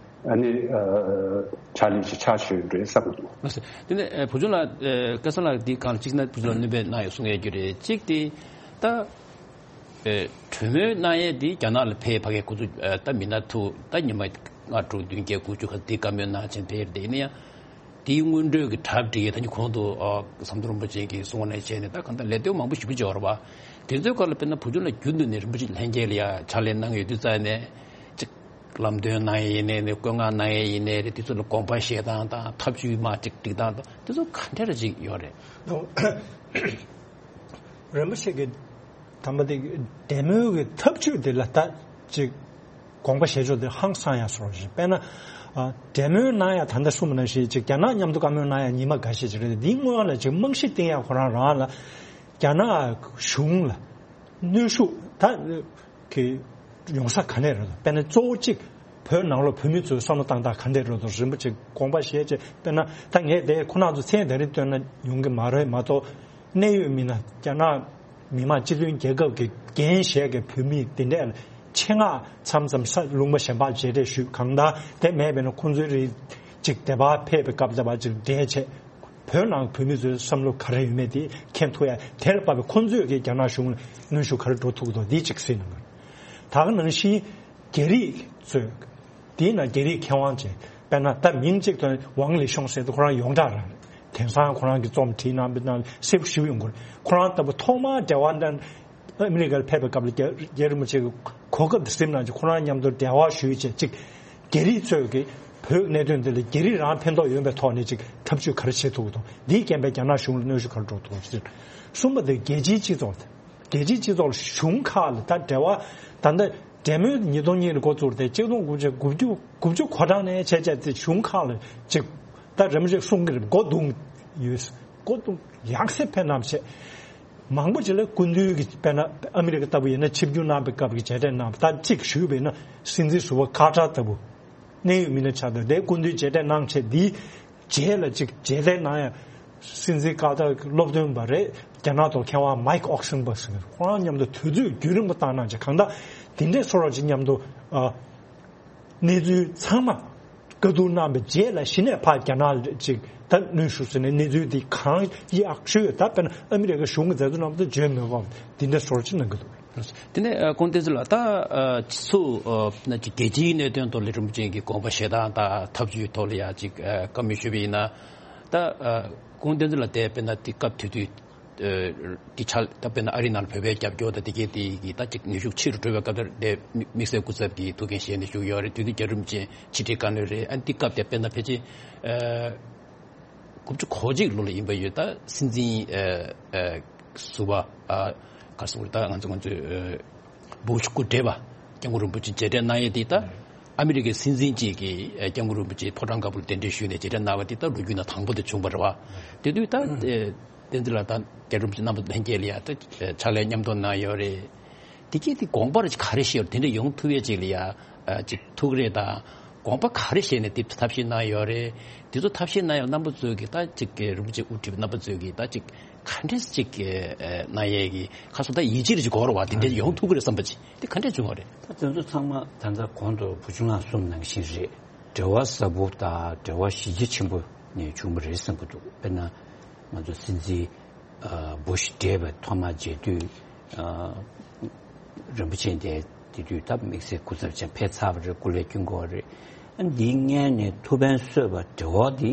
ཨ་ནི་ཕྱག་ལས་ཅིག་ཆགས་བཞིན་རེད་བསམ་གྱི་འདུག་དེ་ནས་བུ་ཆུང་ལགས་སྐལ་བཟང་ལགས་འདི་གང་ལ་གཅིག་ན་བུ་ཆུང་ལགས་སྣོན་པ་གནང་ཡོད་གསུང་ཡས་རྒྱུ་རེད། གཅིག་དེ་ད། ཨེ། གྲོས་མོལ་གནང་ཡས་འདི་རྒྱ་ནག་ལ་ཕེབས་ཕ་གིའི་ཁོ་ཚོ་ཨེ། ད་མི་སྣ་ཐུག་ད་ཉི་མ་ལྔ་དྲུག་བདུན་བརྒྱད་དགུ་བཅུ་ཁ་འདི་བཀའ་མོལ་གནང་བྱས་ཕེབས་དེ་ནི་ཡང་འདིའི་སྔོན་འགྲོའི་གི་གྲ་སྒྲིག་ད་ནི་གོང་དུ་ཨ། ཟམ་གདོང་རིན་པོ་ཆེ་གིས་གསུངས་པ་ནས་བྱས་ནས་ད་གང་ལྟར་ལས་དོན་མང་པོ་ཞེ་པོ་ཅིག་ཡོད་རེད་བ། དེ་ཚོའི་སྐོར་ལ་དཔེར་ན་བུ་ཆུང་ལ་རྒྱུན་དུ་ནས་རིན་པོ་ཆེ་ལྷན་རྒྱས་ལ་ཡ་ཕྱག་ལས་གནང་ཡོད་དུས་ཙང་ནས་ཅིག་ལམ་སྟོན་གནང་ཡས་ཡིན་ནའི་ནས་བཀོད་མངགས་གནང་ཡས་ཡིན་ནའི་རེད། དེ་ཚོ་ལ་དགོངས་པ་བཞེས་སྟངས་དང་ཐབས་ཇུས་མ་ཅིག་སྒྲིག་སྟངས་དང་དེ་ཚོ་ག་འདྲ་རེ་ཅིག་ཡོད་རེད། རིན་པོ་ཆེ་གི་དམ་པ་དེ་འབྲེལ་མོལ་གྱི་ཐབས་ཇུས་དེ་ལ་ད་ཅིག་དགོངས་པ་བཞེས་ཕྱོགས་དེ་ཧང་སང་ཡ་སོགས་རེད། དཔེར་ན་ཨ། འབྲེལ་མོལ་གནང་ཡ་ད་ལྟ་གསུངས་པ་ནང་བཞིན་ཅིག་རྒྱ་ནག་མཉམ་དུ་བཀའ་མོལ་གནང་ཡ་ཉི་མ་འགའ་ཤས་ཅིག་རེད། དེ་སྔོན་ལ་ཅིག་རྨང་གཞི་བཏིང་ཡ་ཁོ་རང་རང་ལ་རྒྱ་ནག་གཞུང་ལ་གནོན་ཤུགས་ད་གི་ཡོང་ས་ག་ནས་རེད། དཔེར་ན་གཙོ་བོ་གཅིག་བོད་ནང་ལོགས་བོད་མི་ཚོའི་བསམ་བློ་བཏང་སྟངས་ག་འདྲས་རེད་འདུག་རིན་པོ་ཆེ་དགོངས་པ་བཞེས་བྱས་དཔེར་ན་ད་ངས་དེ་ཁོ་རང་ཚོ་མཚན་དེ་རིང་བཏོན་ན་ཡོང་གི་མ་རེད་མ་གཏོགས། གནད་ཡོད་མི་སྣ་རྒྱ་ནག་མི་དམངས་སྤྱི་མཐུན་རྒྱལ་ཁབ་ཀྱི་འགན་བཞེས་ཀྱི་བོད་མི་དེ་འདྲས་ཆེད་མངགས་མཚམས་མཚམས་ས་ལུང་པ་གཞན་པར་མཇལ་འཕྲད་ཞུས། གང་ལྟར་དེ་མེད་པས་ན་ཁོང་ཚོའི་རིགས་གཅིག་དེ་བར་ཕེབས་པའི་སྐབས་དེ་བར་གཅིག་འབྲེལ་བྱས། བོད་ནང་བོད་མི་ཚོའི་བསམ་བློ་ག་རེ་ཡོད་མེད་དེ་མཁྱེན་ཐུབ་ཡ། དེར་བབས་པའི་ཁོང་ཚོས་ཀྱི་རྒྱ་ནག་གཞུང་ལ་གནོན་ཤུགས་ག་རེ་འགྲོ་ཐུབ་ཀྱི་འདུག་འདི་གཅིག་གཟིགས་གནང་དགོས། ད་ག་ནང་བཞིན་རྒྱ་རིགས་ཚོས་དེའི་ནང་རྒྱ་རིགས་མཁས་དབང་ཅིག་དཔེར་ན་ད་མིང་གཅིག་ཏུ་ཝང་ལི་ཤོང་ཟེར་དུས་ཁོ་རང་ཡོངས་གྲགས་རང་རེད། དེང་སང་ཁོ་རང་གི་རྩོམ་བྲིས་གནང་པའི་ནང་གསལ་པོ་ཞིག་ཡོང་གི་རེད། ཁོ་རང་ལྟ་བུ་ཐོག་མར་འབྲེལ་བ་འདྲ། ཨ་མི་རི་ཀར་ཕེབས་པའི་སྐབས་ལ་རྒྱ་རྒྱ་རིན་པོ་ཆེ་གི་གོ་སྐབས་དེ་ཟིན་ན་ཅིག་ཁོ་རང་མཉམ་དུ་འབྲེལ་བ་ཞུས་བྱས་ཅིག་རྒྱ་རིགས་ཚོས་ཀྱི་བོད་གནད་དོན་འདི་ལ་རྒྱ་རིགས་རང་ཕན་ཐོགས་ཡོང་པའི་ཐོག་ནས་ཅིག་ཐབས་ཇུས་ག་རེ་བྱེད་ཐུབ་ཀྱི་འདུག་འདིའི་རྐྱེན་པས་རྒྱ་ནག་གཞུང་ལ་གནོན་ཤུགས་ག་རེ་འགྲོ་ཐུབ་ཀྱི་རེད། གསུམ་པ་དེ་རྒྱལ་སྤྱིའི་སྤྱི་ཚོགས་དེ། རྒྱལ་སྤྱིའི་སྤྱི་ཚོགས་ལ་གཞུང་ཁག་ལ་ད་འབྲེལ་བ་ད་ལྟ་འབྲེལ་མོལ་ཉིས་སྟོང་གཉིས་ལ་འགོ་བཙུགས་ཏེ་གཅིག་སྟོང་དགུ་བརྒྱ་དགུ་བཅུ་དགུ་བཅུ་གོ་གྲངས་ནས་བྱས་བྱས་ཏེ་གཞུང་ཁག་ལ་ཅིག་ད་རིན་པོ་ཆེས་གསུང་གི་རེད། མགོ་བརྡུང་ཡོད། མགོ་བརྡུང་ཡང་སེ་ཕན་ནམ་བྱས། མང་པོ་ཅིག་ལ་སྐུ་མདུན་གྱི་དཔེར་ན་ཨ་མི་རི་ཀ་ལྟ་བུ་ཡིན་ན་ཆིབས་བསྒྱུར་གནང་པའི་སྐབས་ཀྱི་མཇལ་འཕྲད་གནང་བ་ད་གཅིག་ཞུས་པས་ན་སྲིད་འཛིན་ཟུར་པ་ཀར་ཊར་ལྟ་བུ་གནད་ཡོད་མི་སྣ་ཆགས་འདུག་དེ་སྐུ་མདུན་མཇལ་འཕྲད་གནང་བྱས་འདིའི་རྗེས་ལ་ཅིག་མཇལ་འཕྲད་གནང་ཡ་སྲིད་འཛིན་ཀར་ཊར་གྱི་སློབ་སྟོན་པ་རེད། རྒྱ་ནག་ཐོག་མཁས་དབང་མའིག་ཨོག་སན་བྷག་ཟེར་ཁོ་རང་མཉམ་དུ་དུས་ཚོད་རྒྱུན་རིང་པོ་བཏང་གནང་བྱས་གང་ལྟར་དེ་འདྲའི་ཚོར་བ་ཅིག་མཉམ་དུ་ཨ། གནས་ཚུལ་ཚང་མ་བཀའ་བསྡུར་གནང་བའི་རྗེས་ལ་གཞི་ནས་ཕར་རྒྱ་ནག་ཅིག་ད་གནོན་ཤུགས་ཟེར་ནས་གནས་ཚུལ་འདི་གང་ཡག་ཤོས་ད་དཔེར་ན་ཨ་མི་རི་ཀ་གཞུང་གི་མཛད་གཙོ་རྣམ་པ་ཚོ་བརྗོད་མེད་པ་འདི་འདྲ་སོར་ཅིག་གནང་གི་འདུག་དེ་ནས་ཨ་ཁོང་བསྟན་འཛིན་ལགས་ད་ཨ་སྤྱི་ཚོགས་ཨ་ན་ཅིག་རྒྱལ་སྤྱིའི་གནད་དོན་ཐོག་ལ་རིན་པོ་ཆེ་གི་དགོངས་པ་བཞེས་སྟངས་དང་ཐབས་ཇུས་ཐོག་ལ་ཡང་ཅིག་ཨ་བཀའ་མོལ་ཞུས་པ་ཡིན་ན་ད་ཨ་ཁོང་བསྟན་འཛིན་ལགས་དེ་དཔེར་ན་དེ་སྐབས་དེ་དུས། ཨ་གི་ཆ་ད་དཔེར་ན་ཨ་རི་ནང་ལ་བོད་པའི་རྒྱབ་སྐྱོར་དང་དེ་གའི་དེ་གི་ད་ཅིག་ནུས་ཤུགས་ཆེ་རུ་འགྲོ་བའི་སྐབས་དེར་དེ་དམིགས་བསལ་སྐུ་ཚབ་ཀྱི་ཐུགས་འགན་བཞེས་ནས་བཞུགས་ཡོད་རེད། དུས་དེ་རྒྱ་རིམ་ཅན་ཕྱི་དྲིལ་བཀའ་བློན་རེད། ཨ་འདི་སྐབས་དེ་དཔེར་ན་ཕལ་ཆེར་ཨ་དགུ་བཅུ་གོ་གཅིག་ལོ་ལ་ཡིན་པ་ཡོད། ད་སྲིད་འཛིན་ཨ་ཨ་ཟུར་པ་ཨ་ག་རེ་ཟེར་དགོས་རེད། ད་ང་ཚོ་ང་ཚོའི་ཨ་བྷུ་ཤ་སྐུ་བགྲེས་པ་སྐྱབས་མགོན་རིན་པོ་ཆེ་མཇལ་འཕྲད་གནང་ཡས་དེ་ད། ཨ་མི་རི་ཀའི་སྲིད་འཛིན་གཅིག་གིས་ཨ་སྐྱབས་མགོན་རིན་པོ་ཆེ་ཕོ་བྲང་དཀར་པོར་གདན་འདྲེན་ཞུས་ནས་མཇལ་འཕྲད་གནང་བ་དེ་ད་ལོ་རྒྱུས་ནང་དང་པོ་དེ་བྱུང་བ་རེད་བ། དེ་དུས་ད་ཨ་བསྟན་འཛིན་ལགས་དང་རྒྱལ་བ་རིན་པོ་ཆེ་རྣམ་པ་ལྷན་རྒྱས་ལ་ཡ་ད་ཨ་ཕྱག་ལས་མཉམ་དུ་གནང་ཡོད་རེད། དེ་གས་དེ་དགོངས་པ་ག་རེ་བཞེས་ཡོད་རེད། དེ་འདྲ་ཡོང་ཐུབ་ཡས་ཅིག་ལ་ཡ་ཨ་ཅིག་ཐུགས་རེ་དང་དགོངས་པ་ག་རེ་བཞེས་ནས་དེ་ཐབས་ཤེས་གནང་ཡོད་རེད། དེ་ཚོ་ཐབས་ཤེས་གནང་ཡོད་རྣམ་པ་ཚོས་ཀྱིས་ད་ཅིག་གི་རིན་པོ་ཆེ་དབུ་ཁྲིད་པའི་རྣམ་པ་ཚོས་ཀྱིས་ད་ཅིག་ག་འདྲས་ཅིག་གི་ཨ་གནང་ཡས་ཀྱི་ཁ་སོ་ད་ཡིད་ཆེས་རེ་ཅིག་དགོས་རེད་བ། དེ་འདྲས་ཡོང་ཐུབ་ཀྱི་རེད་བསམ་པ་ཅིག་དེ་ག་འདྲས་བྱུང་བ་རེད། ད་དེ་ཚོ་ཚང་མ་ད་ལྟ་གོང་དུ་བུ་ཆུང་ལགས་གསུངས་ནང་བཞིན་རེད། འབྲེལ་བ་ཟབ་པོ་དང་འབྲེལ་བ་གཞི་རྒྱ་ཆེན་པོ་ནས་བྱུང་བ་རེད་བསམ་གྱི་འདུག་དཔེར་ན་ང་ཚོ་སྲིད་འཛིན་ཨ་བུ་ཤ་འདས་པ་ཐོག་མ་མཇལ་དུས་ཨ་རིན་པོ་ཆེ་འདས་དེ་དུས་ད་དམིགས་བསལ་སྐུ་ཚབ་ཆེན་ཕེབས་ཚར་བ་རེད། སྐུ་ལས་བསྐྱོན་དགོས་པ་རེད། ཨ་འདིའི་སྔོན་ནས་ཐུགས་ཕན་གསོས་པ་འབྲེལ་བ་འདི་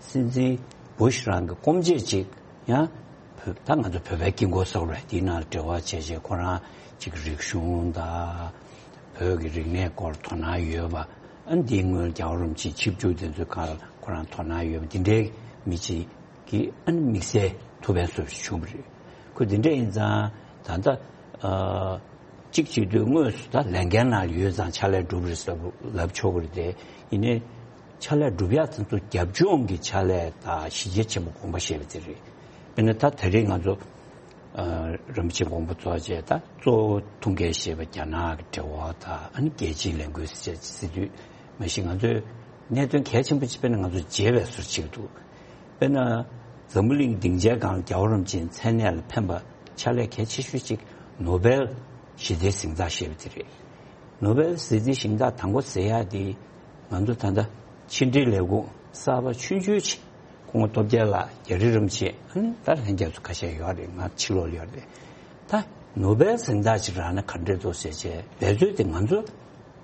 སྲིད་འཛིན་བུ་ཤ་རང་གི་སྐུ་མཆེད་ཅིག་ཡང་བོད་ད་ང་ཚོ་བོད་པའི་དཀྱིལ་འཁོར་སོགས་རེད། དེའི་ནང་ལ་འབྲེལ་བ་བྱས་བྱས་ཁོ་རང་ཅིག་རིག་གཞུང་དང་བོད་ཀྱི་རིག་གནས་སྐོར་དོ་སྣང་ཡོད་པ། ཨ་འདིའི་སྔོན་རྒྱལ་བ་རིན་པོ་ཆེ་ཆིབས་བསྒྱུར་དེ་ཚོའི་སྒང་ལ་ཁོ་རང་དོ་སྣང་ཡོད་པ་འདི་འདྲའི་མི་ཅིག་གིས་ཨ་ནི་དམིགས་བསལ་ཐུགས་ཕན་གསོས་པ་ཞིག་བྱུང་བ་རེད། ཁོ་འདི་འདྲ་ཡིན་ཙང་ད་ལྟ་ཨ་གཅིག་བྱེད་དུས་དངོས་སུ་ད་ལས་འགན་ནང་ཡོད་ཙང་ཕྱག་ལས་སྒྲུབ་རེད་ཟེར་ལབ་ཆོག་གི་རེད་དེ། ཡིན་ནའི་ཕྱག་ལས་སྒྲུབ་ཡག་དེ་ཚོ་རྒྱབ་ལྗོངས་ཀྱི་ཕྱག་ལས་དང་གཞི་རྒྱ་ཆེན་པོ་དགོངས་པ་བཞེས་པ་དེ་རེད། དཔེར་ན་ད་དེ་རིང་ང་ཚོ་ཨ་རིན་པོ་ཆེ་དགོངས་པ་རྫོགས་རྗེས་ད་གཙོ་བོ་ཐུགས་འགན་བཞེས་པ་རྒྱ་ནག་གི་འབྲེལ་བ་དང་ཨ་ནི་རྒྱལ་སྤྱིའི་ལས་འགུལ་ཟེར་ཟེར་དུས་མ་གཞི་ང་ཚོས་གནད་དོན་གལ་ཆེན་པོ་ཅིག་དཔེར་ན་ང་ཚོ་བརྗེད་པའི་བཟོ་བྱེད་ཀྱི་འདུག་དཔེར་ན་འཛམ་བུ་གླིང་སྡིངས་ཆའི་སྒང་ལ་རྒྱལ་བ་རིན་པོ་ཆེའི་མཚན་གནས་ལ་ཕན་པ་ཕྱག་ལས་གལ་ཆེ་ཤོས་ཅིག་ནོ་བེལ་ཞི་བདེའི་གཟེངས་རྟགས་ཞེས་པ་དེ་རེད། ནོ་བེལ་ཞི་བདེའི་གཟེངས་རྟགས་དང་པོ་ཟེར་ཡག་དེ་ང་ཚོ་ད་ལྟ་ཕྱི་འབྲེལ་ལས་ཁུངས་གསར་པ་ཆུང་ཆུང་ཅིག་སྐུ་ངོ་སྟོབས་རྒྱལ་ལགས་རྒྱ་རི་རིན་པོ་ཆེ་ཨ་ནི་ད་ལྷན་རྒྱས་ཚོ་ཁ་ཤས་ཡོད་རེད། ང་ཕྱི་ལོགས་ལ་ཡོད་རེད། ད་ནོ་བེལ་གཟེངས་རྟགས་ཅིག་རག་ན་ག་འདྲས་འདུག་ཟེར་བྱས་འབད་རྩོལ་དེ་ང་ཚོ་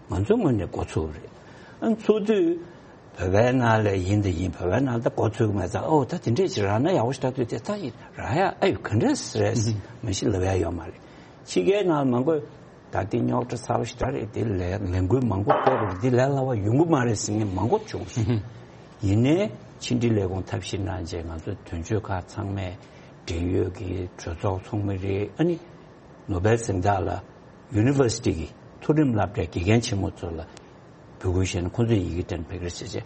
ང་ཚོ་ངོས་ནས་འགོ་ཚུགས་རེད། ཨ་ཚུགས་དུས་བོད་པའི་ནང་ལ་ཡིན་དང་ཡིན་བོད་པའི་ནང་ལ་ད་འགོ་ཚུགས་ཀྱི་མེད་ཙང་ཨོ་ད་དེ་འདྲས་ཅིག་རག་ན་ཡག་པོ་ཞིག་ད་དུས་དེ་ད་ཡིན་རག་ཡ་ཨ་ཡོད་ག་འདྲས་རེད་མ་གཞི་ལབ་ཡ་ཡོད་མ་རེད། ཕྱི་རྒྱལ་ནང་ལ་མང་པོས་ད་དེ་རྙོག་དྲ་ཚ་བ་ཞིག་ད་རེད། དེ་ལས་ལས་འགུལ་མང་པོ་སྤེལ་རེད། འདི་ལས་སླ་བ་ཡོང་གི་མ་རེད་ཟེར་མཁན་མང་པོ་བྱུང་སོང་། ཡིན་ནའི་ཕྱི་འབྲེལ་ལས་ཁུངས་ཐབས་ཤེས་གནང་རྗེས་ང་ཚོ་དོན་གཅོད་ཁག་ཚང་མས་འབྲེལ་ཡོད་ཀྱི་གྲོས་ཚོགས་ཚོགས་མི་རེད། ཨ་ནི་ནོ་བེལ་གཟེངས་རྟགས་ལ་ཡུ་ནི་ཝར་སི་ཊི་གི་མཐོ་རིམ་སློབ་གྲྭའི་དགེ་རྒན་ཆེན་མོ་ཚོ་ལ་འབོད་སྐུལ་བྱས་ནས་ཁོང་ཚོས་ཡི་གེ་སྤྲད་ནས་ཕེབས་ཀྱི་རེད་ཟེར་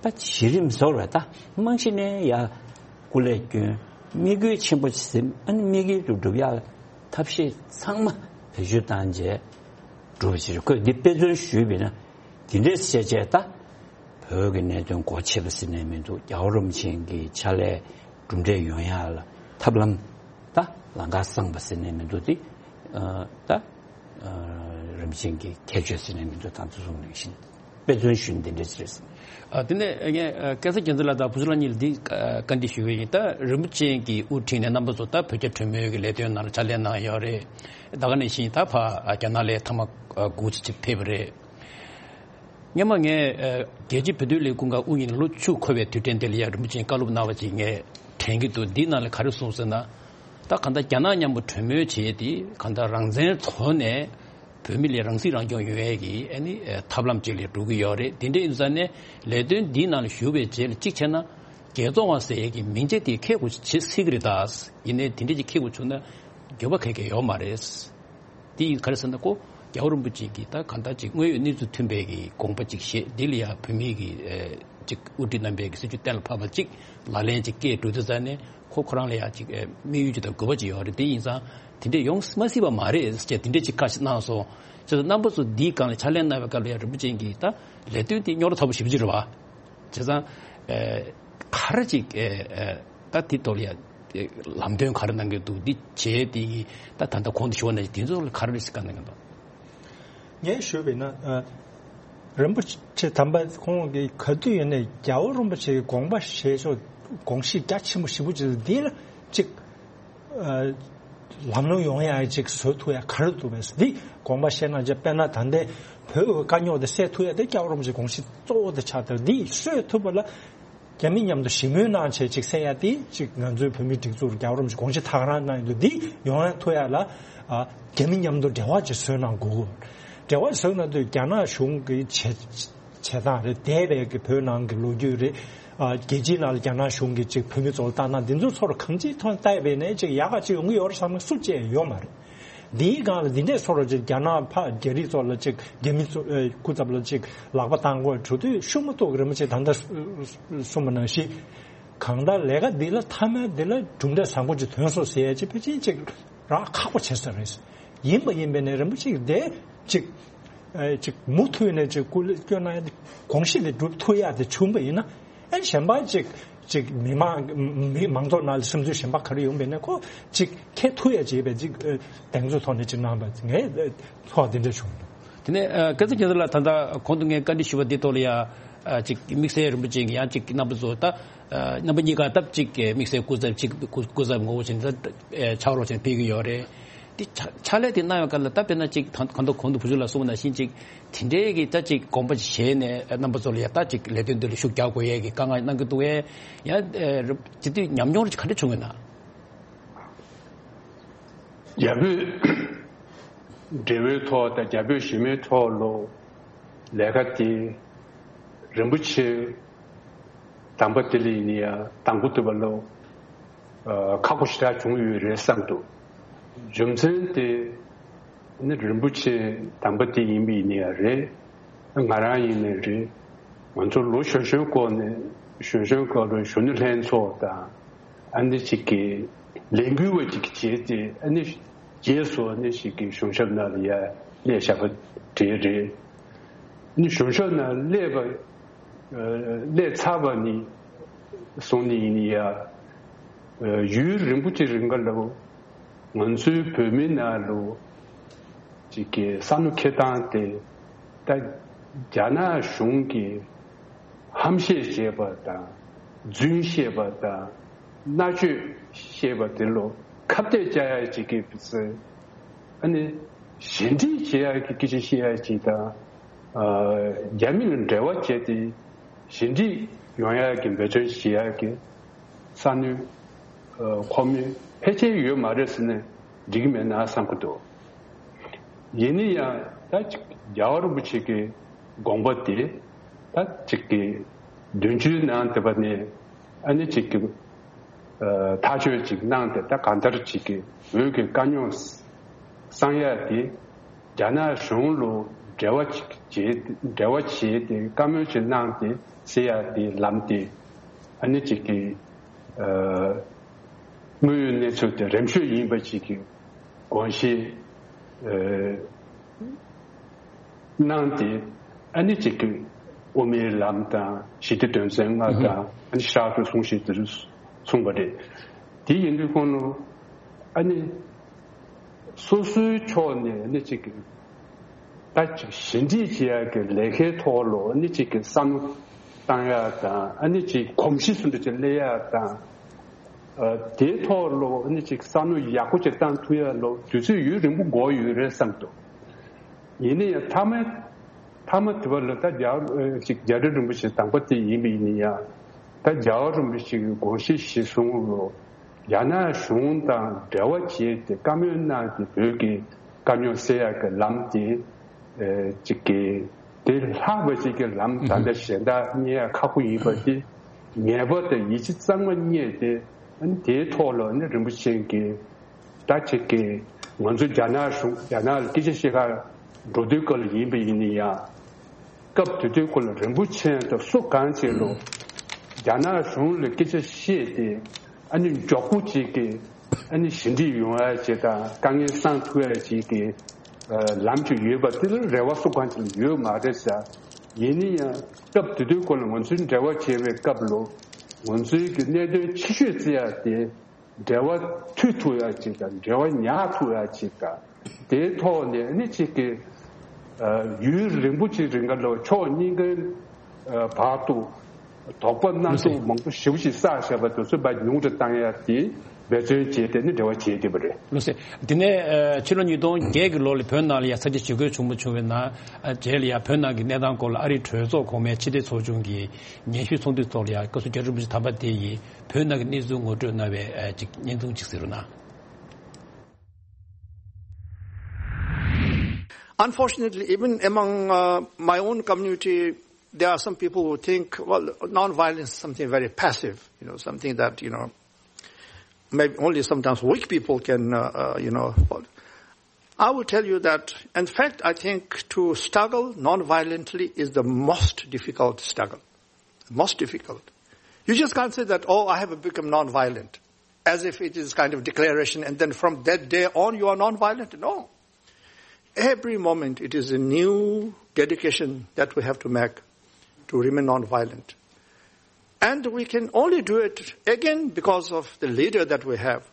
བྱས། ད་གཞི་རིམ་བཟོ་བ་ད་རྨང་གཞི་ནས་ཡ་སྐུ་ལས་བསྐྱོན། དམིགས་ཡུལ་ཆེན་པོ་ཟིན། ཨ་ནི་དམིགས་ཡུལ་དུ་འགྲུབ་ཡག་ཐབས་ཤེས་ཚང་མ་བེད་སྤྱོད་བཏང་རྗེས་འགྲུབ་ཕྱིར་ཁོས་འདི་དཔེ་མཚོན་ཞུས་པས་ན་འདི་འདྲས་བཤད་བྱས་ད་བོད་ཀྱི་གནད་དོན་སྒོ་ཕྱེ་བ་ཟེར་ནས་མི་འདུག་རྒྱལ་བ་རིན་པོ་ཆེ་གི་ཕྱག་ལས་གྲུབ་འབྲས་ཡོང་ཡག་ལ་ཐབས་ལམ་ད་ལམ་ཁ་སངས་པ་ཟེར་ནས་མི་འདུག་དེ་ཨ་ད་ཨ་རིམ་བྱོན་གྱི་ཁྱད་ཆོས་ཟེར་ནས་མི་འདུག་དང་དུ་གསུངས་ནས་བཞིན་དཔེ་མཚོན་ཞུ་འདི་འདྲ་ཅིག་རེད་ཟེར། ཨ་དེ་ནས་ངས་ཨ་སྐལ་བཟང་རྒྱལ་མཚན་ལགས་དང་བུ་ཆུང་ལགས་གཉིས་ལ་འདི་ཨ་བཀའ་འདྲི་ཞུ་གི་ཡིན། ད་རིན་པོ་ཆེ་གིས་དབུ་ཁྲིད་ནས་རྣམ་པ་ཚོ་ད་བོད་རྒྱ་གྲོས་མོལ་གྱི་ལས་དོན་ནང་ལ་ཕྱག་ལས་གནང་ཡོད་རེད། ད་ག་ནང་བཞིན་ད་ཕར་ཨ་རྒྱ་ནག་ལ་ཐེངས་མ་ཨ་དགུ་ཅིག་ཕེབས་པ་རེད། སྔོན་མ་ངས་ཨ་རྒྱལ་སྤྱིའི་བོད་དོན་ལས་ཁུངས་ཀྱི་དབུ་བརྙེས་ནས་ལོ་བཅུ་འཁོར་བའི་དུས་དྲན་དེ་ལ་ཡ་རིན་པོ་ཆེས་བཀའ་སློབ་གནང་བ་ཅིག་ངས་དྲན་གྱི་འདུག་འདིའི་ནང་ལ་ག་རེ་གསུངས་ཟེར་ན། ད་གང་ལྟར་རྒྱ་ནག་མཉམ་པོ་གྲོས་མོལ་བྱས་ཏེ་གང་ལྟར་རང་བཙན་ཐོག་ནས་བོད་མི་ལ་རང་སྲིད་རང་སྐྱོང་ཡོང་ཡས་ཀྱི་ཨ་ནི་ཐབས་ལམ་ཅིག་ལ་འགྲོ་གི་ཡོད་རེད། དེ་འདྲ་ཡིན་ཙང་ནས་ལས་དོན་འདིའི་ནང་ལ་ཞུགས་པའི་རྗེས་ལ་གཅིག་བྱས་ན་རྒྱལ་བཙོང་བ་ཟེར་ཡས་ཀྱི་མིང་ཆ་དེ་ཁྱེར་དགོས་བྱེད་སྲིད་ཀྱི་རེད་ད། ཡིན་ནའི་དེ་འདྲ་ཅིག་ཁྱེར་དགོས་བྱུང་ན་འགྱོད་པ་ག་གེ་ཡོད་མ་རེད། དེ་ཡིན་ག་རེ་ཟེར་ན་ཁོ་རྒྱལ་བ་རིན་པོ་ཆེ་གིས་ད་གང་ལྟར་ཅིག་དངོས་ཡོད་གནས་ཚུལ་མཐུན་པའི་གི་དགོངས་པ་ཅིག་བཞེས། འདི་ལ་ཡང་བོད་མི་གི་ཨེ་ཅིག་དབུ་ཁྲིད་རྣམ་པའི་གི་སྲིད་བྱུས་གཏན་ལ་ཕབ་པ་ཅིག་ལག་ལེན་ཅིག་བཀལ་འགྲོ་དུས་ཙང་ནས་ཁོ་ཁོ་རང་ལ་ཡང་ཅིག་ཨེ་དམིགས་ཡུལ་ཅིག་དང་དགོས་པ་ཅིག་ཡོད་རེད། དེ་ཡིན་ཙང་དེ་འདྲས་ཡོང་མ་སྲིད་པ་མ་རེད་ཅེས་དེ་འདྲས་ཅིག་བཀའ་ཞིག་གནང་སོང་། བྱས་ཙང་རྣམ་པ་ཚོ་འདིའི་སྒང་ལ་ཕྱག་ལས་གནང་བའི་སྐབས་ལ་ཡང་རིན་པོ་ཆེ་གིས་ད་ལས་དོན་འདི་རྙོག་དྲ་ཚ་པོ་ཞེ་པོ་ཅིག་རེད་བ། བྱས་ཙང་ཨེ་ག་རེ་ཅིག་ཨེ་ཨེ་ད་དེ་ཐོག་ལ་ཡ་ཨེ་ལམ་སྟོན་ག་རེ་གནང་གི་འདུག་འདི་བྱས་དེ་ཡི་ད་ད་ལྟ་གོང་དུ་ཞུས་པ་ནང་བཞིན་དེ་ཚོ་ལ་ག་རེ་ཞིག་བཀའ་གནང་གི་འདུག་ངས་ཞུས་པ་ཡིན་ན་ཨ་རིན་པོ་ཆེ་དམ་པ་ཁོང་གིས་ག་དུས་ཡིན་ནའི་རྒྱལ་བ་རིན་པོ་ཆེ་གི་དགོངས་པ་བཞེས་ཕྱོགས་དགོངས་གཞི་རྒྱ་ཆེན་པོ་ཞེ་པོ་ཅིག་འདི་ལ་ཅིག་ཨ་ལམ་ལྷོང་ཡོང་ཡག་ཅིག་བཟོ་ཐུབ་ཡག་ག་རེ་འདུག་པས། འདི་དགོངས་པ་བཞེས་གནང་རྗེས་དཔེར་ན་ད་ལྟའི་བོད་ཀྱི་དཀའ་རྙོག་འདི་སེལ་ཐུབ་ཡག་དེ་རྒྱལ་བ་རིན་པོ་ཆེའི་དགོངས་གཞི་གཙོ་བོ་དེ་ཆགས་འདུག་འདི་གསོས་ཐུབ་པ་ལ་རྒྱ་མི་མཉམ་དུ་ཞི་མོལ་གནང་བྱས་ཅིག་སེལ་ཡག་དེ་ཅིག་ང་ཚོའི་བོད་མིའི་སྒྲིག་འཛུགས་རྒྱལ་བ་རིན་པོ་ཆེའི་དགོངས་གཞི་ད་ག་རང་གནང་ཡོད་འདུག་འདི་ཡོང་ཡག་ཐུབ་ཡག་ལ་ཨ་རྒྱ་མི་མཉམ་དུ་འབྲེལ་བ་ཅིག་བཟོས་གནང་དགོས། འབྲེལ་བ་བཟོས་གནང་དུས་རྒྱ་ནག་གཞུང་གི་བྱེད་བྱེད་སྟངས་རེད། འདས་པའི་གི་བོད་ནང་གི་ལོ་རྒྱུས་རེད། ཨ་རྒྱལ་སྤྱིའི་ནང་ལ་རྒྱ་ནག་གཞུང་གིས་ཅིག་བོད་མི་ཚོ་ལ་ལྟ་སྟངས་འདི་ཚོ་ཚོར་གང་ཅིའི་ཐོག་བལྟས་པས་ནས་ཅིག་ཡག་ག་ཅིག་ཡོང་གི་ཡོད་རེད་བསམ་ན་སུ་བཅས་ཡོད་མ་རེད། འདིའི་སྒང་ལ་འདི་འདྲས་སོ་རོ་ཅིག་རྒྱ་ནག་ཕ་རྒྱ་རིགས་ཚོ་ལ་ཅིག་རྒྱ་མི་ཚོ་ཨེ་སྐུ་ཚབ་ལ་ཅིག་ལག་པ་བཏང་དགོས་གྲུ་དུས་ཤུགས་མ་གཏོགས་རིན་པོ་ཆེ་ད་ལྟ་གསུངས་པ་ནང་བཞིན་གང་ལྟར་ལས་ཀ་འདི་ལ་མཐའ་མའི་འདི་ལ་གྲུབ་འབྲས་བཟང་པོ་ཅིག་ཐོན་སོང་ཟེར་ཡ་ཅིག་ཕལ་ཆེར་ཅིག་རག་ཁག་པོ་ཆེ་ས་རེད། ཡིན་པ་ཡིན་པས་ནས་རིན་པོ་ཆེ་དེ་ཅིག་ཨེ་ཅིག་མུ་མཐུད་ནས་ཅིག་སྐུ་ལས་སྐྱོན་གནང་ཡ་དེ་དགོངས་གཞི་དེ་འགྲུབ་ཐུབ་ཡ་དེ་བྱུང་པ་ཡིན་ན། ཨེ་གཞན་པ་ཅིག་ཅིག་མི་མང་མི་མང་ཚོགས་ནང་ལ་སིམ་འཛུལ་གཞན་པ་ག་རེ་ཡོང་བས་ན་ཁོ་ཅིག་ཁྱེད་ཐུ་ཡ་བྱེད་པའི་ཅིག་ཨེ་གདེང་ཚོད་ཐོག་ནས་ཅིག་གནང་བ་ངས་ཚོར་བ་འདི་འདྲ་བྱུང་འདུག་དེ་ནས་ཨ་སྐལ་བཟང་རྒྱ་མཚོ་ལགས། ད་ལྟ་གོང་དུ་ངས་བཀའ་འདྲི་ཞུས་པ་འདི་ཐོག་ལ་ཡ་ཨ་ཅིག་དམིགས་བསལ་རིན་པོ་ཆེ་གིས་ཡང་ཅིག་རྣམ་པ་ཚོ་ད་ཨ་རྣམ་པ་གཉིས་ཀ་སྟབས་ཅིག་དམིགས་བསལ་སྐུ་ཚབ་ཅིག་སྐུ་སྐུ་ཚབ་ངོ་བོ་ཅན་ད་ཨ་ཕྱག་རོགས་ཅན་ཕེབས་ཀྱི་ཡོད་རེད། དེ་ཕྱག་ཕྱག་ལས་དེ་གནང་བའི་སྐབས་ལ་ད་དཔེར་ན་ཅིག་ད་གང་ལྟར་གོང་དུ་བུ་བཞུགས་ལགས་གསུངས་པ་ནང་བཞིན་ཅིག་དེ་འདྲའི་གི་ད་ཅིག་དགོངས་པ་ཅིག་བཞེས་ནས་རྣམ་པ་ཚོ་ལ་ཡ་ད་ཅིག་ལས་དོན་འདི་ལ་ཤུགས་རྒྱག་དགོས་ཡས་ཀྱི་དཀའ་ངལ་གནང་གི་འདུག་ཨེ། ཡང་ཨེ་རུ་སྤྱི་འཐུས་ཉམས་མྱོང་རེ་ག་འདྲ་བྱུང་ཡོད་ན། རྒྱ་བོད་འབྲེལ་བའི་ཐོག་དང་རྒྱ་བོད་གཞི་མའི་ཐོག་ལ་ལས་ཀ་དེ་རིན་པོ་ཆེ་དམ་པ་དེ་ལ་ཡིན་ཡ་དང་པོ་དུ་བ་ལ་ཨ་ཁག་པོ་ཞེ་དྲག་བྱུང་ཡོད་རེད་བསམ་འདུག་རྒྱུ་མཚན་དེ་ནི་རིན་པོ་ཆེ་དམ་པ་དེ་ཡིན་པ་ཡིན་ཡ་རེད། ང་རང་ཡིན་ནའི་རེད། ང་ཚོ་ལོ་གཞོན་གཞོན་སྐོར་ནས་གཞོན་གཞོན་སྐོར་ལ་གཞོན་ནུ་ལྷན་ཚོགས་དང་ཨ་ནི་ཅིག་གི་ལས་འགུལ་བ་ཅིག་བྱས་ཏེ་ཨ་ནི་རྗེས་སུ་ཨ་ནི་ཅིག་གི་གཞུང་ཞབས་ནང་ལ་ཡ་སླེབས་བཞག་པ་དེ་རེད། ཨ་ནི་གཞུང་ཞབས་ནང་སླེབས་པ་སླེབས་ཚར་བ་ནི་སོང་ནི་ཡིན་ཡ། ཡུན་རིང་པོ་ཅིག་རིང་ག་ལ་ང་ཚོའི་བོད་མི་ནང་ལ་ཅིག་གི་ས་ནུ་ཁེ་ཐང་དེ་ད་རྒྱ་ནག་གཞུང་གིས་ཧམ་བཤད་བྱས་པ་དང་རྫུན་བཤད་པ་དང་མནར་གཅོད་བཤད་པ་དེ་ལ་ཁ་གཏད་བཅག་ཡ་ཅིག་གི་ཨ་ནི་ཞི་འགྲིག་བྱེད་ཡ་གི་སྐད་ཆ་བཤད་ཡ་ཅིག་དང་རྒྱ་མི་ལ་འབྲེལ་བ་བྱས་ཏེ་ཞི་འགྲིག་ཡོང་ཡ་གི་འབད་བརྩོན་བྱེད་ཡ་གི་ས་ནུ་ཁོ་མོས་ཕལ་ཆེར་ཡོད་མ་རེད་ཟེར་ནས་འགྲིག་གི་མེད་ན་བསམ་གི་འདུག་ཡིན་ན་ཡང་ད་ཅིག་རྒྱལ་བ་རིན་པོ་ཆེ་གི་དགོངས་པ་དེ་ད་ཅིག་གི་བདུན་ཅུའི་ནང་དེ་པ་ནས་ཨ་ནི་ཅིག་གི་ཐག་གཅོད་ཅིག་གནང་སྟེ་ད་གང་ལྟར་ཅིག་གི་བོད་ཀྱི་དཀའ་རྙོག་སང་ཡ་དེ་རྒྱ་ནག་གཞུང་ལ་འབྲེལ་བ་ཅིག་བྱེད་འབྲེལ་བ་བྱེད་དེ་བཀའ་མོལ་ཅིག་གནང་སྟེ་སེལ་ཡ་དེ་ལམ་དེ་ཨ་ནི་ཅིག་གི་དངོས་ཡོད་གནས་ཚུལ་དེ་རིམ་ཤོས་ཡིན་པ་ཅིག་གི་དགོངས་བཞེས་གནང་སྟེ་ཨ་ནི་ཅིག་གི་དབུ་མའི་ལམ་དང་ཞི་བདེ་དོན་ཚན་ལྔ་དང་ཨ་ནི་ཤར་དུ་གསུང་བཤད་དེ་གསུངས་པ་རེད། དེ་ཡིན་དུས་ཁོང་ལ་ཨ་ནི་སོ་སོའི་ཕྱོགས་ནས་ཨ་ནི་ཅིག་གི་ད་ཅིག་ཞི་འགྲིག་བྱེད་ཡག་གི་ལས་ཀའི་ཐོག་ལ་ཨ་ནི་ཅིག་གི་བསམ་བློ་བཏང་ཡག་དང་ཨ་ནི་ཅིག་གོམས་གཤིས་སུ་འདྲ་ཅིག་སླེབས་ཡག་དང་། ཨ་དེའི་ཐོག་ལ་ཨ་ནི་ཅིག་བསམ་བློ་ཡག་པོ་ཅིག་བཏང་ཐུབ་ཡག་ལ་དུས་ཚོད་ཡུན་རིང་པོ་འགོར་ཡོད་རེད་བསམ་འདུག་ཡིན་ན་ཡང་མཐའ་མ་མཐའ་མ་དེ་བ་ལ་ད་རྒྱལ་བ་ཅིག་རྒྱལ་སྲས་རིན་པོ་ཆེ་དང་པོ་དེ་ཡིན་པ་ཡིན་ན་ཡང་ད་རྒྱལ་བ་རིན་པོ་ཆེ་གི་དགོངས་གཞི་གཞིར་བཟུང་ལ་རྒྱ་ནག་གཞུང་དང་འབྲེལ་བ་བྱས་ཏེ་བཀའ་མོལ་གནང་སྟེ་བོད་ཀྱི་དཀའ་རྙོག་སེལ་ཡག་གི་ལམ་དེ་ཨེ་ཅིག་གི་དེ་ལྷག་པ་ཅིག་གི་ལམ་ད་ལྟ་གཞན་དག་རྙེད་ཡག་ཁག་པོ་ཡིན་པ་དེ་ངེས་པ་དང་ཡིད་ཆེས་གཙང་མ་རྙེད་དེ་ཨ་ནི་དེའི་ཐོག་ལ་ནི་རིན་པོ་ཆེ་གིས་ད་ཅིག་གི་ང་ཚོ་རྒྱ་ནག་གཞུང་རྒྱ་ནག་ལ་སྐད་ཆ་བཤད་གར་འགྲོ་དུས་སྐབས་ལ་ཡིན་པ་ཡིན་ན་ཡང་སྐབས་དེ་དུས་ཁོ་ལ་རིན་པོ་ཆེ་དང་སུ་གང་བྱེད་ལོ་རྒྱ་ནག་གཞུང་ལ་སྐད་ཆ་བཤད་དེ་ཨ་ནི་མགྱོགས་པོ་ཅིག་གི་ཨ་ནི་ཞི་འགྲིག་ཡོང་ཡ་ཅིག་དང་དཀའ་ངལ་སངས་ཐུབ་ཡ་ཅིག་གི་ལམ་ཅིག་ཡོད་པ་དེ་ལ་རེ་བ་སུ་གང་ཅིག་ལ་ཡོད་མ་རེད་ཟེར། ཡིན་ན་ཡང་སྐབས་དེ་དུས་ཁོ་ལ་ང་ཚོའི་འབྲེལ་བ་བྱེད་པའི་སྐབས་ལོ་ང་ཚོའི་གི་གནད་དོན་ཆེ་ཤོས་བརྩི་ཡ་དེ། འབྲེལ་བ་མཐུད་ཐུབ་ཡ་ཅིག་དང་འབྲེལ་བ་ཉར་ཐུབ་ཡ་ཅིག་དང་དེའི་ཐོག་ནས་ནི་གཅིག་གི་ཡུན་རིང་པོ་ཅིག་རིང་ག་ལོ་ཕྱོགས་གཉིས་ཀའི་བར་དུ་དོགས་པ་སྣ་ཚོགས་མང་པོ་ཞེ་པོ་ཅིག་བསགས་བཞག་པ་དེ་ཚོ་ཉུང་དུ་བཏང་ཡ་དེ་འབད་བརྩོན་བྱས་ཏེ་ནི་འབྲེལ་བ་བྱེད་བསྡད་པ་རེད། ལགས་སེ། དེ་ནས་ཕྱི་ལོ་ཉིས་སྟོང་བརྒྱད་ཀྱི་ལོ་ལ་བོད་ནང་ལ་ཡ་ས་ཆ་ཇུས་འགོད་ཆེན་པོ་བྱུང་བའི་ནང་རྗེས་ལ་ཡ་བོད་ནང་གི་གནས་སྟངས་སྐོར་ལ་ཨ་རིའི་གྲོས་ཚོགས་གོང་མའི་ཕྱི་དྲིལ་ཚོགས་ཆུང་གི་སྙན་ཞུ་ཚོགས་འདུའི་ཐོག་ལ་ཡ་བཀའ་ཟུར་རྒྱ་རི་རིན་པོ་ཆེ་དམ་པ་དེ་ཡིས། བོད་ནང་གི་གནས་ཚུལ་ངོ་སྤྲོད་གནང་བའི་ཨ་ཅིག་བརྙན་ཐུང་ཅིག་གཟིགས་རོགས་གནང་། Unfortunately, even among uh, my own community, there are some people who think, well, non-violence is something very passive, you know, something that, you know, maybe only sometimes weak people can, uh, uh, you know, I will tell you that, in fact, I think to struggle non-violently is the most difficult struggle. Most difficult. You just can't say that, "Oh, I have become non-violent," as if it is kind of declaration, and then from that day on, you are non-violent. No. Every moment, it is a new dedication that we have to make to remain non-violent. And we can only do it again because of the leader that we have.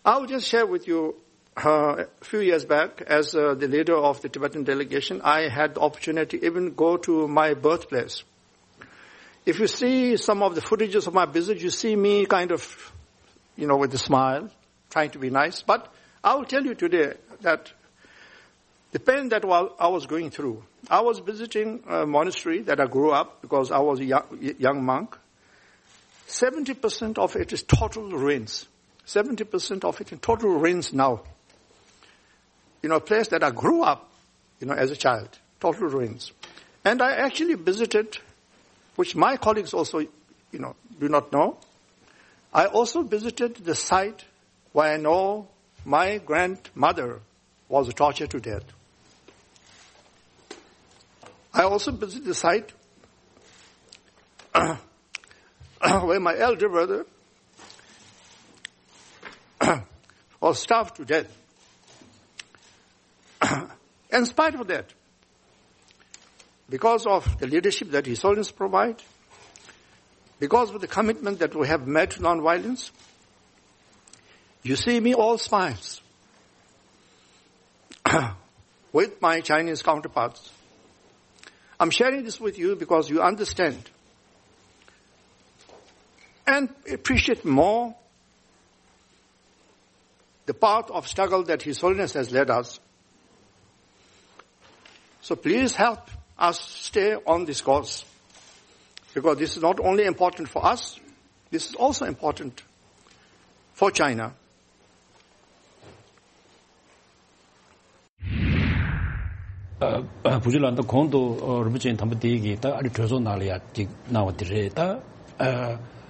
I will just share with you, uh, a few years back, as, uh, the leader of the Tibetan delegation, I had the opportunity even go to my birthplace. If you see some of the footages of my visit, you see me kind of, you know, with a smile, trying to be nice. But I will tell you today that the pain that wa- I was going through, I was visiting a monastery that I grew up because I was a young, young monk. Seventy percent of it is total ruins. Seventy percent of it in total ruins now. You know, a place that I grew up, you know, as a child, total ruins. And I actually visited, which my colleagues also, you know, do not know. I also visited the site where I know my grandmother was tortured to death. I also visited the site where my elder brother was starved to death. In spite of that, because of the leadership that His Holiness provide, because of the commitment that we have made to non-violence, you see me all smiles with my Chinese counterparts. I'm sharing this with you because you understand and appreciate more the path of struggle that His Holiness has led us. So please help us stay on this course, because this is not only important for us, this is also important for China. བུ་ཆུ་ལགས། ད་གོང་དུ་རིན་པོ་ཆེ་དམ་པ་དེ་གིས་ད་ཨ་རི་གྲོས་ཚོགས་ནང་ལ་ཡ་ཅིག་གནང་བ་དེ་རེད། ད་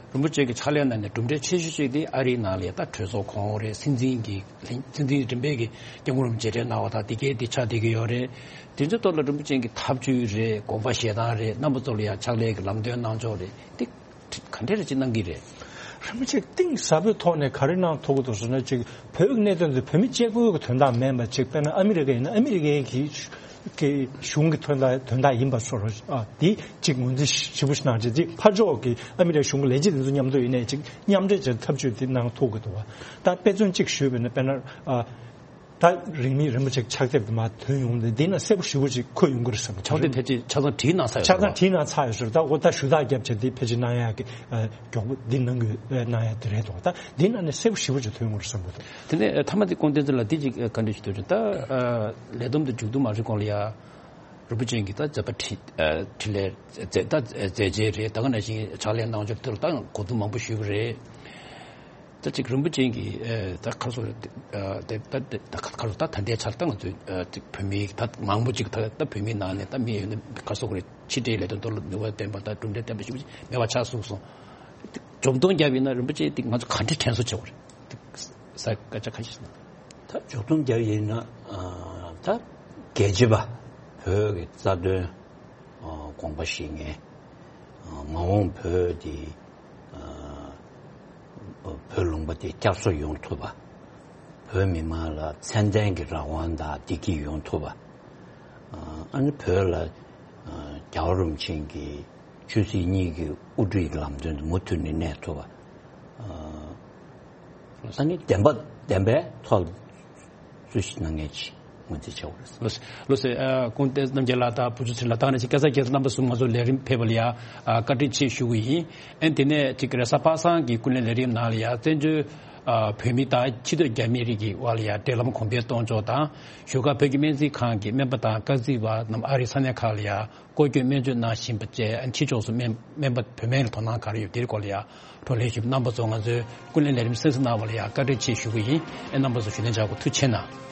རིན་པོ་ཆེ་གི་ཕྱག་ལས་ནང་ནས་གྲུབ་འབྲས་ཆེ་ཤོས་ཅིག་དེ་ཨ་རིའི་ནང་ལ་ཡ་ད་གྲོས་ཚོགས་གོང་འོག་རེད། སྲིད་འཛིན་གྱི་སྲིད་འཛིན་རིམ་པས་ཀྱི་སྐྱབས་མགོན་རིན་པོ་ཆེ་མཇལ་འཕྲད་གནང་བ་དང་དེ་གའི་དེ་ཆགས་བསྡད་ཀྱི་ཡོད་རེད། དེ་ཚོའི་ཐོག་ལ་རིན་པོ་ཆེ་གི་ཐབས་ཇུས་རེད། དགོངས་པ་བཞེས་སྟངས་རེད། རྣམ་པ་ཚོ་ལ་ཡ་ཕྱག་ལས་ཀྱི་ལམ་སྟོན་གནང་ཕྱོགས་རེད། དེ་ག་འདྲ་རེ་ཅིག་གནང་གི་རེད། རིན་པོ་ཆེ་གཏིང་ཟབ་པོའི་ཐོག་ནས་ག་རེ་གནང་ཐུབ་ཀྱི་འདུག་ཟེར་ན། ཅིག་བོད་ཀྱི་གནད་དོན་དེ་བོད་མི་གཅིག་པུའི་གི་དོན་དག་མིན་པ། ཅིག་དཔེར་ན་ཨ་མི་རི་ཀ་ཡིན་ན་ཨ་མི་རི་ཀའི་གི་གི་གཞུང་གི་དོན་དག་དོན་དག་ཡིན་པ་སོགས་ཨ་དེ་ཅིག་ངོས་འཛིན་ཞིབ་པོ་ཞིག་གནང་བྱས། ཅིག་ཕར་ཕྱོགས་ཀྱི་ཨ་མི་རི་ཀའི་གཞུང་གི་ལས་བྱེད་དེ་ཚོ་མཉམ་དུ་ཡིན་ནའི་ཅིག་མཉམ་འབྲེལ་བྱས་ཐབས་ཇུས་དེ་གནང་ཐུབ་ཀྱི་འདུག་བ། ད་དཔེ་མཚོན་གཅིག་ཞུས་པ་ཡིན་ན། དཔེར་ན་ཨ། ད་རིང་མིན་རིན་པོ་ཆེ་ཕྱག་དེབ་དེ་མར་ཐོན་ཡོང་དུས་འདི་ན་གསལ་པོ་ཞེ་པོ་ཅིག་འཁོད་ཡོང་གི་རེད་བསམ་གྱི་འདུག་ཕྱག་དེབ་ཕལ་ཆེར་ཆ་ཚང་བྲིས་གནང་ཚར་ཡོད་ཆ་ཚང་རེད་བ། བྲིས་གནང་ཚར་ཡོད་ཟེར། ད་འོ་ད་ཞུ་དག་རྒྱབ་བྱས་འདི་ཕལ་ཆེར་གནང་ཡག་གི་མགྱོགས་པོ་འདི་གནང་དགོས་གནང་ཡག་དེ་རེད་འདུག་ད་འདི་ན་ནས་གསལ་པོ་ཞེ་པོ་ཅིག་ཐོན་ཡོང་གི་རེད་བསམ་གྱི་འདུག་དེ་ནས་མཐའ་མ་དེ་སྐུ་ངོ་བསྟན་འཛིན་ལགས། འདི་ཅིག་བཀའ་འདྲི་ཞུ་འདོད་བྱུང་། ད་ལས་བསྡོམས་དེ་མཇུག་བསྡོམས་མ་ཞུ་གོང་ལ་ཡ། རིན་པོ་ཆེ་གིས་ད་མཛད་པ་འཕྲིན་འཕྲིན་ལས་མཛད་ད་མཛད་རྗེས་རེད། ད་ག་ནང་བཞིན་ཕྱག་ལས་གནང་ཕྱོགས་དེ་ལ་ད་གོ་བསྡུར་མང་པོ་ཞུས་པ་རེད། ད་ཅིག་རིན་པོ་ཆེ་གིས་ད་ཁ་སོ་ད་ད་ཁ་སོ་ད་ད་ལྟའི་ཆར་ད་ང་ཚོས་ཅིག་བོད་མི་ད་མང་པོ་ཅིག་ད་ད་བོད་མིའི་ནང་ནས་ད་མི་ཡོད་ན་ཁ་སོ་གི་རེད། ཕྱི་འབྲེལ་ལས་དོན་ཐོག་ལ་ནུས་པ་ལྡན་པ་ད་གྲུབ་འབྲས་ལྡན་པ་ཞིག་མེད་པ་ཆགས་སོང་སོང་། མགྱོགས་བསྡོམས་བརྒྱབ་ཡིན་ན་རིན་པོ་ཆེ་འདི་ང་ཚོ་ག་འདྲས་དྲན་གསོ་བྱེད་དགོས་རེད། ས་སྐད་ཆ་ཁ་ཤས་ཤིག་གནང་། ད་མཇུག་སྡོམ་རྒྱག་ཡིན་ན། ཨ་ད་རྒྱལ་གཅེས་པ་བོད་ཀྱི་རྩ་དོན་ཨ་དགོངས་པ་བཞེས་མཁན། ཨ་མ་འོངས་བོད་དེ་ཨ་བོད་ལུང་པ་དེ་བསྐྱར་གསོ་ཡོང་ཐུབ་པ། བོད་མི་མང་ལ་ཚད་ལྡན་གྱི་རང་དབང་དང་བདེ་སྐྱིད་ཡོང་ཐུབ་པ། ཨ་ཨ་ནི་བོད་ལ་ཨ་རྒྱལ་བ་རིན་པོ་ཆེ་གི་ཆོས་སྲིད་གཉིས་ཀྱི་དབུ་ཁྲིད་ཀྱི་ལམ་སྟོན་དུ་མུ་མཐུད་ནས་གནས་ཐུབ་པ། ཨ་ནི་བདེན་པ་བདེན་པའི་ཐོག་ལ་རྩོད་གཞི་གནང་མཁན་ཅིག་ངོས་འཛིན་བྱ་དགོས་རེད། ལགས་སོ། ལགས་སོ། ཨ་སྐུ་ངོ་བསྟན་འཛིན་རྣམ་རྒྱལ་ལགས་དང་བུ་ཆུ་ཚེ་རིང་ལགས། ད་ག་ནང་བཞིན་སྐལ་བཟང་རྒྱལ་མཚན་རྣམ་པ་གསུམ་ང་ཚོ་ལས་རིམ་ཕེབས་པ་ལ་ཡ་ཨ་བཀའ་དྲིན་ཆེ་ཞུ་གི་ཡིན། ཨ་ནི་དེ་ནས་ཅིག་རེས་གཟའ་པ་སངས་ཀྱི་ཀུན་གླེང་ལས་རིམ་ནང་ལ་ཡ་བཙན་བྱོལ་ཨ་བོད་མི་དང་ཕྱི་སྡོད་རྒྱ་མི་རིགས་ཀྱི་དབར་ལ་ཡ་འབྲེལ་ལམ་གོང་འཕེལ་གཏོང་ཕྱོགས་དང་། བཞུགས་སྒར་བོད་ཀྱི་སྨན་རྩིས་ཁང་གི་སྨན་པ་དང་སྐར་རྩིས་པ་རྣམས་ཨ་རིའི་ས་གནས་ཁག་ལ་ཡ་སྐོར་སྐྱོད་སྨན་བཅོས་གནང་བཞིན་པ་བཅས། ཕྱི་ཕྱོགས་སུ་སྨན་སྨན་པ་བོད་སྨན་ལ་དོ་སྣང་ག་རེ་ཡོད་དེའི་སྐོར་ལ་ཡ་བགྲོ་གླེང་ཞུས་པ། རྣམ་པ་ཚོ་ང་ཚོའི་ཀུན་གླེང་ལས་རིམ་གསན་གཟིགས་གནང་བ་ལ་ཡ་བཀའ་དྲིན་ཆེ་ཞུ་གི་ཡིན། ཨེ་རྣམ་པ་ཚོ་ཞུ་ལན་བྱ་དགོས། ཐུགས་རྗེ་གནང་།